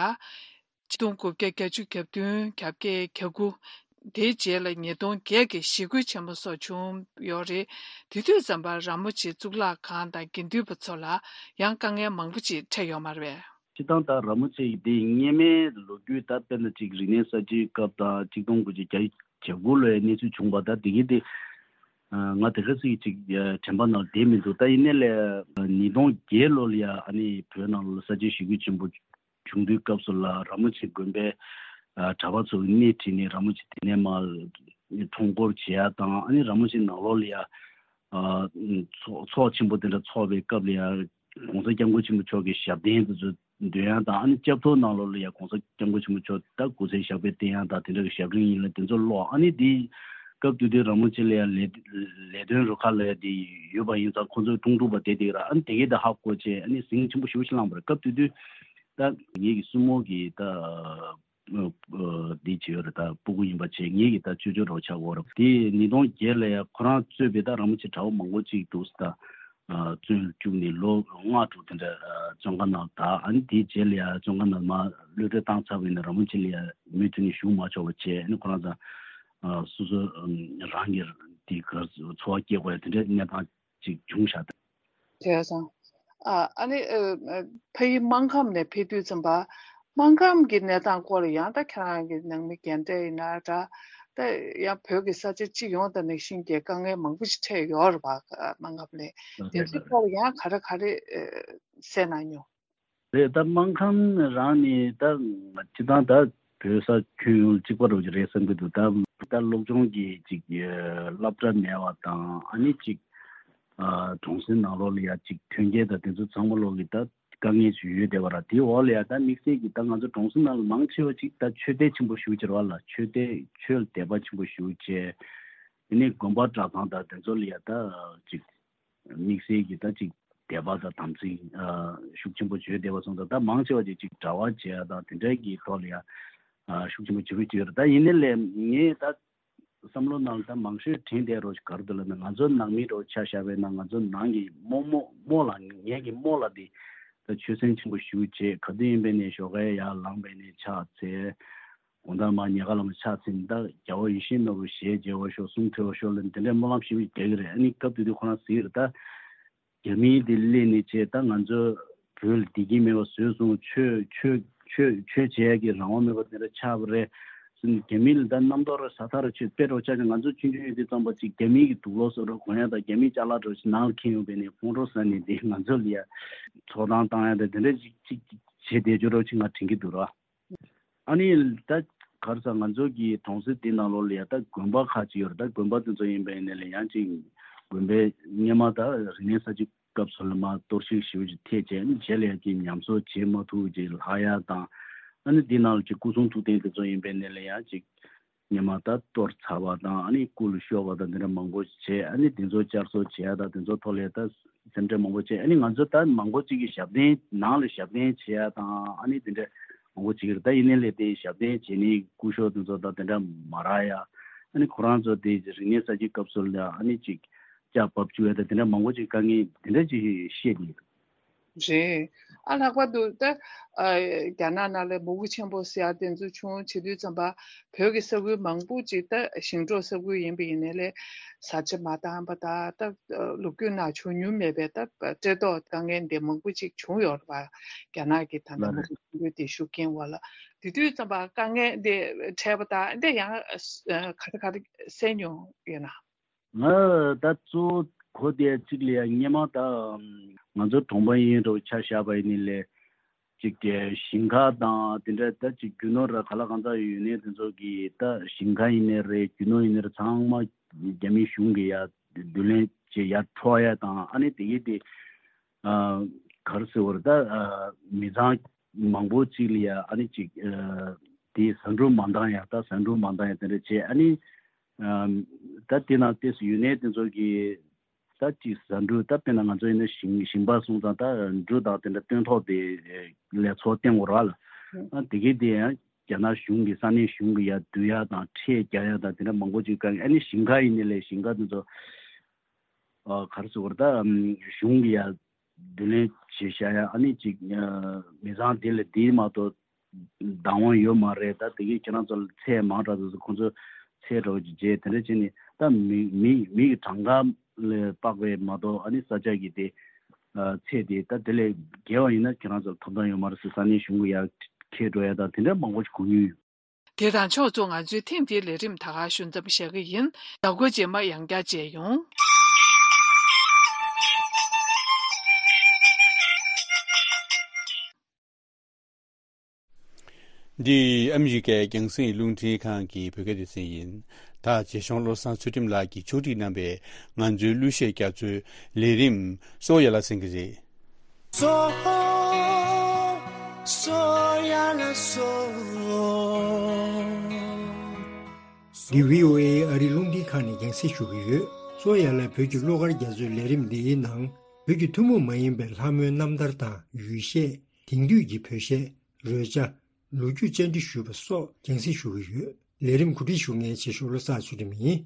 ཆིག་སྟོང་དགུ་བརྒྱ་བརྒྱད་ཅུ་གྱ་བདུན་གྱ་བརྒྱད་གྱ་དགུ། དེའི་རྗེས་ལ་ཉིས་སྟོང་བརྒྱད་ཀྱི་ཞི་རྒོལ་ཆེན་པོ་སོགས་བྱུང་ཡོད་རེད། དེ་དུས་ཙམ་པར་ར་མོ་ཆེ་གཙུག་ལག་ཁང་དང་དགེ་འདུན་པ་ཚོ་ལ་ཡང་དཀའ་ངལ་མང་པོ་ཅིག་འཕྲད་ཡོད་མ་རེད་པས། སྤྱིར་བཏང་ད་ར་མོ་ཆེ་ཡི་དེ་སྔོན་མའི་ལོ་རྒྱུས་ད་དཔེར་ན་ཅིག་རིག་གནས་གསར་བརྗེའི་སྐབས་དང་ཆིག་སྟོང་དགུ་བརྒྱ་བརྒྱད་ཅུ་གྱ་དགུ་ལོའི་གནས་ཚུལ་བྱུང་བ་ད་དེ་གི་དེ་ང་དེ་ག་ཚོད་ཅིག་དྲན་པ་ནང་བསྡད་མི་འདུག་ད་ཡིན་ནའི་ལས་ཉིས་སྟོང་བརྒྱད་ལོ་ལ་ཡ་ཨ་ནི་བོད་ནང་ལ་གསར་བརྗེའི་ཞི་རྒོལ་ཆེན་པོ་བྱུང་དུས་སྐབས་སུ་ལ་ར་མོ་ཆེ་དགོན་པའི་གྲྭ་པ་ཚོ་གི་སྣེ་ཁྲིད་ནས་ར་མོ་ཆེ་དེ་ནས་མར་ཁྲོམ་སྐོར་བྱེད་ཡ་དང་ཨ་ནི་ར་མོ་ཆེ་ནང་ལོགས་ལ་ཡ། ཨ་ཚོགས་ཚོགས་ཆེན་པོ་དེ་འདྲ་ཚོགས་པའི་སྐབས་ལ་ཡང་༸གོང་ས་༸སྐྱབས་མགོན་ཆེན་པོ་མཆོག་གི་ཞབས་བརྟན་དེ་ཚོ་འདོན་ཡ་དང་། ཨ་ནི་སྐབས་ཐོག་ནང་ལོགས་ལ་ཡང་༸གོང་ས་༸སྐྱབས་མགོན་ཆེན་པོ་མཆོག་ད་སྐུ་ཚེ་ཞབས་པད་བརྟན་ཡ་དང་དེ་འདྲ་གི་ཞབས་རིམ་ཡིན་ལ་དེ་ཚོ་ཀློག་ཨ་ནི་དེའི་ སྐབས་དེ་དུས་རིན་པོ་ཆེ་ལ་ཡ་ལས་ལས་དོན་རུ་ཁག་ལ་ཡ་དེ་ཡོད་པ་ཡིན་ཙང་ཁོང་ཚོའི་དྲུང་དྲུང་པ་དེ་དེ་ར་ཨ་ནི་དེ་གས་ད་ཧ་གོ་བྱས་ཨ་ནི་ཟིང་ཆེན་པོ་ཞེ་པོ་ཞིག་བསླངས་པ་རེད། སྐབས་དེ་དུས་ད་ངེད་ཀྱི་སྲུ་མོ་གི་ད་འདི་བྱས་ཡོད་རེད། ད་སྤུ་གུ་ཡིན་པ་བྱས་ངེད་ཀྱི་ད་ཅོ་ཅོ་རོ་ཆགས་ཡོད་རེད། དེ་ཉིས་སྟོང་བརྒྱད་ལ་ཡ་ཁོ་རང་གཙོས་པའི་ད་རིན་པོ་ཆེ་གྲྭ་པ་མང་པོ་ཅིག་འདུག་ད། བཙོན་བཅུག་ནས་ལོ་ལྔ་དྲུག་དེ་འདྲ་བཙོན་ཁང་ནང་ད་ཨ་ནི་དེའི་རྗེས་ལ་ཡང་བཙོན་ཁང་ནང་མར་གློད་གྲོལ་བཏང་ཚར་བ་ཡིན་ན་རིན་པོ་ཆེ་ལ་ཡང་མུ་མཐུད་ནས་བཞུགས་མ་ཆོག་པ་བྱས་ཨ་ནི་ཁོ་རང་ཚོ་སོ་སོ་རང་གི་དེ་གར་འཚོ་བ་སྐྱེལ་དགོས་ཡ་དེ་འདྲའི་གནས་སྟངས་ཅིག་བྱུང་ཤག་ད། བྱས་ཙང་། ཨ་ཨ་ནི་ཕ་ཡུལ་སྨར་ཁམས་ནས་ཕེབས་དུས་ཙམ་པ། སྨར་ཁམས་ཀྱི་གནས་སྟངས་སྐོར་ལ་ཡང་ད་ཁྱེད་རང་གི་ནང་མི་རྒན་གྲས་ཡིན་ན་འདྲ། ད་ཡང་བོད་ཀྱི་ས་ཆ་སྤྱི་ཡོངས་དང་ནང་བཞིན་གྱི་དཀའ་ངལ་མང་པོ་ཞིག་འཕྲད་ཡོད་རེད་པ། སྨར་ཁམས་ནས་དེ་ཚོའི་སྐོར་ལ་ཡང་ག་རེ་ག་རེ་གསན་གནང་མྱོང་། རེད། ད་སྨར་ཁམས་རང་ནི་ད་སྤྱི་བཏང་ད་བོད་ས་ཁྱོན་ཡོངས་གཅིག་པ་རུ་རེད་བསམ་གྱི་འདུག་ད་ད་སློབ་སྦྱོང་གི་ཅིག་སློབ་གྲྭ་མེད་པ་དང་ཨ་ནི་ཅིག་གྲོང་གསེབ་ནང་ལོགས་ལ་ཡ་ཅིག་ཐོན་སྐྱེད་དང་དེ་ཚོ་ཚང་མ་ལོགས་ཀྱི་ད་དཀའ་ངལ་ཞིག་ཡོད་བསྡད་པ་ར། དེའི་འོག་ལ་ཡ་ད་དམིགས་བསལ་གྱི་ད་ང་ཚོ་གྲོང་གསེབ་ནང་ལ་མང་ཆེ་བ་ཅིག་ད་ཆོས་དད་ཆེན་པོ་ཞེ་པོ་ཅིག་རེད་པ་ལགས། ཆོས་དད་ཆོས་ལ་དད་པ་ཆེན་པོ་ཞེ་པོ་བྱས། དེ་ནས་དགོན་པ་གྲྭ་ཚང་དང་དེ་ཚོ་ལ་ཡ་ད་ཅིག་དམིགས་བསལ་གྱི་ད་ཅིག་དད་པ་དང་དམ་ཚིག་ཤུགས་ཆེན་པོ་བྱས་བསྡད་པ་སོང་ཙང་ད་མང་ཆེ་བ་ཅིག་ཅིག་གྲྭ་པ་བྱས་ཡ་དང་དེ་འདྲའི་གི་ཐོག་ལ་ཡ་ཤུགས་ཆེན་པོ་བྱེད་ཀྱི་ཡོད་རེད། ད་ཡིན་ནའི་ལས་ངས་ད་བསམ་བློ་ནང་ལ་ད་མང་ཤོས་དྲན་བསྡད་རོགས་ཞིག་ག་རེ་འདུག་ལབ་ན། ང་ཚོ་ནང་མི་རོགས་ཆ་བཞག་པ་ཡིན་ན་ང་ཚོ་ནང་གི་རྨོ་མོ་རྨོ་ལགས་ངེད་ཀྱི་རྨོ་ལགས་དེ་ད་ཆོས་སེམས་ཆེན་པོ་ཞེ་པོ་བྱས། ག་དུས་ཡིན་པ་ཡིན་ནའི་ཞོགས་ཀས་ཡར་ལངས་པ་ཡིན་ནའི་ཕྱག་འཚལ། དགོང་དག་མར་ཉལ་ཁ་ལ་མར་ཕྱག་འཚལ་ནས་ད་རྒྱལ་བ་ཡིད་བཞིན་ནོར་བུ་ཞལ་མཇལ་བར་ཤོག་གསུང་ཐོས་པར་ཤོག་ལབ་ནས་དེ་འདྲའི་སྨོན་ལམ་ཞེ་པོ་རྒྱག་གི་རེད། ཨ་ནི་སྐབས་དེ་དུས་ཁོ་རང་ཟེར་གྱི་རེད། ད་རྒྱ་མི་དེ་སླེབས་ནས་བྱས་ད་ང་ཚོ་བོད་ལ་བདེ་སྐྱིད་མེད་པ་བཟོས་སོང་། ཆོས་ཆོས་ཆོས་ཆོས་བྱེད་ཡག་གི་རང་དབང་མེད་པ་དེ་འདྲ་ཆགས་པ་རེད་ཟེར་ནས། རྒྱ་མི་ལ་ད་རྣམ་རྟོག་ར་ཟ་ཐག་ར་ཆོད་དཔེ་རོགས་ཆ་ཆ་ང་ཚོ་ཆུང་ཆུང་ཡོད་དུས་ཙམ་པ་ཅིག་རྒྱ་མི་གི་དུག་ལོག་བཟོ་རོགས་གོན་ཡག་དང་རྒྱ་མི་ཅ་ལག་རོགས་ཅིག་ནང་ལ་འཁྱེར་ཡོང་བས་ནས་ཁོང་ཁྲོ་ཟ་ནས་དེ་ང་ཚོ་ལ་ཡ་ཚོགས་གཏམ་བཏང་ཡག་དང་དེ་འདྲ་ཅིག་ཅིག་བྱེད་བསྡད་རྒྱུ་རོགས་ཅིག་ང་དྲན་གྱི་འདུག་ར། ཨ་ནི་ད་ག་རེ་ཟེར། ང་ཚོ་གི་གྲོང་གསེབ་འདི་ནང་ལོགས་ལ་ཡ་ད་དགོན་པ་ཁག་ཅིག་ཡོད་རེད། ད་དགོན་པ་དེ་ཚོ་ཡིན་པ་ཡིན་ནའི་ལས་ཡང་ཅིག་དགོན་པའི་སྔོན་མ་ད་རིག་གནས་གསར་བརྗེ་སྐབས་སུ་ལ་མར་གཏོར་བཤིག་ཞེ་པོ་ཅིག་ཐེབས་བྱས། ཨ་ནི་རྗེས་ལ་ཡ་ཅིག་ཉམས་གསོ་བྱེད་མ་ཐུབ་ཅིག་ལྷག་ཡ་དང་། ཨ་ནི་འདི་ནང་ལ་ཅིག་སྐུ་གསུང་ཐུགས་རྟེན་དེ་ཚོ་ཡིན་པ་ཡིན་ནའི་ལས་ཡང་ཅིག་སྔོན་མ་ད་གཏོར་ཚར་བ་དང་ཨ་ནི་སྐུ་ལ་ཤོར་བ་དང་དེ་འདྲ་མང་པོ་བྱས། ཨ་ནི་དེ་ཚོ་བསྐྱར་གསོ་བྱེད་ཡ་དང་དེ་ཚོ་ཐོག་ལ་ད་སེམས་ཁྲལ་མང་པོ་བྱས། ཨ་ནི་ང་ཚོ་ད་མང་པོ་ཅིག་གིས་ཞབས་བརྟན་ནང་ལ་ཞབས་བརྟན་བྱེད་ཡ་དང་ཨ་ནི་དེ་འདྲ་མང་པོ་བྱེད་ཀྱི་རེད། ད་ཡིན་ནའི་ལས་དེ་ཞབས་བརྟན་བྱེད་ནི་སྐུ་ཞབས་དེ་ཚོ་དང་དེ་འདྲ་མ་རག་ཡ། ཨ་ནི་ཁོ་རང་ཚོ་དེ་རིག་གནས་གསར་བརྗེ་སྐབས་སུ་ལ་ཨ་ནི་ཅིག་སྐྱག་བབས་བཅུག་ཡ་དང་དེ་འདྲ་མང་པོ་ཅིག་དཀའ་ངལ་དེ་འདྲ་ཅིག་བཤད་དེ། རེད། ཨ་ལྷག་པར་དུ་ད་ཨ་རྒྱ་ནག་ནང་ལ་མུ་གེ་ཆེན་པོ་ཟེར་ཡ་དེ་ཚོ་བྱུང་བྱེད་དུས་ཙམ་པ་བོད་ཀྱི་ས་ཁུལ་མང་པོ་ཅིག་ད་ཞིང་འབྲོག་ས་ཁུལ་ཡིན་པ་ཡིན་ནའི་ལས་བཟའ་བཅའ་མ་འདང་པ་དང་ད་ལོ་རྒྱུས་ནང་བྱུང་མྱོང་མེད་པའི་ད་བཀྲེས་ལྟོགས་དཀའ་ངལ་འདི་མང་པོ་ཅིག་བྱུང་ཡོད་རེད་པ། རྒྱ་ནག་གི་ད་ལྟ་མུ་གེ་ཆེན་པོའི་དེ་ཤུགས་རྐྱེན་འོག་ལ་དེ་དུས་ཙམ་པ་དཀའ་ངལ་འདི་འཕྲད་པ་དང་འདི་ཡང་ག་རེ་ག་རེ་གསན་མྱོང་ཡོད་ན། ང་ད་གཙོ་བོ་གོ་བསྡད་གཅིག་ལ་ཡ་སྔོན་མ་ད་ང་ཚོ་གྲོང་པ་ཡིན་རུང་ཆ་བཞག་པ་ཡིན་ནའི་ལས་ཅིག་གི་ཞིང་ཁ་དང་དེ་འདྲ་ད་ཅིག་རྒྱུ་ནོར་ར་ག་ལ་གང་ཚ་ཡོད་ནའི་དེ་ཚོ་གི་ད་ཞིང་ཁ་ཡིན་ནའི་རེད། རྒྱུ་ནོར་ཡིན་ནའི་རེད། ཚང་མ་རྒྱ་མི་གཞུང་གི་ཡ་བསྡུ་ལེན་བྱེད་ཡ་འཕྲོག་ཡ་དང་ཨ་ནི་དེ་གི་དེ་ག་རེ་ཟེར་བ་རེད། ད་མི་ཚང་མང་པོ་གཅིག་ལ་ཡ་ཨ་ནི་ཅིག་དེ་ཟ་འབྲུ་མ་འདང་ཡ་ད་ཟ་འབྲུ་མ་འདང་ཡ་དེ་འདྲ་བྱས། ཨ་ནི་ད་དེ་ནང་ཏོག་ཙམ་ཡོད་ནའི་དེ་ཚོ་གི་ད་ཅིག་ཟ་འབྲུ་ད་དཔེར་ན་ང་ཚོ་ཡིན་ན་ཞིང་ཞིང་པ་སོང་ཙང་ད་འབྲུ་དང་དེ་འདྲ་སྟོན་ཐོག་དེ་ལས་ཚོགས་བསྟན་དགོས་ར་ལ། ཨ་དེ་གི་དེ་ཡང་རྒྱ་ནག་གཞུང་གི་ས་གནས་གཞུང་གི་ཡ་བསྡུ་ཡ་དང་ཁྲལ་རྒྱག་ཡ་དང་དེ་འདྲ་མང་པོ་ཅིག་དཀའ་ངལ། ཨ་ནི་ཞིང་ཁ་ཡིན་ནའི་ལས་ཞིང་ཁ་དེ་ཚོ་ག་རེ་ཟེར་བ་རེད། ད་གཞུང་གི་ཡ་བསྡུ་ལེན་བྱེད་བཞག་ཡ་ཨ་ནི་ཅིག་མི་ཚང་དེ་ལ་དེ་མ་གཏོགས་བདག་དབང་ཡོད་མ་རེད། ད་དེ་གས་ཁྱེད་རང་ཚོ་ལ་ཚད་མང་དྲགས་ཚོད་ཁོང་ཚོ་ཚད་འདྲ་བོ་ཅིག་བརྗེས་དེ་འདྲ་བྱས་ནས་ད་མི་མི་མི་གི་གྲངས་ཀ་ལ་དཔག་པའི་མ་གཏོགས་ཨ་ནི་ས་ཆ་གི་དེ་ཚད་དེ་ད་དེ་ལས་བརྒལ་བ་ཡིན་ན་ཁྱེད་རང་ཚོ་ལ་ཐོབ་ཐང་ཡོད་མ་རེད་ཟེར་ས་གནས་གཞུང་གི་ཡར་འཁྱེར་འགྲོ་ཡ་ད་དེ་འདྲ་མང་པོ་ཞིག་གོ་མྱོང་ཡོད། དེ་དང་ཕྱོགས་མཚུངས་ང་ཚོའི་ཐེངས་འདིའི་ལས་རིམ་ད་ག་ཞུ་མཚམས་བཞག་གི་ཡིན། ཟླ་འགོ་རྗེས་མ་ཡང་བསྐྱར་མཇལ་ཡོང་། འདི་ཨ་མི་རི་ཀའི་རྒྱང་སྲིང་རླུང་འཕྲིན་ཁང་གི་བོད་སྐད་སྡེ་ཚན་ཡིན། ད་རྗེ་གཞུང་བློ་བཟང་ཚུལ་ཁྲིམས་ལགས་ཀྱིས་ཕྱོགས་སྒྲིག་གནང་བའི་ང་ཚོའི་གླུ་གཞས་རྒྱ་མཚོའི་ལས་རིམ་གཙོ་བོ་ཡར་ལ་གསན་གྱི་རེད། སོ་སོ་ཡ་ལ་སོ། འདི་བྷི་ཨོ་ཨེ་ཨ་རིའི་རླུང་འཕྲིན་ཁང་ནས་རྒྱང་སྲིང་ཞུ་གི་ཡོད། སོ་ཡ་ལ་བོད་ཀྱི་བློ་དཀར་རྒྱ་མཚོའི་ལས་རིམ་འདིའི་ནང་བོད་ཀྱི་ཐུན་མོང་མ་ཡིན་པའི་ལྷ་མོའི་རྣམ་ཐར་དང་ཡུལ་གཞས། དེང་དུས་ཀྱི་བོད་གཞས། རོལ་ཆ། ལོ་རྒྱུས་བཅར་འདྲི་ཞུས་པ་སོགས་རྒྱང་སྲིང་ཞུ་གི་ཡོད། ལས་རིམ་གོ་སྒྲིག་ཞུ་མཁན་ཆེ་ཤོས་བློ་བཟང་ཚུལ་ཁྲིམས་ཡིན།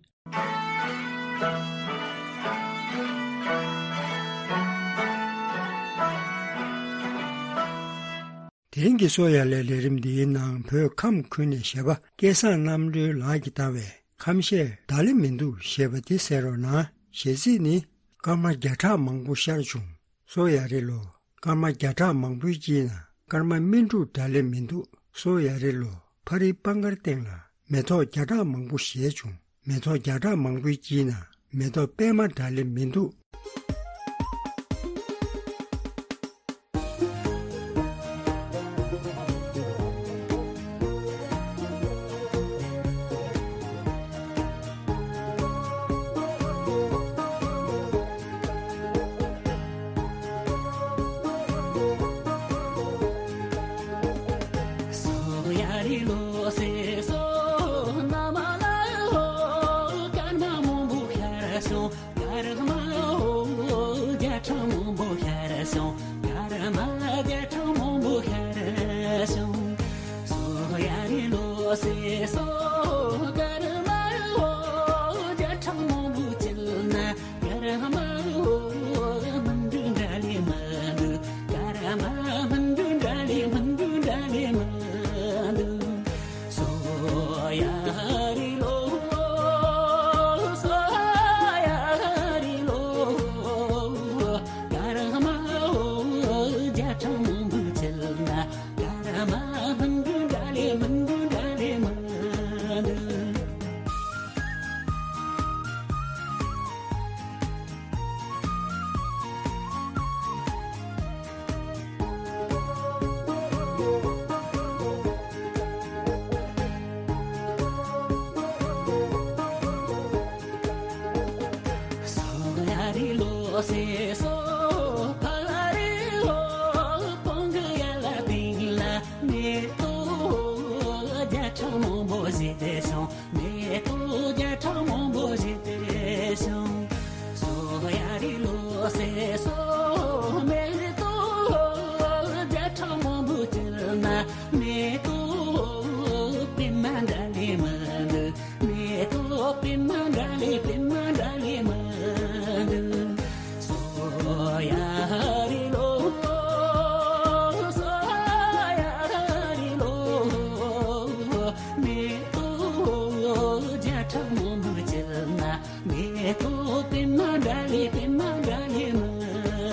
དེ་རིང་གི་སོ་ཡ་ལའི་ལས་རིམ་འདིའི་ནང་བོད་ཁམས་ཁུལ་ནས་གཞས་པ་སྐལ་བཟང་རྣམ་གྲོལ་ལགས་ཀྱིས་བཏང་བའི་ཁམས་གཞས་བདག་ལས་མི་འདུག་ཞེས་པ་འདི་གསན་རོགས་གནང་། གཞས་ཚིག་ནི། སྐར་མ་བརྒྱ་ཕྲག་མང་པོ་ཤར་བྱུང་། སོ་ཡ་རེད་ལོ། སྐར་མ་བརྒྱ་ཕྲག་མང་པོའི་དཀྱིལ་ན་སྐར་མ་སྨིན་དྲུག་འདྲ་ལས་མི་འདུག་སོ་ཡ་རེད་ལོ། ཕ་རིའི་པང་ཁར་སྟེང་ལ་མེ་ཏོག་བརྒྱ་ཕྲག་མང་པོ་བཞད་བྱུང་། མེ་ཏོག་བརྒྱ་ཕྲག་མང་པོའི་དཀྱིལ་ན་མེ་ཏོག་པད་མ་འདྲ་ལས་མི་འདུག་སྐར་མ་བརྒྱ་ཕྲག་མང་པོ་ཤར་སོང་། སྐར་མ་བརྒྱ་ཕྲག་མང་པོ་ཤར་སོང་། སོ་ཡ་རི་ལོ་སེ་སོ། སྐར་མ་བརྒྱ་ཕྲག་མང་པོ་བྱེད་ན། སྐར་མ་མི་འདུག་འདྲ་ལས་མི་འདུག་སྐར་མ་མི་འདུག་འདྲ་ལས་མི་འདུག་འདྲ་ལས་མི་འདུག་སོ་ཡ་རི་ལོ། སོ་ཡ་རི་ལོ། སྐར་མ་བརྒྱ་ཕྲག་མང་པོ་བྱེད་ན། སྐར་མ་མི་འདུག་འདྲ་ལས་མི་འདུག་འདྲ་ལས་མི་འདུག་སོ་ཡ་རི་ལོ་སེ་སོ། ཕ་ལ་རི་ལོ། སྤང་གི་ཡ་ལ་སྟེང་ལ་མེ་ཏོག་བརྒྱ་ཕྲག་མང་པོ་བཞད་དེ་སོང་། མེ་ཏོག་བརྒྱ་ཕྲག་མང་པོ་བཞད་དེ་སོང་། སོ་ཡ་རི་ལོ་སེ་སོ། མེ་ཏོག་བརྒྱ་ཕྲག་མང་པོ་བསྐྱལ་ན། མེ་ཏོག་པད་མ་འདྲ་ལས་མི་འདུག་མེ་ཏོག་པད་མ་འདྲ་ལས་པད་མ་འདྲ་ལས་མི་འདུག་སོ་ཡ་རི་ལོ། སོ་ཡ་རི་ལོ། མེ་ཏོག་བརྒྱ་ཕྲག་མང་པོ་བྱེད་ན། མེ་ཏོག་པད་མ་འདྲ་ལས་པད་མ་འདྲ་ལས་མི་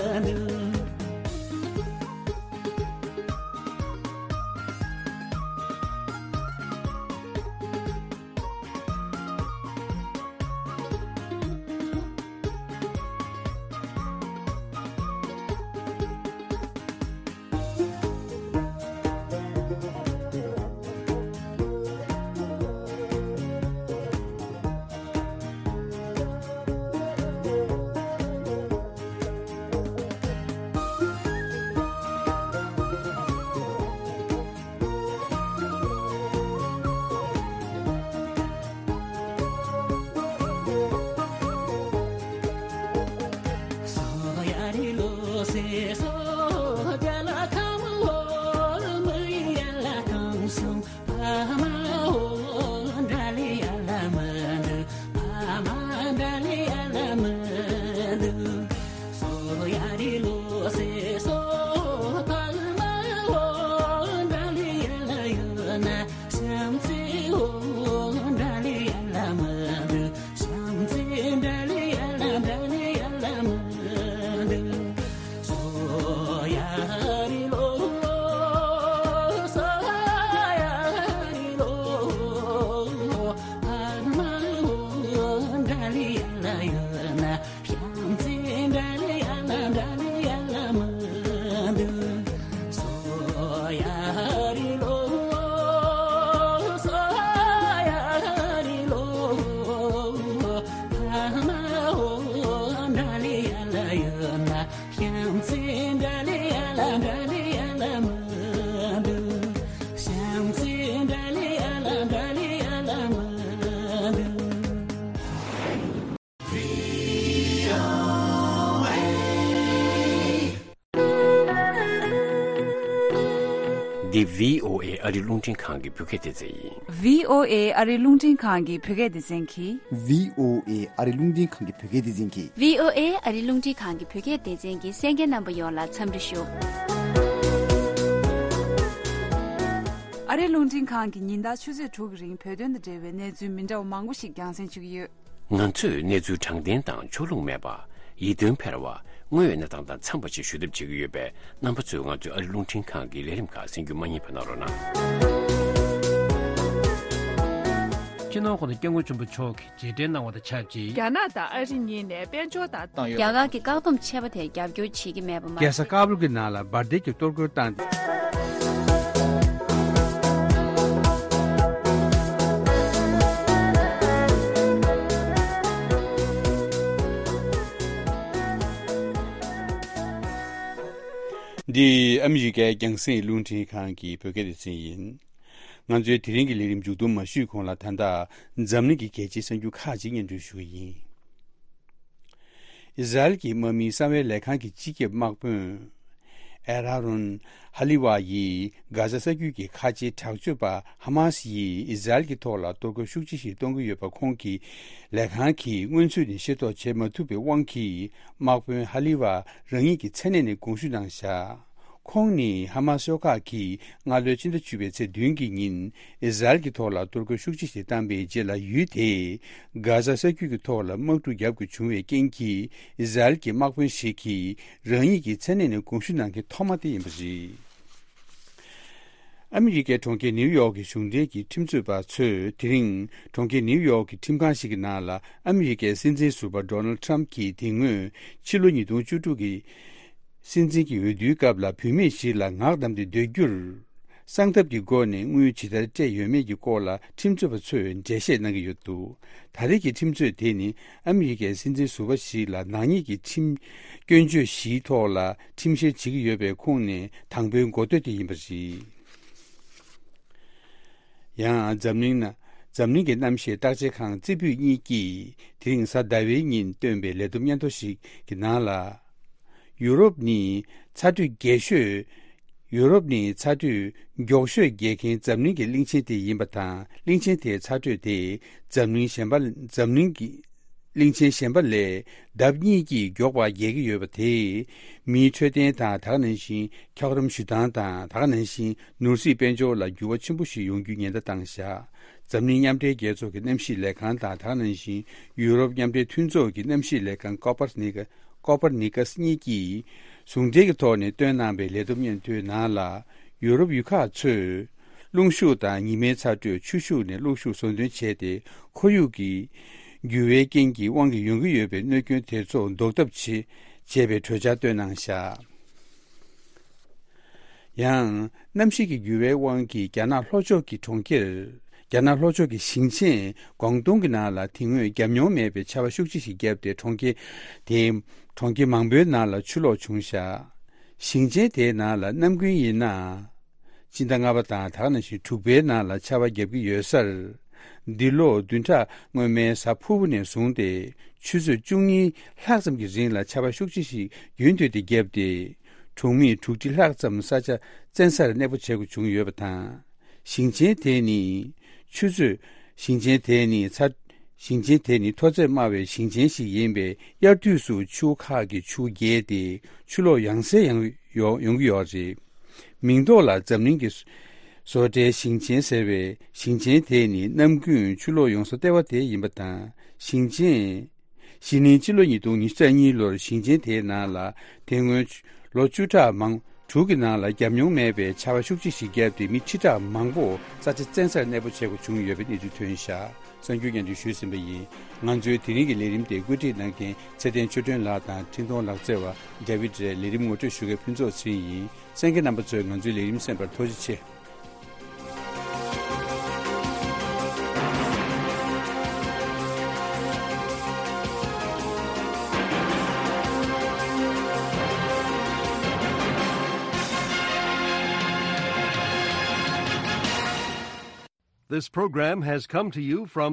འདི་བྷི་ཨོ་ཨེ་ཨ་རི་རླུང་འཕྲིན་ཁང་གི་བོད་སྐད་སྡེ་ཚན་ཡིན། བྷི་ཨོ་ཨེ་ཨ་རི་རླུང་འཕྲིན་ཁང་གི་བོད་སྐད་སྡེ་ཚན་གྱིས། བྷི་ཨོ་ཨེ་ཨ་རི་རླུང་འཕྲིན་ཁང་གི་བོད་སྐད་སྡེ་ཚན་གྱིས། བྷི་ཨོ་ཨེ་ཨ་རི་རླུང་འཕྲིན་ཁང་གི་བོད་སྐད་སྡེ་ཚན་གྱི་གསན་མཁན་རྣམ་པ་ཡོངས་ལ་འཚམས་འདྲི་ཞུ། ཨ་རི་རླུང་འཕྲིན་ཁང་གིས་ཉིན་ལྟར་ཆུ་ཚོད་དྲུག་གི་རིང་བོད་དོན་དང་འབྲེལ་བའི་གནས་ཚུལ་མི་འདྲ་བ་མང་པོ་ཞིག་རྒྱང་སྲིང་ཞུ་གི་ཡོད། ང་ཚོས་གནས་ཚུལ་དྲང་བདེན་དང་ཕྱོགས་ལྷུང་མེད་པ། ཡིད་རྟོན་འཕེར་བ། དངོས་ཡོད་གནས་སྟངས་དང་འཚམས་པ་ཞིག་ཞུ་ཐབས་བྱེད་ཀྱི་ཡོད་པས། རྣམ་པ་ཚོས་ང་ཚོའི་ཨ་རི་རླུང་འཕྲིན་ཁང་གི་ལས་རིམ་ཁག་གསན་རྒྱུ་མ་བསྙེལ་བ་གནང་རོགས་གནང་། སྤྱི་ནོར་༸གོང་ས་༸སྐྱབས་མགོན་ཆེན་པོ་མཆོག་གིས་རྗེས་དྲན་གནང་བ་དང་ཆབས་ཅིག་རྒྱ་ནག་དང་ཨ་རི་གཉིས་ནས་དཔལ་འབྱོར་དང་། བཏང་ཡོད། རྒྱ་གར་གྱི་བཀག་སྡོམ་ཆད་པ་དེར་རྒྱབ་སྐྱོར་བྱེད་ཀྱི་མེད་པ་མ་ཟད། རྒྱལ་ས་ཀ་བུལ་གྱི་ནང་ལ་འབར་མདེལ་གྱི་གཏོར་རྒོལ་བཏང་སྟེ། འདི་ཨ་མི་རི་ཀའི་རྒྱང་སྲིང་རླུང་འཕྲིན་ཁང་གི་བོད་སྐད་སྡེ་ཚན་ཡིན། ང་ཚོའི་དེ་རིང་གི་ལས་རིམ་མཇུག་བསྡོམས་མ་ཞུས་གོང་ལ། ད་ལྟ་འཛམ་གླིང་གི་གལ་ཆེའི་གསར་འགྱུར་ཁག་ཅིག་སྙན་སྒྲོན་ཞུ་གི་ཡིན། ཨི་ཟ་རེལ་གྱི་དམག་མིའི་གསང་བའི་ལས་ཁང་གི་སྤྱི་ཁྱབ་དམག་དཔོན་ཨེ་ར་རོན་ཧ་ལི་ཝ་ཡིས་གྷ་ཟ་ས་རྒྱུད་ཀྱི་ཁ་ཆེའི་དྲག་སྤྱོད་པ་ཧ་མ་སི་ཡིས་ཨི་ཟ་རེལ་གྱི་ཐོག་ལ་གཏོར་རྒོལ་ཤུགས་ཆེ་ཞིག་གཏོང་གི་ཡོད་པ་ཁོང་གི་ལས་ཁང་གིས་སྔོན་ཚུད་ནས་ཤེས་རྟོགས་བྱེད་མ་ཐུབ་པའི་དབང་གིས། དམག་དཔོན་ཧ་ལི་ཝ་རང་ཉིད་ཀྱི་མཚན་གནས་ནས་དགོངས་ཞུ་གནང་བཞག་ཁོང་ནི་ཧ་མ་སི་ཤོག་ཁག་གིས་སྔ་ལོའི་ཕྱི་ཟླ་བཅུ་པའི་ཚེས་བདུན་གྱི་ཉིན་ཨི་ཟ་རེལ་གྱི་ཐོག་ལ་གཏོར་རྒོལ་ཤུགས་ཆེ་ཞིག་བཏང་པའི་རྗེས་ལ། ཡུལ་དེའི་གྷ་ཟ་ས་རྒྱུད་ཀྱི་ཐོག་ལ་དམག་འཁྲུག་བརྒྱབ་དགོས་བྱུང་བའི་རྐྱེན་གྱིས། ཨི་ཟ་རེལ་གྱི་དམག་དཔོན་ཞིག་གིས་རང་ཉིད་ཀྱི་མཚན་གནས་ནས་དགོངས་ཞུ་གནང་མཁན་ཐོག་མ་དེ་ཡིན་པ་རེད། ཨ་མི་རི་ཀའི་གྲོང་ཁྱེར་ནིའུ་ཡོག་གི་གཞུང་འབྲེལ་གྱི་ཁྲིམས་རྩོད་པ་ཚོས་དེ་རིང་གྲོང་ཁྱེར་ནིའུ་ཡོག་གི་ཁྲིམས་ཁང་ཞིག་གི་ནང་ལ་ཨ་མི་རི་ཀའི་སྲིད་འཛིན་ཟུར་པ་ཌོ་ནལ་ཌི་ཊརམ་ཕི་གྱིས་དེ་སྔོན་ཕྱི་ལོ་ཉིས་སྟོང་བཅུ་དྲུག་གི་སྲིད་འཛིན་གྱི་འོས་བསྡུའི་སྐབས་ལ་བུད་མེད་ཞིག་ལ་ངག་བསྡམས་ཏེ་སྡོད་རྒྱུར། གསང་ཐབས་ཀྱི་སྒོ་ནས་དངུལ་ཇི་ལྟར་སྤྲད་ཡོད་མེད་ཀྱི་སྐོར་ལ་ཁྲིམས་རྩོད་པ་ཚོས་འགྲེལ་བཤད་གནང་གི་ཡོད་འདུག་ད་རེས་ཀྱི་ཁྲིམས་རྩོད་དེ་ནི་ཨ་མི་རི་ཀའི་སྲིད་འཛིན་ཟུར་པ་ཞིག་ལ་ནག་ཉེས་ཀྱི་ཁྲིམས་སྐྱོན་བརྗོད་བཞིའི་ཐོག་ལ་ཁྲིམས་བཤེར་བྱེད་ཀྱི་ཡོད་པའི་ཁོངས་ནས་དང་པོའི་འགོ་སྟོད་དེ་ཡིན་པ་རེད། ཡང་འཛམ་གླིང་ན། འཛམ་གླིང་གི་གནམ་གཤིས་བརྟག་དཔྱད་ཁང་རྩེ་ཕུད་གཉིས་ཀྱིས་དེ་རིང་གཟའ་ཟླ་བའི་ཉིན་བཏོན་པའི་ལས་བསྡོམས་སྙན་ཐོ་ཞིག་གི་ནང་ལ། ཡུ་རོབ་ནི་ཚ་དྲོད་རྒྱས་ཤོས། ཡུ་རོབ་ནི་ཚ་དྲོད་མགྱོགས་ཤོས་རྒྱས་མཁན་འཛམ་གླིང་གི་གླིང་ཆེན་དེ་ཡིན་པ་དང་། གླིང་ཆེན་དེའི་ཚ་དྲོད་དེ་འཛམ་གླིང་གཞན་པ། འཛམ་གླིང་གི་གླིང་ཆེན་གཞན་པ་ལས་ལྡབ་གཉིས་ཀྱིས་མགྱོགས་པར་རྒྱས་ཀྱི་ཡོད་པ་དེས། མིའི་འཕྲོད་བསྟེན་དང་། ད་ག་ནང་བཞིན་འཁྱགས་རོམ་བཞུ་སྟངས་དང་། ད་ག་ནང་བཞིན་ནོར་སྲིད་དཔལ་འབྱོར་ལ་འགྱུར་བ་ཆེན་པོ་ཞིག་ཡོང་རྒྱུའི་ཉེན་བརྡ་བཏང་བཞག་འཛམ་གླིང་མཉམ་འབྲེལ་རྒྱལ་ཚོགས་ཀྱི་གནམ་གཤིས་ལས་ཁང་དང་། ད་ག་ནང་བཞིན་ཡུ་རོབ་མཉམ་འབྲེལ་མཐུན་ཚོགས་ཀྱི་གནམ་གཤིས་ལས་ཁང་ཀོ་པར་ནི་ཀ་ཀོ་པར་ནི་ཀ་སི་གཉིས་ཀྱིས་ཟུང་འབྲེལ་གྱི་ཐོག་ནས་བཏོན་གནང་པའི་ལས་བསྡོམས་སྙན་ཐོའི་ནང་ལ། ཡུ་རོབ་ཡུལ་ཁག་ཚོས་རླུང་ཤུགས་དང་ཉི་མའི་ཚ་དྲོད། ཆུ་ཤུགས་ནས་རླུང་ཤུགས་བཟོ་འདོན་བྱས་ཏེ། ཁོར་ཡུག་གི་འགྱུར་བའི་རྐྱེན་གྱི་དབང་གིས་ཡོང་གི་ཡོད་པའི་གནོད་སྐྱོན་དེ་ཚོ་ཟློག་ཐབས་བྱེད་བྱས་པའི་གྲོས་འཆར་བཏོན་གནང་བཞག་ཡང་། གནམ་གཤིས་ཀྱི་འགྱུར་བའི་དབང་གིས་རྒྱ་ནག་ལྷོ་ཕྱོགས་ཀྱི་གྲོང་ཁྱེར། རྒྱ་ནག་ལྷོ་ཕྱོགས་ཀྱི་ཞིང་ཆེན་ཀོང་ཏུང་གི་ནང་ལ་དེ་སྔོན་བརྒྱབ་མྱོང་མེད་པའི་ཆར་པ་ཤུགས་ཆེ་ཞིག་བརྒྱབ་སྟེ། གྲོང་ཁྱེར་དེའི་གྲོང་ཁྱེར་མང་པོའི་ནང་ལ་ཆུ་ལོག་བྱུང་བཞག་ཞིང་ཆེན་དེའི་ནང་ལ་གནམ་དགུན་ཡིན་ན། སྤྱི་ཟླ་ལྔ་པ་དང་། ད་ག་ནང་བཞིན་དྲུག་པའི་ནང་ལ་ཆར་པ་བརྒྱབ་ཀྱི་ཡོད་སར། འདི་ལོ་བདུན་ཕྲག་སྔོན་མའི་གཟའ་ཕུར་བུ་ནས་བཟུང་སྟེ་ཆུ་ཚོད་བཅུ་གཉིས་ལྷག་ཙམ་གྱི་རིང་ལ་ཆར་པ་ཤུགས་ཆེ་ཞིག་རྒྱུན་མཐུད་དེ་བརྒྱབ་སྟེ། གྲོང་མི་དྲུག་ཁྲི་ལྷག་ཙམ་ས་ཆ་བཙན་སར་གནས་སྤོ་བྱེད་དགོས་བྱུང་ཡོད་པ་དང་། ཞིང་ཆེན་དེ་ནི་ཆུ་ཚོད། ཞིང་ཆེན་དེ་ནི་ཚ། ཞིང་ཆེན་དེ་ནི་མཐོ་ཚད་དམའ་བའི་ཞིང་ཆེན་ཞིག་ཡིན་པས། དབྱར་དུས་སུ་ཆུ་བོ་ཁག་གི་ཆུ་བོ་རྒྱས་ཏེ་ཆུ་ལོག་ཡང་སེ་ཡང་ཡོང་ཡོང་གི་ཡོད་རེད། མིང་ཐོག་ལ་འཛམ་གླིང་གི་བཟོ་གྲྭའི་ཞིང་ཆེན་ཟེར་བའི་ཞིང་ཆེན་དེ་ནི་གནམ་དགུན་ཆུ་ལོག་ཡོང་ས་ལྟེ་བ་དེ་ཡིན་པ་དང་། ཞིང་ཆེན། གཞེས་ནིང་སྤྱི་ལོ་ཉིས་སྟོང་ཉི་ཤུ་རྩ་གཉིས་ལོར་ཞིང་ཆེན་དེའི་ནང་ལ་དེ་སྔོན་ལོ་བཅུ་ཕྲག་མང་དྲུག་གི་ནང་ལ་བརྒྱབ་མྱོང་མེད་པའི་ཆར་པ་ཤུགས་ཆེ་ཞིག་བརྒྱབ་སྟེ། མི་ཁྲི་ཕྲག་མང་པོ་ས་ཆ་བཙན་སར་གནས་སྤོ་བྱེད་དགོས་བྱུང་ཡོད་པའི་གནས་ཚུལ་ཐོན་བཞག་གསར་འགྱུར་སྙན་སྒྲོན་ཞུས་ཟིན་པ་ཡིན། ང་ཚོའི་དེ་རིང་གི་ལས་རིམ་དེ་བཀོད་སྒྲིག་གནང་མཁན་ཚེ་བརྟན་ཆོས་སྒྲོན་ལགས་དང་། འཕྲིན་གཏོང་ལག་རྩལ་བ་ཌེ་བིད་རེད། ལས་རིམ་ངོ་སྤྲོད་ཞུ་མཁན་ཕུན་ཚོགས་ཚེ་རིང་ཡིན། གསན་མཁན་རྣམ་པ་ཚོས་ང་ཚོའི་ལས་རིམ་གསན་པར་ཐུགས་རྗེ་ཆེ། This program has come to you from